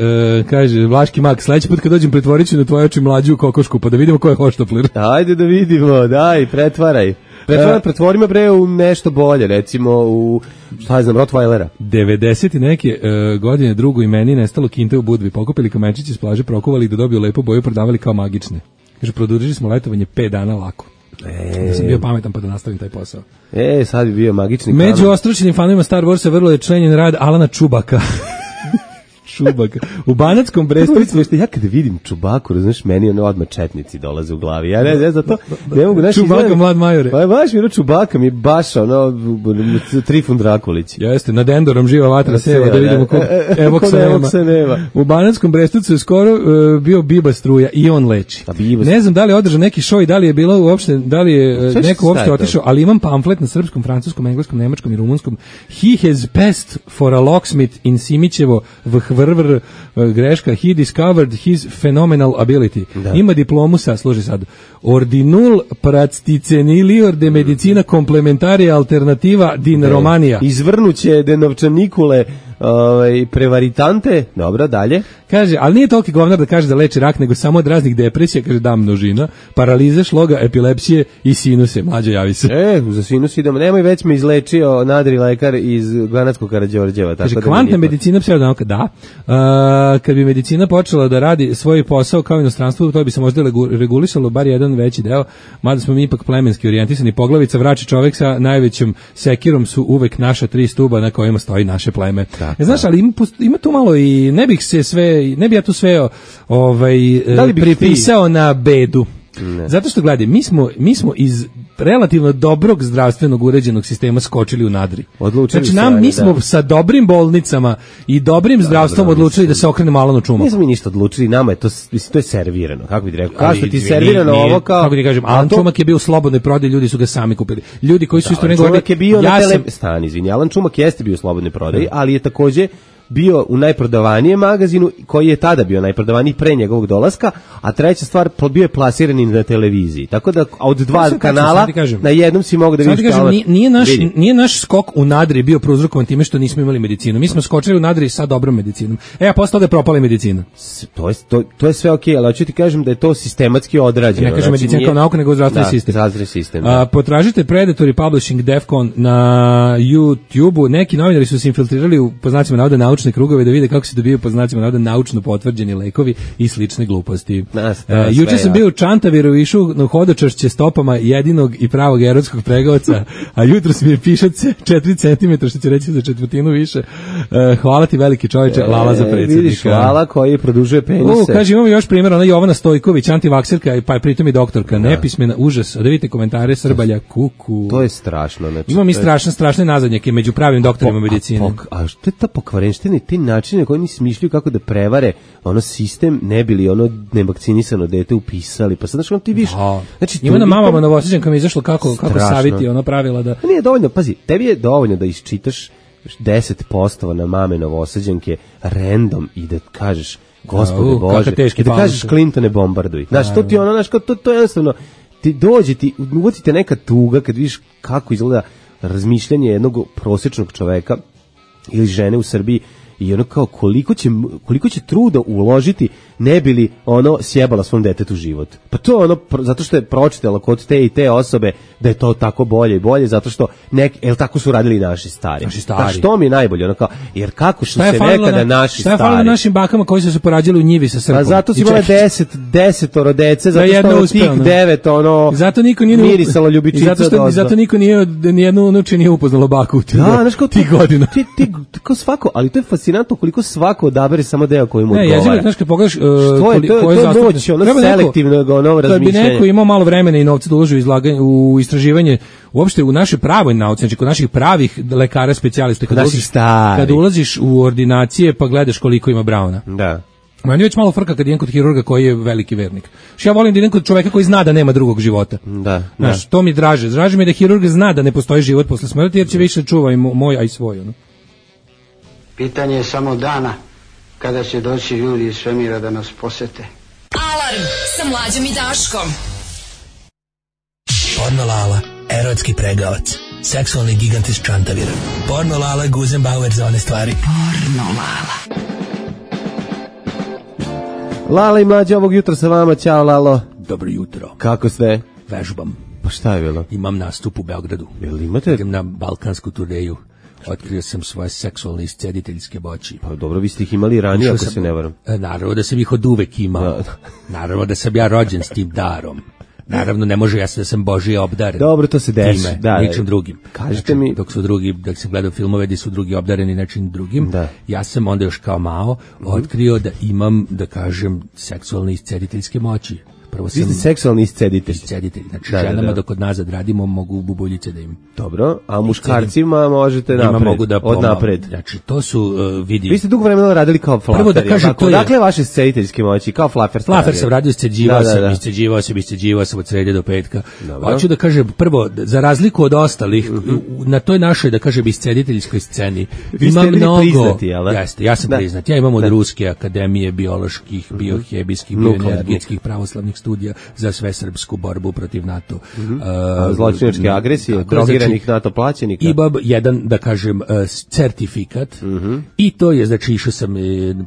Speaker 5: kaže, Vlaški mak, sledeći put kad dođem pretvorit ću na tvoje oči mlađu kokošku, pa da vidimo ko je hoštapler.
Speaker 6: Ajde da vidimo, daj, pretvaraj. Pretvaraj, pretvorimo me bre u nešto bolje, recimo u, šta je znam, Rottweilera.
Speaker 5: devedeset i neke e, godine drugo i meni nestalo kinte u Budvi, pokupili kamenčići s plaže, prokuvali ih da dobiju lepu boju, prodavali kao magične. Kaže, produžili smo letovanje pet dana lako.
Speaker 6: E,
Speaker 5: Ja sam bio pametan pa da nastavim taj posao.
Speaker 6: E, sad bi bio magični
Speaker 5: Među
Speaker 6: kamen.
Speaker 5: ostručenim fanovima Star Warsa vrlo je členjen rad Alana Čubaka. Čubaka. U Banatskom Brestovcu.
Speaker 6: Ja kada vidim Čubaku, razumiješ, meni ono odmah četnici dolaze u glavi. Ja ne znam, zato ne mogu... Znaš,
Speaker 5: Čubaka,
Speaker 6: izgleda-
Speaker 5: mlad majore.
Speaker 6: Pa je baš mi ono Čubaka, mi je baš ono Trifun Drakulić.
Speaker 5: Jeste, nad Endorom živa vatra seva, da
Speaker 6: Seva,
Speaker 5: vidimo
Speaker 6: da.
Speaker 5: kog
Speaker 6: E, e,
Speaker 5: Evoksa
Speaker 6: kod
Speaker 5: nema.
Speaker 6: Evoksa nema.
Speaker 5: U Banatskom Brestovcu je skoro uh, bio Biba struja i on leči.
Speaker 6: A Biba-
Speaker 5: Ne znam da li je održan neki show i da li je bilo uopšte, da li je uh,
Speaker 6: Sve što
Speaker 5: neko uopšte
Speaker 6: staje
Speaker 5: otišao, ali imam pamflet na srpskom, francuskom, engleskom, nemačkom i rumunskom. He has passed for a locksmith in Simićevo vhrvr uh, greška. He discovered his phenomenal ability.
Speaker 6: Da.
Speaker 5: Ima diplomu sa, služi sad, ordinul practicenilior de medicina complementaria alternativa din Romania.
Speaker 6: Izvrnuće de novčanikule ovaj, prevaritante. Dobro, dalje.
Speaker 5: Kaže, ali nije toliki govnar da kaže da leči rak, nego samo od raznih depresija, kaže da množina, paralize, šloga, epilepsije i sinuse. Mlađo, javi se.
Speaker 6: E, za sinus idemo. Nemoj, već me izlečio nadri lekar iz Banatskog Karađorđeva.
Speaker 5: Kaže,
Speaker 6: tako da
Speaker 5: kvantna
Speaker 6: mi nije-
Speaker 5: medicina, pseudonauka, da. Uh, kad bi medicina počela da radi svoj posao kao inostranstvo, to bi se možda legu- regulisalo bar jedan veći deo, mada smo mi ipak plemenski orijentisani. Poglavica, vrači čovek sa najvećom sekirom su uvek naša tri stuba na kojima stoji naše pleme.
Speaker 6: Tako.
Speaker 5: E, znaš, ali ima, pust- ima tu malo i ne bih se sve, ne bih ja tu sve ovaj,
Speaker 6: Da li bih
Speaker 5: pripisao na bedu.
Speaker 6: Ne.
Speaker 5: Zato što gledaj, mi smo, mi smo iz relativno dobrog zdravstvenog uređenog sistema skočili u nadri.
Speaker 6: Odlučili
Speaker 5: Znači
Speaker 6: se,
Speaker 5: nam,
Speaker 6: ajde,
Speaker 5: mi smo
Speaker 6: da.
Speaker 5: sa dobrim bolnicama i dobrim zdravstvom
Speaker 6: dobro,
Speaker 5: odlučili
Speaker 6: mislim.
Speaker 5: da se okrenemo Alanu Čumaku.
Speaker 6: Nismo mi ništa odlučili, nama je to, mislim, to je servirano, kako bi ti rekao. Kao
Speaker 5: Ali,
Speaker 6: što ti je
Speaker 5: nije-
Speaker 6: servirano
Speaker 5: nije-
Speaker 6: ovo kao...
Speaker 5: Kako ti kažem,
Speaker 6: a
Speaker 5: Alan
Speaker 6: to-
Speaker 5: Čumak je bio u slobodnoj prodaji, ljudi su ga sami kupili. Ljudi koji su isto
Speaker 6: Alan
Speaker 5: nego
Speaker 6: Čumak je bio na
Speaker 5: ja
Speaker 6: tele...
Speaker 5: sam,
Speaker 6: Stani, izvini, Alan Čumak jeste bio u slobodnoj prodaji, ali je takođe bio u najprodavanijem magazinu koji je tada bio najprodavaniji pre njegovog dolaska, a treća stvar, bio je plasiran i na televiziji. Tako da a od dva
Speaker 5: Pa sad tačno,
Speaker 6: kanala
Speaker 5: sad ti kažem.
Speaker 6: na jednom si mogu da
Speaker 5: Samo ti
Speaker 6: vidiš
Speaker 5: kažem,
Speaker 6: Alan-
Speaker 5: nije, nije, naš,
Speaker 6: Vidi.
Speaker 5: nije naš skok u nadri bio prouzrokovan time što nismo imali medicinu. Mi smo skočili u nadri sa dobrom medicinom. E, a posle toga je propala i medicina.
Speaker 6: S- To je, to, to je sve okej, ali hoću ti kažem da je to sistematski odrađeno.
Speaker 5: Ne kažem
Speaker 6: Znači,
Speaker 5: medicina
Speaker 6: nije-
Speaker 5: kao nauka, nego zdravstveni
Speaker 6: Da,
Speaker 5: sistem.
Speaker 6: zdravstveni sistem, da.
Speaker 5: A, potražite Predatory Publishing Defcon na YouTubeu. Neki novinari su se infiltrirali u, po znacima navoda, naučne krugove da vide kako se dobijaju, po znacima navoda, naučno potvrđeni lekovi i slične gluposti.
Speaker 6: Nas,
Speaker 5: E,
Speaker 6: nas,
Speaker 5: juče
Speaker 6: sve,
Speaker 5: sam
Speaker 6: ja.
Speaker 5: bio u Čantaviru i išao na hodočašće stopama jedinog i pravog erotskog pregovca, a jutros mi je pišac četiri centimetra, što će reći za četvrtinu više. E, hvala ti veliki čovječe, Lala za
Speaker 6: E,
Speaker 5: predsjednika.
Speaker 6: Vidiš, Lala koji produžuje penise.
Speaker 5: U, kaže, imamo još primjer, ona Jovana Stojković, antivakserka, pa je pritom i doktorka, nepismena, užas, da vidite komentare, Srbalja, kuku.
Speaker 6: To je strašno. Znači,
Speaker 5: Imamo mi
Speaker 6: to je-
Speaker 5: strašne, strašne nazadnjake među pravim doktorima medicine.
Speaker 6: A, pok- a što je ta pokvarenština i ti načine koji oni smišljaju kako da prevare ono sistem, ne bili ono nevakcinisano dete upisali. Pa sad znaš, ono ti viš...
Speaker 5: Da.
Speaker 6: Znači,
Speaker 5: Ima na
Speaker 6: toliko-
Speaker 5: mamama Novosađankama izašlo kako, kako
Speaker 6: Strašno.
Speaker 5: saviti ona pravila da...
Speaker 6: Pa nije dovoljno, pazi, tebi je dovoljno da isčitaš deset posto na mame Novosađanke random i da kažeš Gospode
Speaker 5: A, u,
Speaker 6: Bože,
Speaker 5: kakav teški
Speaker 6: i da kažeš
Speaker 5: paluš.
Speaker 6: Clintone bombarduj. Znaš, to ti ono, znaš, kao, to, to je jednostavno, ti dođe, ti, uvoti te neka tuga kad vidiš kako izgleda razmišljanje jednog prosječnog čoveka ili žene u Srbiji i ono kao koliko će, koliko će truda uložiti ne bi li ono sjebala svom detetu život. Pa to je ono, pro- zato što je pročitala kod te i te osobe da je to tako bolje i bolje, zato što nek, el tako su radili i naši stari.
Speaker 5: Naši stari.
Speaker 6: Pa što mi je najbolje, ono kao, jer kako su
Speaker 5: Šta je
Speaker 6: se
Speaker 5: falilo
Speaker 6: nekada
Speaker 5: na,
Speaker 6: naši
Speaker 5: šta je falilo
Speaker 6: stari.
Speaker 5: našim bakama koji su se porađali u njivi sa srpom?
Speaker 6: Pa zato si
Speaker 5: I
Speaker 6: imala
Speaker 5: čekić.
Speaker 6: deset, desetoro dece, zato
Speaker 5: Da jedna
Speaker 6: što od
Speaker 5: uspe,
Speaker 6: tih
Speaker 5: ono.
Speaker 6: devet, ono,
Speaker 5: I zato niko nije
Speaker 6: mirisalo
Speaker 5: I
Speaker 6: ljubičica
Speaker 5: zato što
Speaker 6: do-
Speaker 5: i zato niko nije od- nijednu unuče nije upoznalo baku u tih
Speaker 6: Da, znaš kao
Speaker 5: tih godina.
Speaker 6: Ti, ti, ti kao svako, ali to je fascinantno. fascinantno koliko svako odabere samo deo koji mu
Speaker 5: ne,
Speaker 6: odgovara.
Speaker 5: Ne, jezivo, znaš, kad pogledaš... Uh,
Speaker 6: što je, to, to je moć, ono selektivno ono razmišljanje.
Speaker 5: Kad bi neko imao malo vremena i novca da uloži u, izlaganje, u istraživanje, uopšte u naše pravoj nauci, znači kod naših pravih lekara specijalista, kad, ulaziš, kad ulaziš u ordinacije pa gledaš koliko ima Brauna.
Speaker 6: Da.
Speaker 5: Meni već malo frka kad idem kod hirurga koji je veliki vernik. Što ja volim da idem kod čoveka koji zna da nema drugog života.
Speaker 6: Da,
Speaker 5: znaš, da. To mi draže. Draže mi da hirurg zna da ne postoji život posle smrti, jer će više čuva i moj, a i svoj. Ono.
Speaker 14: Pitanje je samo dana kada će doći ljudi iz svemira da nas posete.
Speaker 9: Alarm sa Mlađom i Daškom.
Speaker 11: Porno Lala, erotski pregavac, seksualni gigant iz Čantavira. Porno Lala, Guzenbauer za one stvari.
Speaker 9: Porno Lala.
Speaker 6: Lala i Mlađa ovog jutra sa vama, ćao Lalo.
Speaker 5: Dobro jutro.
Speaker 6: Kako ste?
Speaker 5: Vežbam.
Speaker 6: Pa šta je bilo?
Speaker 5: Imam nastup u Beogradu.
Speaker 6: Jel imate?
Speaker 5: Idem na balkansku turneju. Otkrio sam svoje seksualne iscediteljske moći.
Speaker 6: Pa dobro, vi ste ih imali ranije, ako se ne varam.
Speaker 5: Naravno da sam ih od uvek imao. Naravno da sam ja rođen s tim darom. Naravno, ne može ja da sam Božije obdaren.
Speaker 6: Dobro, to se desi.
Speaker 5: Time,
Speaker 6: da,
Speaker 5: ničim drugim.
Speaker 6: Kažete
Speaker 5: znači,
Speaker 6: mi...
Speaker 5: Dok su drugi, dok sam gledao filmove gdje su drugi obdareni nečim drugim,
Speaker 6: da.
Speaker 5: Ja sam onda još kao Mao otkrio da imam, da kažem, seksualne iscediteljske moći. Prvo sam...
Speaker 6: Vi ste seksualni isceditelj.
Speaker 5: Isceditelj. Znači,
Speaker 6: da,
Speaker 5: ženama
Speaker 6: da, da.
Speaker 5: dok od nazad radimo, mogu bubuljice da im...
Speaker 6: Dobro, a muškarcima možete napred,
Speaker 5: mogu da
Speaker 6: od napred.
Speaker 5: Znači, to su, uh, vidi...
Speaker 6: Vi ste dugo vremena radili kao flafer.
Speaker 5: Prvo da kažem, to je...
Speaker 6: Dakle, vaše iscediteljske moći, kao flafer.
Speaker 5: Flafer sam radio, isceđivao da, da, da. sam, isceđivao sam, isceđivao sam od srede do petka. Dobro. Hoću da kažem, prvo, za razliku od ostalih, mm-hmm. na toj našoj, da kažem, iscediteljskoj sceni,
Speaker 6: vi
Speaker 5: ima mnogo...
Speaker 6: priznati, jel?
Speaker 5: Jeste, ja sam da. priznat. Ja imam od da. Ruske akademije bioloških, biohemijskih, bioenergetskih pravoslavnih studija za sve srpsku borbu protiv NATO.
Speaker 6: Mm-hmm. uh, Zločinačke agresije, tako, drogiranih znači, NATO plaćenika.
Speaker 5: I bab jedan, da kažem, uh, certifikat.
Speaker 6: Mm-hmm.
Speaker 5: I to je, znači, išao sam,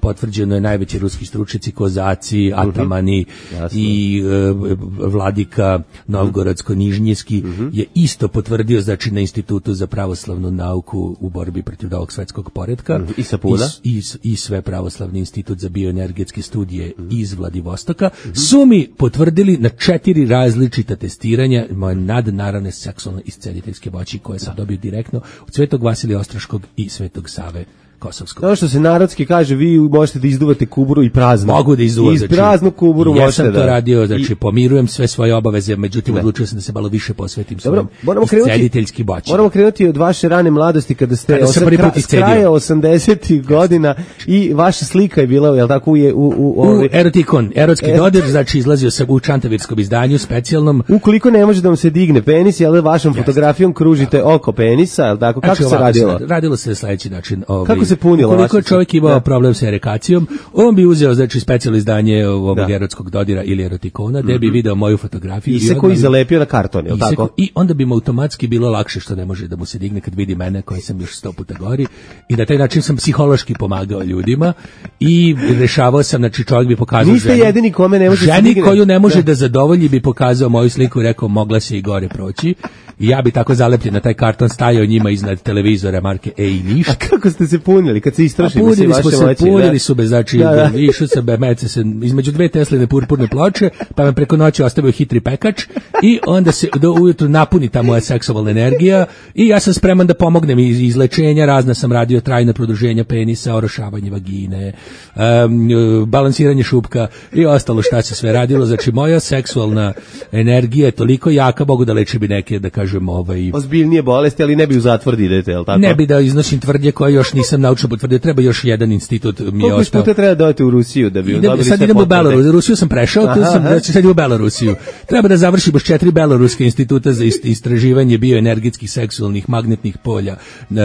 Speaker 5: potvrđeno je najveći ruski stručnjaci, kozaci, atamani mm-hmm. i uh, vladika Novgorodsko-Nižnjski mm-hmm. je isto potvrdio, znači, na Institutu za pravoslavnu nauku u borbi protiv ovog svetskog poretka.
Speaker 6: Mm-hmm. I Sapuna.
Speaker 5: I, i, I sve pravoslavni institut za bioenergetske studije mm-hmm. iz Vladivostoka mm-hmm. su mi potvrdili na četiri različita testiranja moje nadnaravne seksualne iscediteljske moći koje sam dobio direktno od Svetog Vasilija Ostroškog i Svetog Save Kosovskog.
Speaker 6: Ono što se narodski kaže, vi možete da izduvate kuburu i prazno.
Speaker 5: Mogu da izduvam.
Speaker 6: I praznu kuburu
Speaker 5: možete da... Ja
Speaker 6: sam
Speaker 5: to radio, znači I... pomirujem sve svoje obaveze, međutim ne. odlučio sam da se malo više posvetim svojim iscediteljskim moći.
Speaker 6: Moramo krenuti od vaše rane mladosti kada ste
Speaker 5: kada
Speaker 6: osam, kra, s kraja osamdesetih godina i vaša slika je bila, jel tako, je u... U,
Speaker 5: u, u erotikon, erotski e... dodir, znači izlazio sam u čantavirskom izdanju, specijalnom.
Speaker 6: Ukoliko ne može da vam se digne penis, jel vašom yes. fotografijom kružite yes. oko penisa, jel tako, kako znači, se radilo?
Speaker 5: Se, radilo se na sledeći način.
Speaker 6: Ovaj, kako se punilo?
Speaker 5: Ukoliko čovjek imao da. problem sa erekacijom, on bi uzeo, znači, specijalno izdanje ovog da. erotskog dodira ili erotikona, gde mm-hmm. bi video moju fotografiju.
Speaker 6: I se koji zalepio na karton, jel tako?
Speaker 5: I onda bi mu automatski bilo lakše što ne može da mu se digne kad vidi mene koji sam još sto puta gori. I na taj način sam psihološki pomagao ljudima i rešavao sam, znači, čovjek bi pokazao
Speaker 6: Niste
Speaker 5: ženu.
Speaker 6: jedini kome ne može
Speaker 5: ženi
Speaker 6: se digne.
Speaker 5: koju ne može da. da zadovolji bi pokazao moju sliku i rekao mogla se i gore proći. I ja bi tako zalepljen na taj karton stajao njima iznad televizora marke Ej Niš.
Speaker 6: A kako ste se punili kad se istrošili
Speaker 5: punili smo se, moći, punili da? su bez, znači, da, da. išao sam mece se između dve Tesline purpurne ploče, pa me preko noći ostavio hitri pekač i onda se do ujutru napuni ta moja seksualna energija i ja sam spreman da pomognem iz izlečenja, razna sam radio trajna produženja penisa, orošavanje vagine, um, balansiranje šupka i ostalo šta se sve radilo, znači moja seksualna energija je toliko jaka, mogu da leči bi neke, da kažem, ovaj...
Speaker 6: ozbiljnije bolesti, ali ne bi u zatvor da idete, je li tako?
Speaker 5: Ne bi da iznosim tvrdnje koje još nisam naučno potvrdio, treba još jedan institut mi je ostao.
Speaker 6: Koliko puta treba da odete u Rusiju da bi
Speaker 5: idem,
Speaker 6: dobili
Speaker 5: sad
Speaker 6: sve
Speaker 5: idem
Speaker 6: potvrde?
Speaker 5: u Belorusiju, Rusiju sam prešao, tu sam, znači sad idem u Belorusiju. Treba da završimo četiri beloruske instituta za istraživanje bioenergetskih seksualnih magnetnih polja e,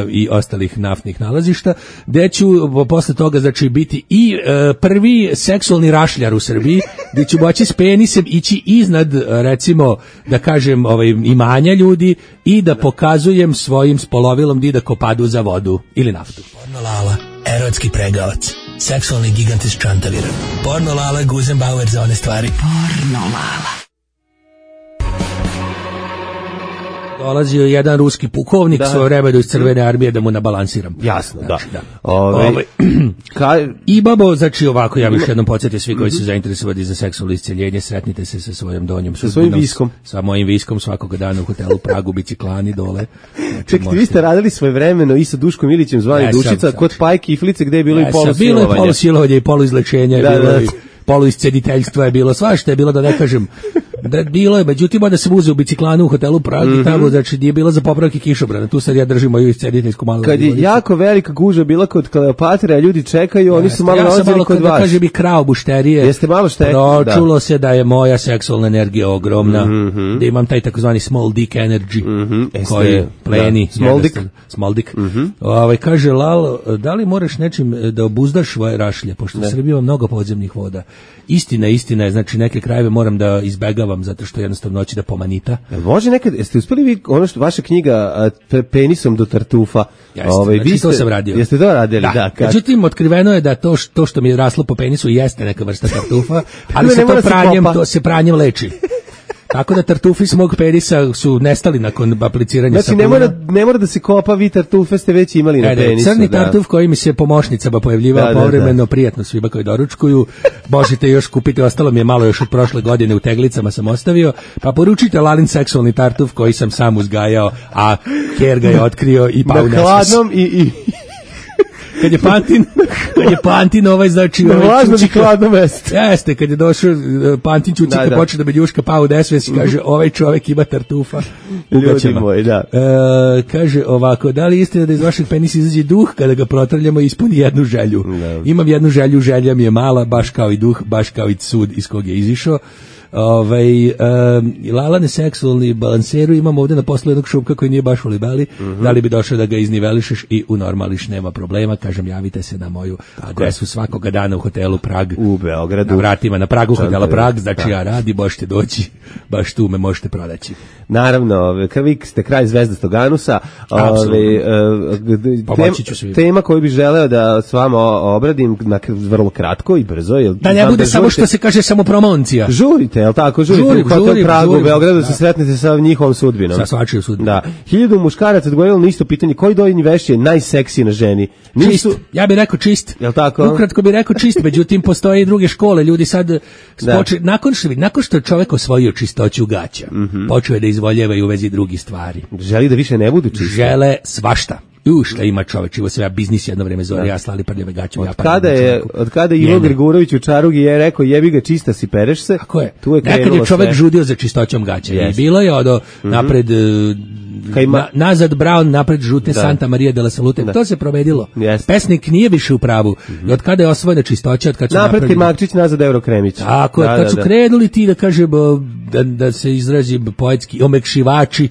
Speaker 5: i ostalih naftnih nalazišta, gde ću posle toga, znači, biti i e, prvi seksualni rašljar u Srbiji, gde ću moći s penisem ići iznad, recimo, da kažem, ovaj, imanja ljudi i da pokazujem svojim spolovilom di da kopadu za vodu ili naftu.
Speaker 11: Porno Lala, erotski pregavac, seksualni gigant iz Čantavira. Porno Lala, Guzenbauer za one stvari.
Speaker 9: Porno Lala.
Speaker 5: dolazio jedan ruski pukovnik
Speaker 6: Da.
Speaker 5: svoje vremena iz Crvene armije da mu nabalansiram.
Speaker 6: Jasno,
Speaker 5: Znači,
Speaker 6: da.
Speaker 5: da.
Speaker 6: Ove,
Speaker 5: Ove,
Speaker 6: ka,
Speaker 5: I babo, znači ovako, ja bih još jednom podsjetio svi koji su zainteresovani za seksualno isceljenje, sretnite se sa svojom donjom
Speaker 6: Sa svojim viskom.
Speaker 5: Sa mojim viskom svakoga dana u hotelu Pragu, biciklani dole. Znači,
Speaker 6: čekajte, vi ste radili svoje vremeno i sa Duškom Ilićem zvani
Speaker 5: Ja,
Speaker 6: Dušica,
Speaker 5: sam, sam.
Speaker 6: kod Pajke i Flice gde je bilo
Speaker 5: Ja,
Speaker 6: i
Speaker 5: sam,
Speaker 6: polusilovanje.
Speaker 5: bilo je polusilovanje i poluizlečenje,
Speaker 6: Da,
Speaker 5: bilo
Speaker 6: da.
Speaker 5: i poluiscediteljstva je bilo, svašta je bilo, da ne kažem, da bilo je, međutim onda se uze u biciklanu u hotelu Pragu,
Speaker 6: Mhm.
Speaker 5: tamo, znači nije bilo za popravke kišobrana, tu sad ja držim moju iscediteljsku malu.
Speaker 6: Kad je jako velika gužva bila kod Kleopatre, a ljudi čekaju, oni su malo
Speaker 5: ja sam
Speaker 6: nalazili
Speaker 5: malo,
Speaker 6: kod
Speaker 5: da
Speaker 6: vas.
Speaker 5: kažem, i krao bušterije.
Speaker 6: Jeste malo štekli, da.
Speaker 5: Čulo se da je moja seksualna energija ogromna,
Speaker 6: Mhm.
Speaker 5: da imam taj takozvani small dick energy,
Speaker 6: Mhm, jeste,
Speaker 5: koji pleni.
Speaker 6: da, small dick.
Speaker 5: jednostavno, Small dick.
Speaker 6: Mhm.
Speaker 5: Ovaj, kaže Lalo, da li moraš nečim e, da obuzdaš svoje rašlje, pošto
Speaker 6: Ne.
Speaker 5: u Srbiji ima mnogo podzemnih voda. Istina, istina je, znači neke krajeve moram da izbegavam zato što jednostavno hoće da pomanita.
Speaker 6: Jel može nekad, jeste uspeli vi, ono što, vaša knjiga a, pe- penisom do tartufa,
Speaker 5: Jeste,
Speaker 6: ovaj,
Speaker 5: znači
Speaker 6: vi ste,
Speaker 5: to sam radio.
Speaker 6: Jeste to radili, da,
Speaker 5: Da,
Speaker 6: kad-
Speaker 5: međutim, otkriveno je da to, š- to što mi je raslo po penisu jeste neka vrsta tartufa, ali
Speaker 6: Ne
Speaker 5: se
Speaker 6: mora
Speaker 5: to
Speaker 6: se
Speaker 5: pranjem,
Speaker 6: kopa.
Speaker 5: to se pranjem leči. Tako da tartufi s mog penisa su nestali nakon apliciranja
Speaker 6: Znači,
Speaker 5: sapuna.
Speaker 6: ne mora, ne mora da se kopa, vi tartufe ste već imali na
Speaker 5: E, da,
Speaker 6: penisu.
Speaker 5: crni
Speaker 6: da.
Speaker 5: tartuf koji mi se pomoćnicama pojavljivao
Speaker 6: Da, da,
Speaker 5: povremeno, prijatno svima koji doručkuju. Možete još kupiti, ostalo mi je malo još od prošle godine, u teglicama sam ostavio. Pa poručite Lalin seksualni tartuf koji sam sam uzgajao, a Ker ga je otkrio i pao u
Speaker 6: Na
Speaker 5: nesvest.
Speaker 6: hladnom i... i
Speaker 5: Kad je Pantin, kad je Pantin ovaj, znači...
Speaker 6: na
Speaker 5: ovaj
Speaker 6: vlažnom i
Speaker 5: Čučika-
Speaker 6: hladnom mestu.
Speaker 5: Jeste, kad je došao e, Pantin Čučika,
Speaker 6: Da, da.
Speaker 5: počeo da me ljuška, pao u nesvest i kaže, ovaj čovek ima tartufa. u
Speaker 6: Ljudi
Speaker 5: gaćama.
Speaker 6: moji, da.
Speaker 5: E, kaže ovako, da li je istina da iz vašeg penisa izađe duh kada ga protrljamo i ispuni jednu želju? Imam jednu želju, želja mi je mala, baš kao i duh, baš kao i sud iz kog je izišao. Ovaj um, Lalane seksualni balanseru imamo ovdje na poslu jednog šupka koji nije baš u libeli,
Speaker 6: Mhm.
Speaker 5: da li bi došao da ga iznivelišeš i unormališ, nema problema, kažem, javite se na moju adresu svakoga dana u hotelu Prag
Speaker 6: u Beogradu,
Speaker 5: na vratima, na Pragu hotela
Speaker 6: Čantove,
Speaker 5: Prag, znači
Speaker 6: da.
Speaker 5: ja radi, možete doći, baš tu me možete pronaći.
Speaker 6: Naravno, ove, kad vi ste kraj zvezdastog anusa,
Speaker 5: Apsolutno.
Speaker 6: ove, e, g-
Speaker 5: Pomoći
Speaker 6: tem-
Speaker 5: ću svima.
Speaker 6: tema koju bih želeo da s vama o- obradim na, vrlo kratko i brzo. Jel,
Speaker 5: Da ne
Speaker 6: znam
Speaker 5: bude samo
Speaker 6: žurite.
Speaker 5: što se kaže samo promocija.
Speaker 6: Žurite, jel tako? Žurite
Speaker 5: Žurim,
Speaker 6: u hotel
Speaker 5: žurim,
Speaker 6: Pragu u
Speaker 5: žurim.
Speaker 6: Beogradu,
Speaker 5: Da.
Speaker 6: se sretnete sa njihovom sudbinom.
Speaker 5: Sa svačijom sudbinom.
Speaker 6: Da. Hiljadu muškaraca odgovorilo na isto pitanje, koji donji veš je najseksiji na ženi?
Speaker 5: Čist, ja bih rekao čist.
Speaker 6: Jel tako?
Speaker 5: Ukratko bih rekao čist, međutim postoje i druge škole, ljudi sad spoče, nakon što nakon što je čovjek osvojio čistoću gaća,
Speaker 6: Mhm.
Speaker 5: počeo je da izvoljeva i u vezi drugih stvari.
Speaker 6: Želi da više ne budu čiste.
Speaker 5: Žele svašta. U šta ima čovjek, ivo se ja biznis jedno vrijeme zove, ja slali prljave gaće.
Speaker 6: Od
Speaker 5: ja
Speaker 6: kada je, od kada je Ivo
Speaker 5: Njene.
Speaker 6: Grgurović u Čarugi je rekao jebi ga čista si, pereš se.
Speaker 5: Tako je.
Speaker 6: Tu je
Speaker 5: Nekad
Speaker 6: krenulo
Speaker 5: je čovjek
Speaker 6: sve.
Speaker 5: žudio za čistoćom gaća. I
Speaker 6: Jeste.
Speaker 5: bilo je od napred e,
Speaker 6: Kad ima-
Speaker 5: na- nazad Brown, napred žute
Speaker 6: Da.
Speaker 5: Santa Maria de la Salute.
Speaker 6: Da.
Speaker 5: To se provedilo.
Speaker 6: Jeste.
Speaker 5: Pesnik nije više u pravu. I od kada je osvojena čistoća, od kada su
Speaker 6: Napred kad
Speaker 5: napravili...
Speaker 6: Makčić, nazad Eurokremić.
Speaker 5: Tako je,
Speaker 6: Da,
Speaker 5: kad
Speaker 6: da,
Speaker 5: su
Speaker 6: da.
Speaker 5: krenuli ti da kažem, da, da se izrazi poetski omekšivači,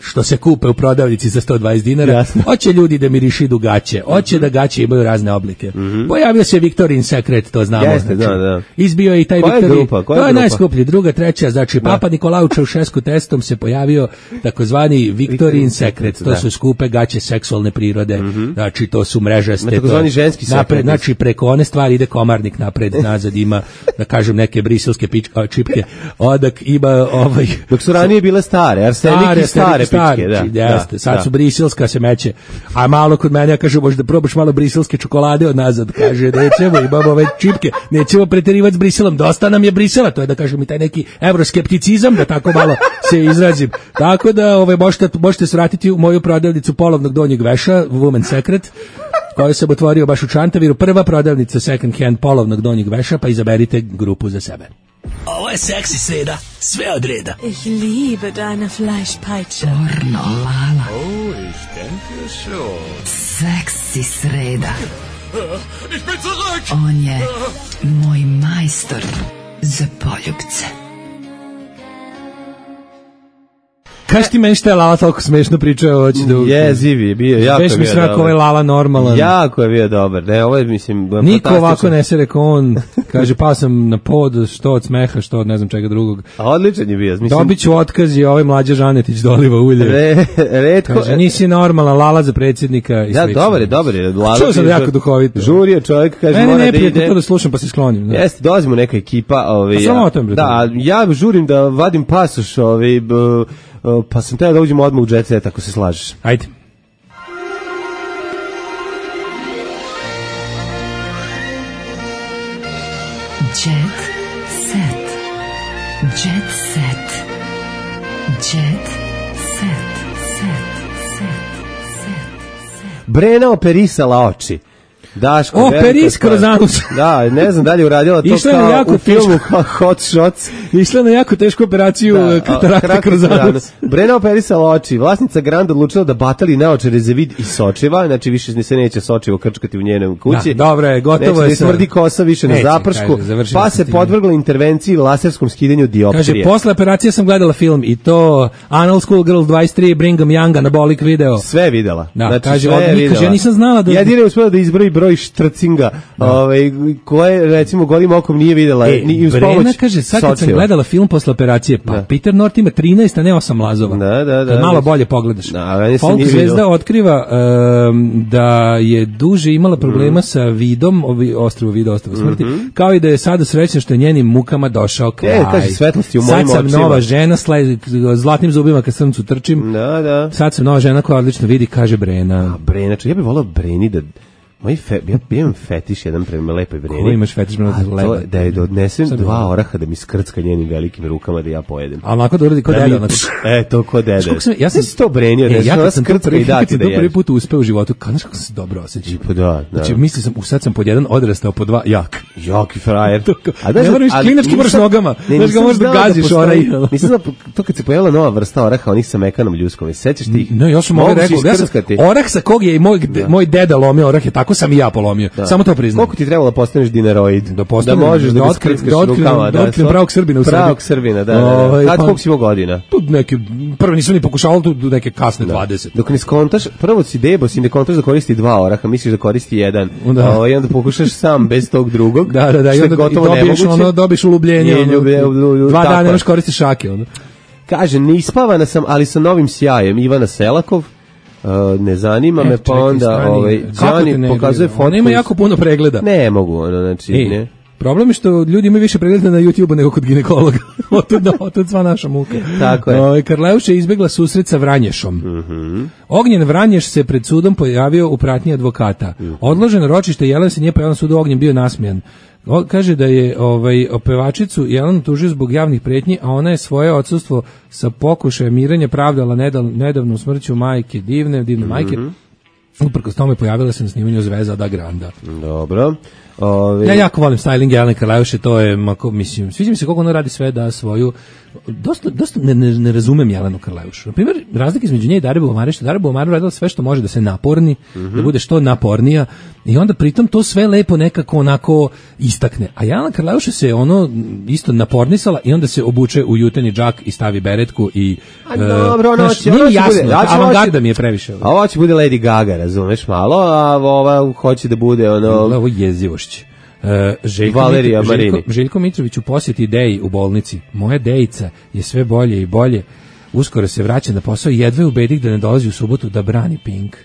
Speaker 5: što se kupe u prodavnici za sto dvadeset dinara,
Speaker 6: Jasno.
Speaker 5: hoće ljudi da mirišidu gaće, hoće da gaće imaju razne oblike. Pojavio se Victorian Secret, to znamo.
Speaker 6: Jeste, da, da.
Speaker 5: Izbio je i taj
Speaker 6: Koja je
Speaker 5: Victorian,
Speaker 6: grupa? Koja
Speaker 5: to
Speaker 6: je
Speaker 5: je
Speaker 6: grupa?
Speaker 5: najskuplji, druga, treća, znači
Speaker 6: Da.
Speaker 5: Papa Nikolao Čaušesku testom se pojavio takozvani Victorian Secret, to
Speaker 6: da.
Speaker 5: su skupe gaće seksualne prirode, znači to su mrežaste.
Speaker 6: Ima takozvani
Speaker 5: to-
Speaker 6: ženski
Speaker 5: napred,
Speaker 6: sekret.
Speaker 5: znači preko one stvari ide komarnik napred, nazad ima, da kažem, neke briselske pič- a, čipke, odak ima ovaj...
Speaker 6: Dok su ranije bile stare, arsenik i stare pičke, da.
Speaker 5: Jeste, sad
Speaker 6: da.
Speaker 5: su briselska se meće. A malo kod mene, ja kažem, možda probaš malo briselske čokolade od nazad, kaže, nećemo, imamo ove čipke, nećemo preterivati s Briselom, dosta nam je Brisela, to je da kažem i taj neki evroskepticizam, da tako malo se izrazim. Tako da ovaj, možete, možete svratiti u moju prodavnicu polovnog donjeg veša, Woman Secret, koju sam otvorio baš u Čantaviru, prva prodavnica second hand polovnog donjeg veša, pa izaberite grupu za sebe.
Speaker 11: Ovo je seksi sreda, sve od reda.
Speaker 15: Ich liebe deine Fleischpeitsche.
Speaker 3: Pornolala.
Speaker 4: Oh, ich denke schon.
Speaker 3: Seksi sreda.
Speaker 4: Ich bin zurück!
Speaker 3: On je moj majstor za poljubce.
Speaker 5: Kaži ti meni šta je Lala toliko smešno pričao, hoće da...
Speaker 6: Jeziv je bio, jako je
Speaker 5: Već mi
Speaker 6: bio
Speaker 5: se rekao, ovaj
Speaker 6: dobar.
Speaker 5: Lala normalan.
Speaker 6: Jako je bio dobar. Ne, ovo je, mislim,
Speaker 5: Niko
Speaker 6: fantastično.
Speaker 5: ovako ne se rekao on, kaže, pao sam na pod, što od smeha, što od ne znam čega drugog.
Speaker 6: A odličan je bio. Mislim,
Speaker 5: Dobit ću otkaz i ovaj Mlađa Žanetić doliva ulje.
Speaker 6: Re, retko.
Speaker 5: Kaže, nisi normalan, Lala za predsjednika. I
Speaker 6: Da,
Speaker 5: slično.
Speaker 6: dobar je, dobar je. Lala
Speaker 5: Čuo sam
Speaker 6: je
Speaker 5: jako
Speaker 6: žur-
Speaker 5: duhovito.
Speaker 6: Žurio čovjek, kaže,
Speaker 5: Meni
Speaker 6: mora
Speaker 5: ne
Speaker 6: da
Speaker 5: prijatno
Speaker 6: ide.
Speaker 5: to da slušam, pa se sklonim. Da.
Speaker 6: Jeste, dolazimo neka ekipa, ovaj.
Speaker 5: A sramotan, bre,
Speaker 6: Da, ja žurim da vadim pasoš, ovaj, b- uh, pa sam teo da uđemo odmah u Jet Set, ako se slažeš.
Speaker 5: Ajde.
Speaker 3: Jet Set. Jet Set. Jet Set.
Speaker 6: Brena operisala oči. Daško,
Speaker 5: Operis kroz anus.
Speaker 6: Da, ne znam da li je uradila to
Speaker 5: Išla
Speaker 6: kao
Speaker 5: jako
Speaker 6: u filmu Hot Shots.
Speaker 5: Išla na jako tešku operaciju da, katarakta kroz anus.
Speaker 6: Brena operisala oči. Vlasnica Grand odlučila da batali naočare za vid i sočiva, znači više se neće sočivo krčkati u njenom kući.
Speaker 5: Da, dobro je, gotovo je.
Speaker 6: Neće da smrdi kosa više na zapršku, kaže, pa se podvrgla intervenciji laserskom skidanju dioptrije.
Speaker 5: Kaže, posle operacije sam gledala film i to Anal Schoolgirl dvadeset tri, Brigham Young, Anabolic video.
Speaker 6: Sve je videla.
Speaker 5: Da,
Speaker 6: znači,
Speaker 5: kaže,
Speaker 6: sve je videla.
Speaker 5: Kaže, ja nisam znala da...
Speaker 6: Jedino je uspela da izbroji broj štrcinga, ovaj, koje, recimo, golim okom nije videla.
Speaker 5: E,
Speaker 6: ni uz
Speaker 5: Brena
Speaker 6: pomoć
Speaker 5: kaže, sad kad sam
Speaker 6: sočiva.
Speaker 5: gledala film posle operacije, pa da. Peter North ima trinaest, a ne osam lazova.
Speaker 6: Da, da, da.
Speaker 5: Kad malo bolje pogledaš.
Speaker 6: Da,
Speaker 5: Folk zvezda otkriva um, da je duže imala problema mm. sa vidom, ovi, ostrvo vida, ostrvo smrti, mm-hmm. kao i da je sada srećna što je njenim mukama došao kraj.
Speaker 6: E, kaže, svetlosti u mojim
Speaker 5: očima. Sad sam
Speaker 6: očima.
Speaker 5: nova žena, sled, zlatnim zubima kad srcu trčim.
Speaker 6: Da, da.
Speaker 5: Sad sam nova žena koja odlično vidi, kaže Brena.
Speaker 6: A, Brena, čo, ja bih volao Breni da... Moj fe, ja, ja imam fetiš jedan prema lepoj Breni.
Speaker 5: Ko imaš fetiš prema lepoj?
Speaker 6: Da je da odnesem dva oraha da mi skrcka njenim velikim rukama da ja pojedem.
Speaker 5: A onako da uradi kod deda.
Speaker 6: E, to kod dede.
Speaker 5: Sam, ja sam
Speaker 6: to Breni odnesem,
Speaker 5: ja
Speaker 6: ona skrcka i dati da
Speaker 5: ješ. Ja prvi put uspeo u životu, znaš kako sam se dobro osjećao.
Speaker 6: Pa da, da.
Speaker 5: Znači, mislio sam, sad sam pod jedan odrastao, pod dva jak.
Speaker 6: Jaki frajer.
Speaker 5: A da, ne moraš klinački moraš nogama. Znaš ga možeš da gaziš onaj.
Speaker 6: Nisam znao, to kad se pojavila nova vrsta oraha, onih sa mekanom ljuskom. Sećaš ti?
Speaker 5: Ne, ja sam mogao rekao, orah sa kog je i moj moj deda lomio orah, je tako sam i ja polomio. Da. Samo to priznam.
Speaker 6: Koliko ti trebalo da postaneš dineroid?
Speaker 5: Da, postaneš,
Speaker 6: da možeš da, da
Speaker 5: otkriveš rukama. Da otkrijem pravog Srbina u Srbiji.
Speaker 6: Pravog Srbina, da. da, da. Kad, koliko si imao godina?
Speaker 5: Tu neke, prvo nisam ni pokušavao, tu neke kasne da. dvadeset.
Speaker 6: Dok ne skontaš, prvo si debos i ne kontaš da koristi dva oraha, misliš da koristi jedan.
Speaker 5: Da.
Speaker 6: O, i onda pokušaš sam, bez tog drugog.
Speaker 5: Da, da, da. I onda dobiješ, ono, dobiješ ulubljenje. Ono, dva dana nemaš koristi šake. Ono.
Speaker 6: Kaže, neispavana sam, ali sa novim sjajem. Ivana Selakov. Uh, ne zanima e, me, pa onda ovaj Đani pokazuje fotku.
Speaker 5: Ona ima jako puno pregleda.
Speaker 6: Ne mogu, ono, znači, e, ne.
Speaker 5: Problem je što ljudi imaju više pregleda na YouTubeu nego kod ginekologa. Otud, otud sva naša muka.
Speaker 6: Tako je.
Speaker 5: O, Karleuša je izbegla susret sa Vranješom.
Speaker 6: Mm-hmm.
Speaker 5: Ognjen Vranješ se pred sudom pojavio u pratnji advokata. Mm-hmm. Odloženo ročište, Jelen se nije pojavio na sudu, Ognjen bio nasmijan. O, kaže da je ovaj opevačicu Jelenu tužio zbog javnih pretnji, a ona je svoje odsustvo sa pokušajem mirenja pravdala nedavno, nedavno smrću majke, divne, divne mm-hmm. majke. Uprkos tome pojavila se na snimanju Zvezda da Granda.
Speaker 6: Dobro. Ove...
Speaker 5: Ja jako volim styling Jelene Karleuše, to je, mako, mislim, sviđa mi se kako ona radi sve da svoju, dosta, dosta ne, ne, ne razumem Jelenu Karleušu. Na primjer, razlika između nje i Dare Buvamare, što Dare Buvamare radila sve što može da se naporni, mm-hmm. da bude što napornija, i onda pritom to sve lepo nekako onako istakne. A Jelena Karleuša se ono isto napornisala i onda se obuče u juteni džak i stavi beretku i...
Speaker 6: A dobro, ono će...
Speaker 5: Nije mi jasno, avangarda mi je previše.
Speaker 6: A ovo će bude Lady Gaga, razumeš malo, a ova hoće da bude ono...
Speaker 5: Ovo jezivošće. Uh, Željko,
Speaker 6: Valerija
Speaker 5: Mitro, Željko, Željko Mitrović u posjeti Deji u bolnici. Moja Dejica je sve bolje i bolje. Uskoro se vraća na posao i jedva je ubedik da ne dolazi u subotu da brani Pink.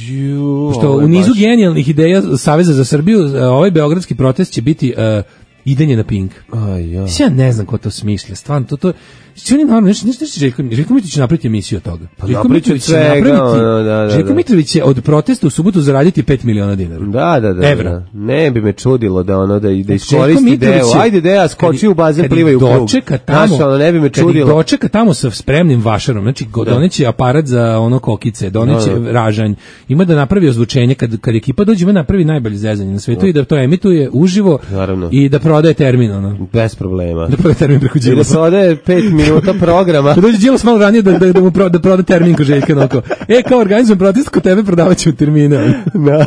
Speaker 6: Ju,
Speaker 5: što u nizu baš... genijalnih ideja Saveza za Srbiju, ovaj beogradski protest će biti uh, idenje na Pink.
Speaker 6: Aj, ja.
Speaker 5: Ja ne znam ko to smišlja, stvarno, to, to, što oni naravno, nešto, nešto, Željko, Željko Mitrović će napraviti emisiju od toga.
Speaker 6: Pa
Speaker 5: Željko Mitrović će napraviti, da, da, da. Željko Mitrović će od protesta u subotu zaraditi pet miliona dinara.
Speaker 6: Da, da, da.
Speaker 5: Evra.
Speaker 6: Da. Ne bi me čudilo da ono, da, da iskoristi deo. Ajde, Deja, skoči u bazen, plivaj u krug.
Speaker 5: Dočeka tamo,
Speaker 6: znaš, ono, ne bi me čudilo.
Speaker 5: Kad dočeka tamo sa spremnim vašarom, znači, da. Doneće aparat za ono kokice, doneće da, da. ražanj, ima da napravi ozvučenje, kad, kad ekipa dođe, ima napravi najbolje zezanje na svetu da. I da to emituje uživo. Naravno. I da prodaje termin, ono.
Speaker 6: Bez problema.
Speaker 5: Da prodaje termin preko Đilasa.
Speaker 6: Da prodaje pet minuta programa.
Speaker 5: Da dođe Đilas malo ranije da, da, da mu pro, da proda termin ko Željka Noko. E, kao organizujem protest kod tebe, prodavat ću termine.
Speaker 6: Da.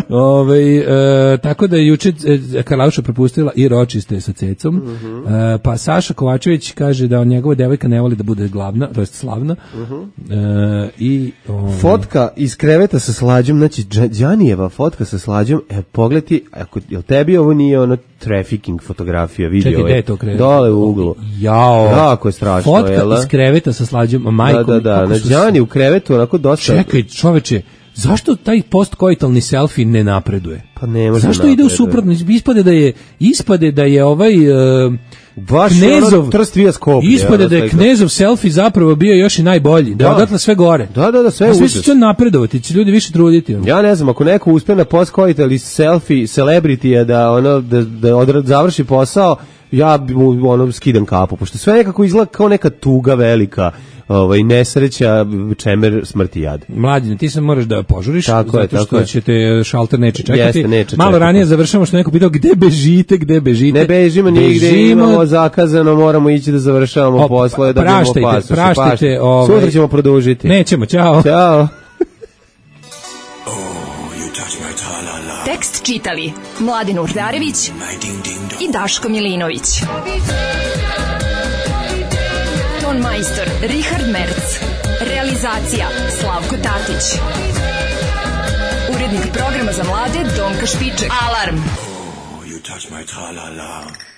Speaker 5: Ove, e, tako da je juče e, Karleuša propustila i ročiste sa cecom. Uh-huh. E, pa Saša Kovačević kaže da njegova devojka ne voli da bude glavna, to jest slavna. Uh-huh. E, i, ove...
Speaker 6: Fotka iz kreveta sa Slađom, znači Đanijeva fotka sa Slađom, e, pogledaj, ako, jel tebi ovo nije ono trafficking fotografija, video
Speaker 5: Čekaj, je to krevet?
Speaker 6: Dole u uglu.
Speaker 5: Jao.
Speaker 6: Jako je strašno.
Speaker 5: Fotka iz kreveta sa Slađom, majkom.
Speaker 6: Da, da, da, na Đani u krevetu, onako dosta...
Speaker 5: Čekaj, čoveče, zašto taj postkoitalni selfie ne napreduje?
Speaker 6: Pa ne može.
Speaker 5: Zašto ide u suprotno? Ispade da je ispade da je ovaj uh,
Speaker 6: Baš
Speaker 5: Knezov
Speaker 6: trstvija skoplje.
Speaker 5: Ispade da je Knezov selfie zapravo bio još i najbolji. Da, da odatle sve gore.
Speaker 6: Da, da, da, sve je
Speaker 5: sve će napredovati, će ljudi više truditi. Ono.
Speaker 6: Ja ne znam, ako neko uspe na postkoitalni selfie celebrity da ono da da odra, završi posao, ja mu ono skidam kapu, pošto sve nekako izgleda kao neka tuga velika. Ovaj nesreća, čemer, smrti, jad.
Speaker 5: Mlađine, ti se moraš da požuriš,
Speaker 6: tako
Speaker 5: zato
Speaker 6: je,
Speaker 5: što
Speaker 6: tako
Speaker 5: će te šalter neće čekati.
Speaker 6: Jeste, neće
Speaker 5: Malo
Speaker 6: čekati.
Speaker 5: ranije završamo što neko pitao gde bežite, gde bežite.
Speaker 6: Ne bežimo nigde,
Speaker 5: Bežimo...
Speaker 6: imamo zakazano, moramo ići da završavamo poslove, da
Speaker 5: praštajte,
Speaker 6: budemo pasoše.
Speaker 5: praštajte, ovaj...
Speaker 6: Sutra ćemo produžiti.
Speaker 5: Nećemo, ćao.
Speaker 6: Ćao.
Speaker 3: Tekst čitali Mladin Urdarević i Daško Milinović. Ton majstor Richard Merc. Realizacija Slavko Tatić. Urednik programa za mlade Donka Špiček. Alarm!
Speaker 11: Oh, you touch my tra-la-la.